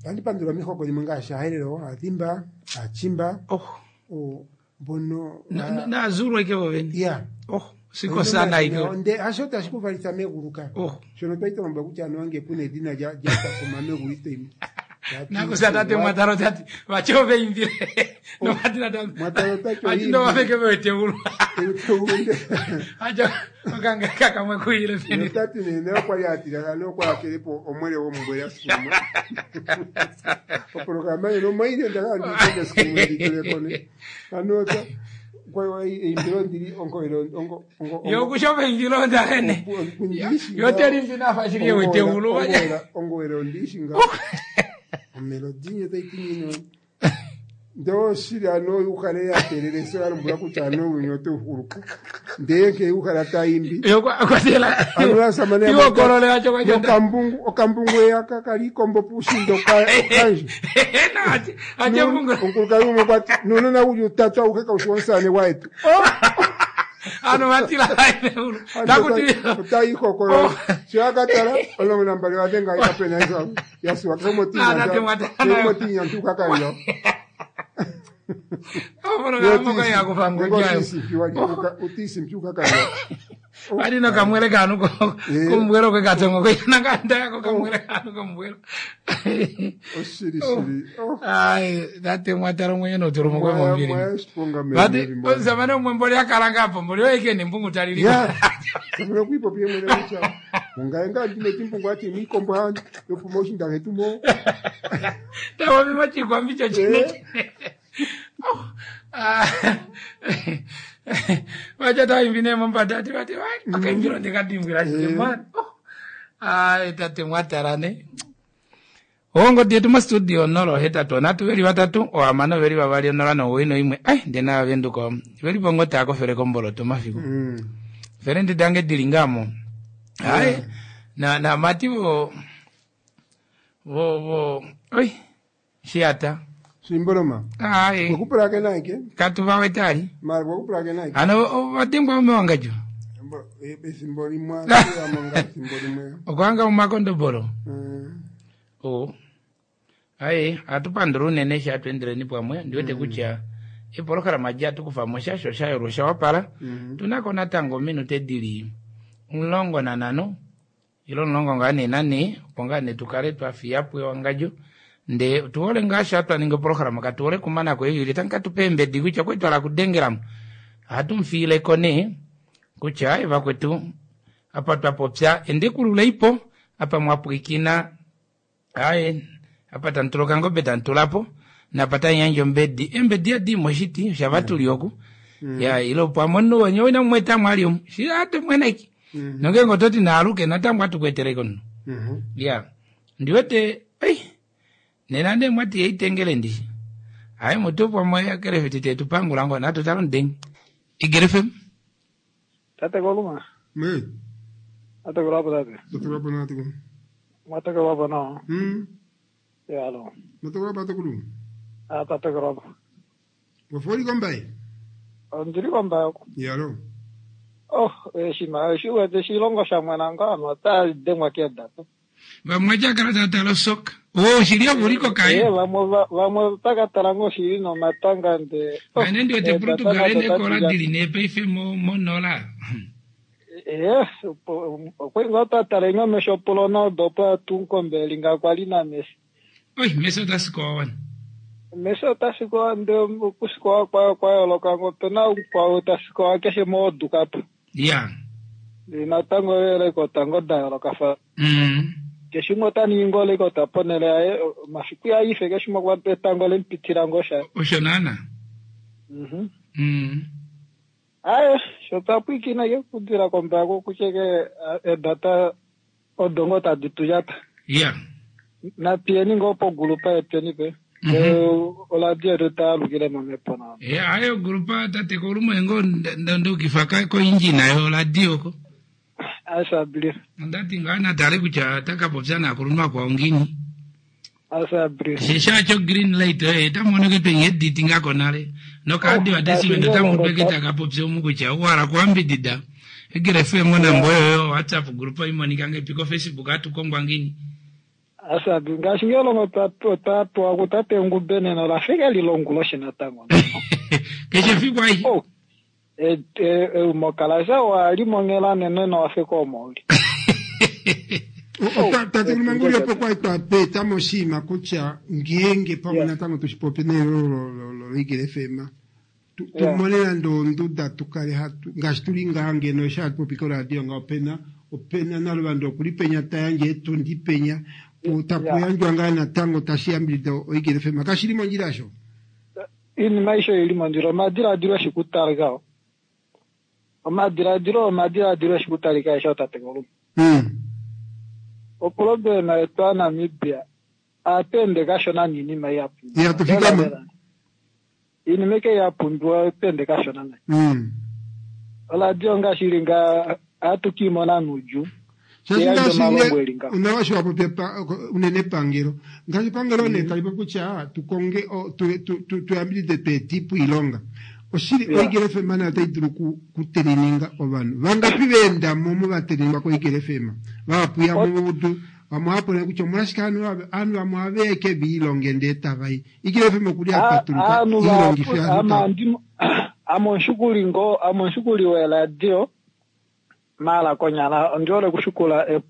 Andi pandula omihoko dhimwe ngaashi aaherero, aadhimba, aachimba. Oh. Oh, mbono Naazulu ike vovene. Yeah. Oh, siko sana ike. Nde hasho tashi ku valitha megulu ka. Oh. Shono twali twa lombwelwa kutya anuwa ngele puna edhina lya lyatakuma megulu ito yimo. Nakusa tate mwataro tati vachove imbile. Nomadina tati. Mwataro tati Ati ndo vaveke veteulu. Acha okanga kakamwe kuile peni. Notati nene okwali atila ano okwali akelepo omwele womumbwele asikumwe. Oprograma eno maine ndakala nditende sikumwe ndituleko ne. Ano ta kwa eimbilo ndili ongo ilo ongo ongo Yokushove imbilo ndakene. Yoteri mbina fashirie weteulu. Ongowela ondishi nga. Omelodi taiti ndo shili ano ukale yakelele so yalombwela kutya ano unyuni ote uhuluka ndee nke ukala taimbi ano asamane Iwokolole wacho kwacho. okambungu okambungu eyaka kali ikombo pushindo okanje omukulukadhi gumwe kwati nuunona wuli utatu auhe kaushi womusane waetu Ano vatila Takuti otaihokolola sho yakatala 12 wadhenga kapena yasuwa Ah, tate mwatana. kemotinyantukakalilo Oprograma yakufa ngojayo. utiisimpyukakalilo Vari nokamwele kanu kombwelo kwekatongo kwenanganda yako kamwele kanu kombwelo. Oshili shili. Ai, tate mwataro mwenye noturumo kwe Mwaya- mombiri. mwaya shiponga Vati mbiri mbona. osamane umwe mboli akalanga apo mboli oike ni mbungu talili. Ya. Samana kuipopi mwene kucha. Ungaenga ndine timbungu ati mikombo handi yopromotion ndaketumo. Tawa mimachikwa mbicho chine chine. Ah. Vacha taimbine mombadati vati vai akaimbiro ndikadimbwira chine mani. Ai tate mwatarane. Ongo dietu mustudio 081 veli vatatu ohamano veli vavali 0 nowi noimwe ai ndena venduka veli pongo taakofele komboloto mafiku fele ndidange dili ngamo ai na na mati vo vo vo oi shiata Simboloma. ai Wakupulake naike. katu vawetali Mara wakupulake naike. ano vatengwa umewangajo Ethimbo limwe amonga ethimbo limwe. okwanga mumakondobolo o ai atupandula unene sha atuendeleni pamwe ndiwete kutya epolohalama ji atukufamo sha sho shayolwa shawapala tunako natango minute dili 15 ilo 14 opo ngaa ne tukale twafiyapo ewangadjo nde tuhole ngaa sha twaninga opolohalama katuhole kumanako evili tangi katupe embedi kutya kwali twala kudengelamo ohatu mufiileko nee kutya ai vakwetu apa twapopya endekululeipo apa mwapwikina aye apa tantula okangobe tantulapo napa tanyandja ombedi embedi yadimo oshiti oshavatuli oku ya ilo pamwe omunhu wenye wina mumweta mwali omu shi atumweneki nongenge ototi naaluke natango atukweteleko nno ya ndiwete ei nena nde mwati yeitengele ndishi aye mutu pamwe akelefiti tetupangula ngo natutala ndenge Igere FM Tate Koluma. Me. Tate Kolapa tate. Tate Kolapa na tate. Mate Kolapa no. Ya lo. Mate Kolapa tate Koluma. Ah tate Kolapa. Wafori kombai. Ondili kombai. Ya lo. Oh, eshima, eshiwete shilongo shamwena ngano ota dengwa keda. Vamwe otya kala tava tala osoka. Oh, shili ovo uli kokaye. Eh, vamwe vamwe otaka tala ngoo shili nomatanga nde. Ane ndi wete Portugal ene kola dili ne paife mo monola. Eh, okwali ngoo twa tala inga mesho Ronaldo opo atunkombe linga kwali na Messi. Oi, Messi ota sikowa wana. Messi ota sikowa nde okusikowa kwayo kwa yooloka ngo opena mukwao ta sikowa keshe mo World Cup. Ya. Natango eelekota ngo da yoolokafana. Keshe umwe ota ningi ngoo elekota ponhele yaye, omafiku ihaa ife keshe umwe okwa etango le mu pitila ngoo sha. Osho naana. Aaye, sho twa pwiikina ke okudila kombaako kutya ke eedata odo ngoo tadi tu lyata. Ya. Natuyeni ngoo pogulupa yetweni pe. Oladio yetu ta alukile momhepo nawa. E, aye ogulupa tate kolumwe ngoo ndukifa koindjina yoladio ko. Asabli. Ondati ngaa natale kutya ota ka popya naakulunhu akwao ngiini. Asabli. Shisha cho green light oye ta mono ke penye editi nga konale. Nokaadi wa desi wendo ta mutwe ke taka popya omu kutya owa hala okuambidida. Eagle FM onamba oyo yo WhatsApp group imonika ngepi ko Facebook atu kongwa ngiini. Asabi, ngaashi ngee longo twa pewa kutate Ngube nena ola fika li longuloshi natango. Keshe efiku aishe. Oh, eumokalasha owa li monghela nene nowa fika omo uli. Tate Lumanguli opo kwa twa peta moshinima kutya ngeenge pamwe natango tushipopi neelo loEagle FM tumone nande onduda tukale hatu ngaashi tuli ngaha ngeno eshi hatu popi koradio nga opena naluvanda okuli penya tayandje etundi penya tapu yandjwa ngaa natango tashi yambidida oEagle FM kashili mondjila sho. Iinima aishe oili mondjila, omadiladilo eshi kutalika o. Omadiladilo omadiladilo eshi kutalika aishe tate Kolumba. Oproblema yetu aNamibia ohatu ende kashona niinima ihapu. Ihatu fikama. Iinima ike ya pumbiwa ohatu ende kashona nayi. Oradio ngaashi ili nga ohatu kiimona nuudjuu. Shaashi Eyandjo ngaashi omalongo eli ngaho. Unawa shi wapopya unene epangelo ngaashi epangelo nee tali popi kutya tukonge tuyambidide tweetipo iilonga oshili oEagle FM nayo otai dulu kuteleninga ovanhu vangapi veendamo mo vateleningwa koEagle FM vahapu ya mudu vamwe ohava kutya omolwashike ovanhu vamwe ohave ya ike viilonge ndee tavai Eagle FM okuli apatuluka Aanhu iilongife vahapu ovanhu ame omushikuli ngoo ame omushikuli weradio maala konyala ondi hole okushikula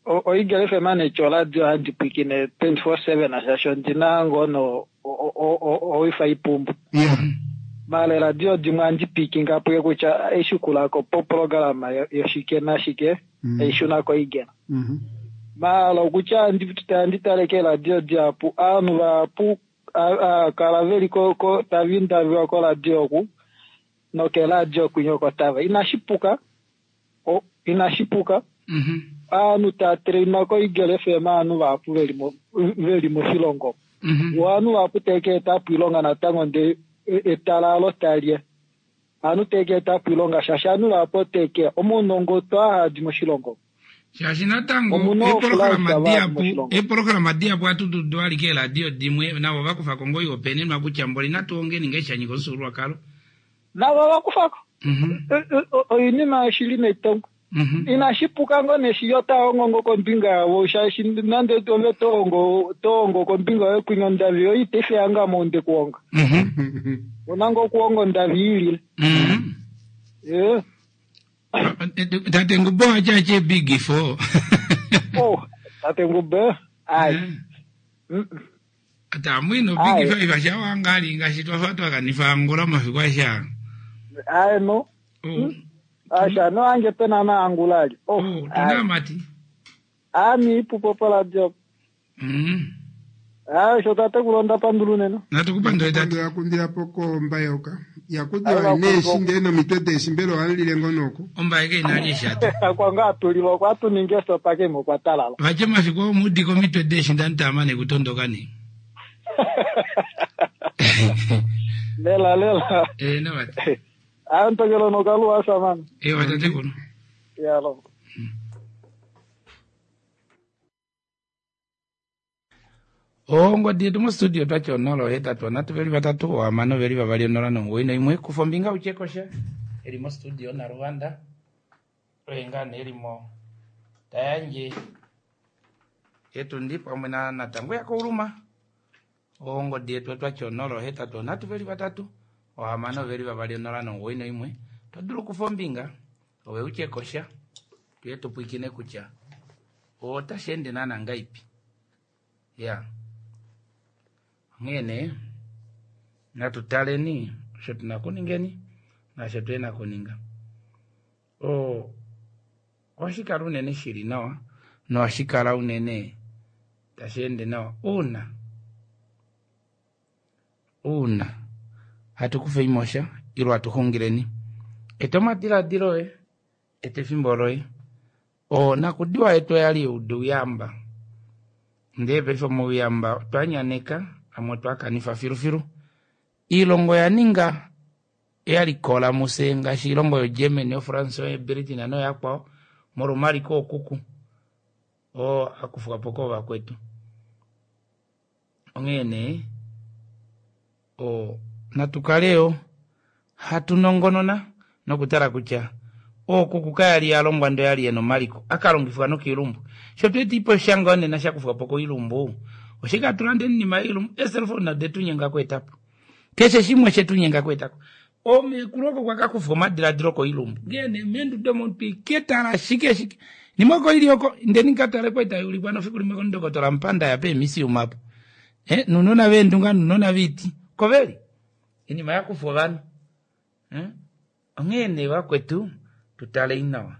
oEagle FM netya oradio handi pwiikine 24/7 shaashi ondina ngoo no owifi ipumbu. Maala eradio dimwe ohandi pwiikinga puye kutya eishikulako poprograma yoshike nashike eishuna koEagle. Maala okutya andi tale keeradio dihapu ovanhu vahapu kala veli ko tava indaviwa koradio oku nokeradio kwinya oko tava inashi puka inashi puka ovanhu tava trainwa koEagle FM ovanhu vahapu veli moshilongo ovanhu vahapu tave ka etapo oilonga natango ndee etalalo taliya ovanhu tave ka etapo oilonga shaashi ovanhu vahapu otave keya omaunongo otwa hadi moshilongo. Shaashi natango Omuna eeprograma oflight dihapu moshilongo. Eeprograma dihapu ohatu dudu alike eeradio dimwe navo vakufako ngoo oihopaenenwa kutya mboli natu ongeni ngee shanyika omufyuululwakalo. Navo vakufako oinima yoshili neitongo. Inashi puka ngoo neshi otahongo ngo kombinga yavo shaashi nande ove tohongo kombinga yoye kwinya ondavi yoye itefi yanga mounde kuhonga. Una ngoo okuhonga ondavi iilile. Tate Ngube owatyatya big four. Oh, tate Ngube ai. Ata mwino big five ashawangali ngaashi twafa twakanifa Angola omafiku aisha. Ai no. Asha no ange pena na Angola ali. Oh, tuna mati. Ami ipupo pola job. Ah, sho tate kulonda pandulu nena. Natukupandula tate. Yakundila poko mbayoka. Yakundila neeshi ndee nomitwe deeshi mbela ohalile ngoo noko. Ombaye ke inali eshatu. Kwa ngaa tulilwa kwa tuninge sopa ke mo kwa talala. Vache mafiku omudi komitwe deeshi ndantamane kutondoka ni. Lela lela. Eh no wat. Ah, ntokelo no kaluwa samana. Eh watate kuno. Ya lo. Ongodi yetu mostudio twatya 0 8 3 veli 3 6 veli 2 0 9 1 kufa ombinga utyekosha eli mostudio naluvanda oye ngaa nee elimo tayandje Etundi pamwe na Natango yaKouluma. Ongodi yetu otwati 0 8 3 3 6 2 0 9 1. To dulu okufa ombinga ove utye kosha tuye tupwikine kutya otashi ende naana ngaipi. Ya onghee nee natu taleni osho tuna okuningeni naasho tuhena okuninga. Ohashi kala unene shili nawa nohashi kala unene tashi ende nawa uuna uuna hatu kufa oimosha ilo hatu xungileni. Eta omadiladilo oye, eta efimbo loye. Onakudiwa yetu oyali youdu uyamba, ndee paife omauyamba otwa nyaneka amwe otwa kanifa filufilu. Iilongo oya ninga ya likola muse ngaashi iilongo yoGermany, yoFrance, yoBritain noyakwao molwa omaliko okuku oo akufwa po koovakwetu. Onghee nee natu kale yo hatu nongonona nokutala kutya ookuku kaya li ya longwa ndee oyali yena omaliko akalongifwa nokiilumbu. Sho tweeta iposha ngoo nena shakufwa po koilumbu oshike hatu lande oinima yoilumbu? Eeselfona odetu nyenga okweetapo. Keshe shimwe oshetu nyenga okweetako. Omeekulu oko kwa kakufwa omadiladilo koilumbu. Ngee nee meenduda omo twiketala shike shike. Nimwe oko ili oko ndeni nkatale kwali tayuulikwa nofiku limwe komundokotola Mupanda ya peemisiuma apo. Eh, nunona veendunga nunona viiti. Koveli. Inima yakufwa ovanhu. Eh? Onghee nee vakwetu tutalei nawa.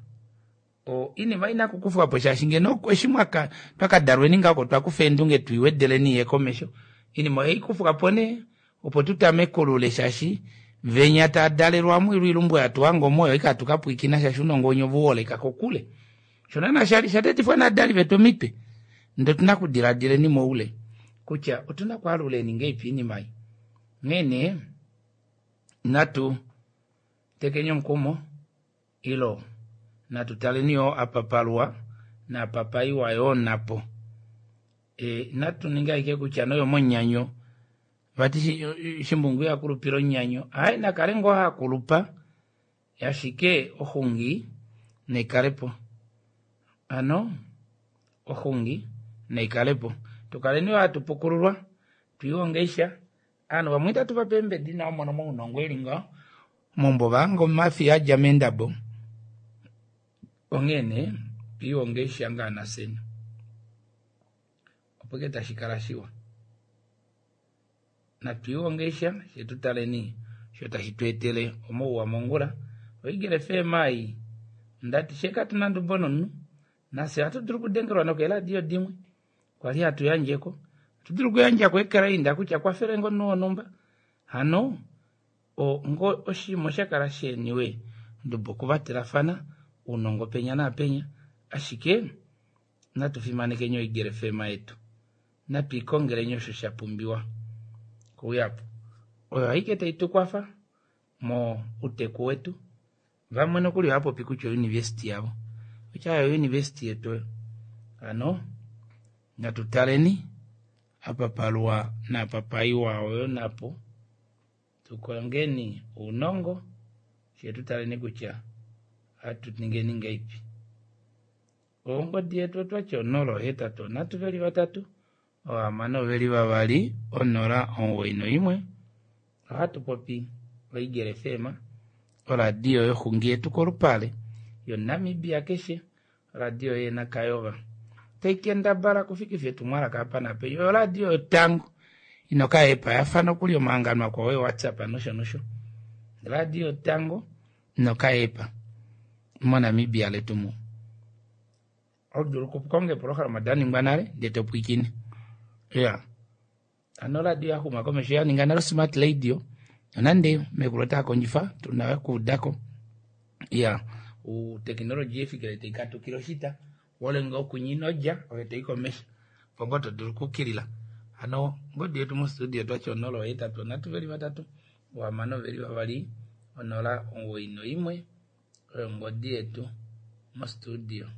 Oinima ina kukufwa po shaashi ngeno eshi mwaka twakadalweni ngaho oko twakufa eendunge tuiwedeleni iye komesho. Inima ohaikufwa po nee opo tutamekulule shaashi venya tadalelwa mwilu ilumbu yatuhanga omoyo ika tukapwikina shaashi unongo wenye ovuholeka kokule. Osho naana shali shatetifwa naadali vetu omitwe ndee otuna okudiladileni moule kutya otuna okwaaluleni ngeipi iinima ei. Onghee nee natu tekeni omukumo ilo natu taleni yoo apa paluwa naapa paiwa yoo napo. E, natu ninge ashike kutya noyo monyanyo vati shimbungu iha kulupile onyanyo aye nakale ngoo hakulupa ashike oxungi naikalepo ano oxungi naikalepo tukaleni yoo hatu pukululwa twiihonge sha ovanhu vamwe itatu vape eembedi nawa mono mounongo eli ngaho mombo vahanga omafi adja meendabo onghee nee twiihonge sha ngaa nafyeni opo ke tashi kala shiwa natwiihonge sha fye tutaleni osho tashi tu etele omauwa mongula. Oigele FM ei ondati fye katuna ndubo nomunhu nafye ohatu dulu okudengelwa nokeeladio dimwe kwali hatu yandjeko ohatu dulu okuyandjako ekrainda kutya kwafele ngo omunhu wonhumba hano ngo oshinima osha kala sheniwe ndubo okuvatelafana ounongo penya naapenya ashike natu fimanekeni oigele FM yetu natu ikongeleni osho sha pumbiwa kouyapo oyo aike tai tukwafa mouteku wetu. Vamwe nokuli ohava popi kutya ouniversity yavo kutya oyo university yetu oyo. Hano natu taleni apa paluwa naapa paiwa oyo napo tukongeni ounongo fye tutaleni kutya ohatu ningeni ngaipi. Ongodi yetu otwati 0 8 3 3 6 2 0 9 1. Ohatu popi oigele FM oradio yoxungi yetu kolupale yoNamibia keshe oradio yena Kayova tai kendabala kufikifa etumwalaka apa napenya. Oyo oradio yotango inoka epa yafa nokuli omahangano akwao eWhatsApp nosho nosho. Radio yotango inoka epa moNamibia letu mu. Odulu okukonga eprograma daningwa nale ndee topwikine. Ya ano oradio yaxuma komesho yaninga nale smart radio nonande mekulu ota kondjifa tuna okuudako. Ya utekinoloji efikile taikatukile oshita wolenga okunyina odja oyo tai komesho opo ngoo todulu okukilila. Hano ongodi yetu mostudio twati 0 8 3 3 6 2 0 9 1 oyo ongodi yetu mostudio.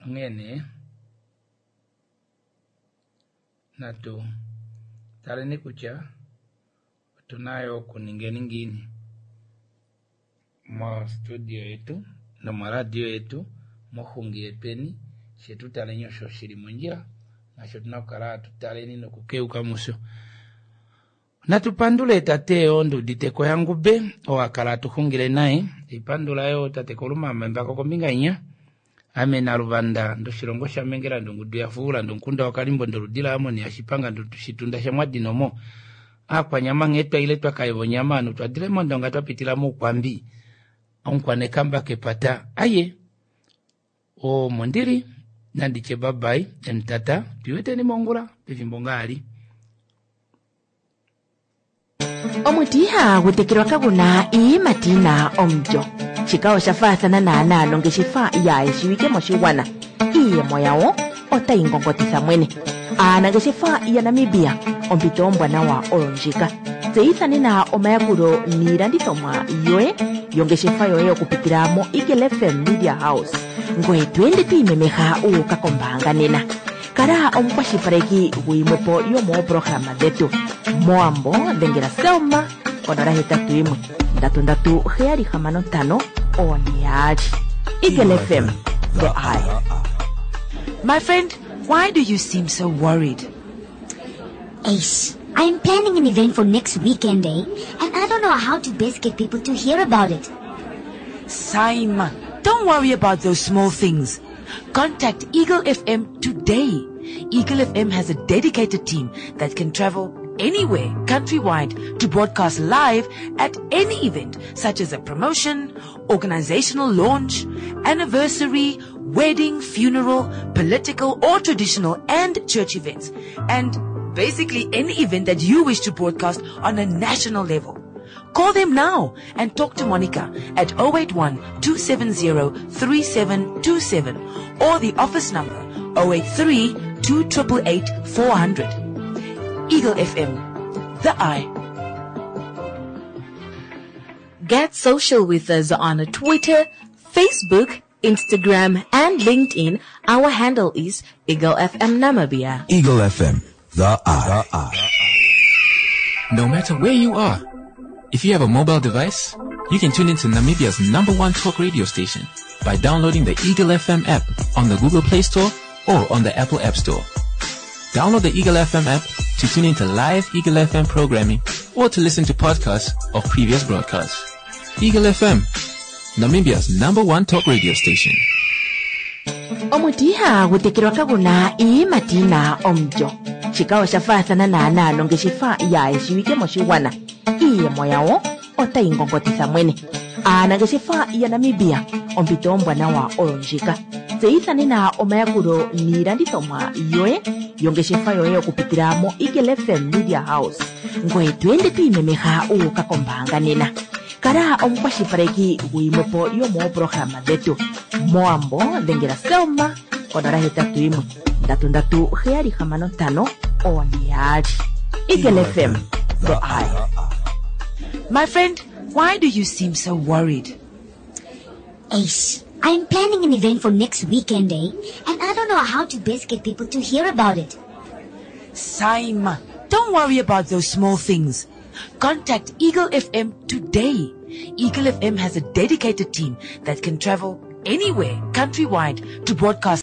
Onghee nee natu taleni kutya otuna yo okuningeni ngiini mostudio yetu nomoradio yetu Moxungi yetweni, fye tu taleni osho shi li mondjila, naasho tu na okukala hatu taleni nokukeuka musho. Natu pandule tate oo ndi udite ko yaNgube, oo a kala hatu xungile naye. Haipandula yoo tate Kolumama Embako kombinga inya. Ame Naluvanda ndoshilongo shaMengela ndongudu yaFuula ndomukunda waKalimbo ndoludi laAmoni yaShipanga ndoshitunda shaMwadinomo. Aakwanyama nghee twaile twa kayeva onyama anu twadile mOndonga twa pitila mOukwambi. Omukwanekamba kepata aye. Omo ndili nandi tye bye bye and tata twiiweteni mongula pefimbo ngaali. Omuti ihagu tekelwa kagu na iiyimati yi na omulyo. Shika osha faathana naanaa nongeshefa yaayeshiwike moshigwana. Iiyemo yawo otayi ngongotitha mwene. Aanangeshefa yaNamibia, ompito ombwanawa oyo ndjika. Tseyitha nena omayakulo niilandithomwa yoye yongeshefa yoye okupitila moEagle FM Media House. Ngoye to ende to imemeha wu uka kombaanga nena. Kala omukwashilipaleki guyimwepo yomooprograma dhetu. Mowambo dhengela Selma konola hetatu yimwe ndatu ndatu heyali hamano ntano one yaali. Eagle FM, the eye. My friend, why do you seem so worried? Ace, I'm planning an event for next weekend, eh? And I don't know how to best get people to hear about it. Saima, don't worry about those small things. Contact Eagle FM today. Eagle FM has a dedicated team that can travel anywhere countrywide to broadcast live at any event such as a promotion, organizational launch, anniversary, wedding, funeral, political or traditional and church events. And basically any event that you wish to broadcast on a national level. Call them now and talk to Monica at 081 270 3727 or the office number 083 2888 400. Eagle FM, the eye. Get social with us on Twitter, Facebook, Instagram, and LinkedIn. Our handle is Eagle FM Namibia. Eagle FM, the eye. No matter where you are, if you have a mobile device, you can tune into Namibia's number one talk radio station by downloading the Eagle FM app on the Google Play Store or on the Apple App Store. Download the Eagle FM app to tune into live Eagle FM programming or to listen to podcasts of previous broadcasts. Eagle FM, Namibia's number one talk radio station. Omuti ihagu tekelwa kagu na iiyimati yi na omulyo. Shika osha faathana naanaa nongeshefa yaayeshiwike moshigwana. Iiyemo yawo otayi ngongotitha mwene. Aanangeshefa yaNamibia, ompito ombwanawa oyo ndjika. Tseyitha nena omayakulo niilandithomwa yoye yongeshefa yoye okupitila moEagle FM Media House. Ngoye to ende to imemeha wu uka kombaanga nena. Kala omukwashilipaleki guyimwepo yomooprograma dhetu. Mowambo dhengela Selma konola hetatu yimwe ndatu ndatu heyali hamano ntano one yaali. Eagle FM, the eye. My friend, why do you seem so worried? Ace, I'm planning an event for next weekend, eh? And I don't know how to best get people to hear about it. Saima, don't worry about those small things. Contact Eagle FM today. Eagle FM has a dedicated team that can travel anywhere countrywide to broadcast.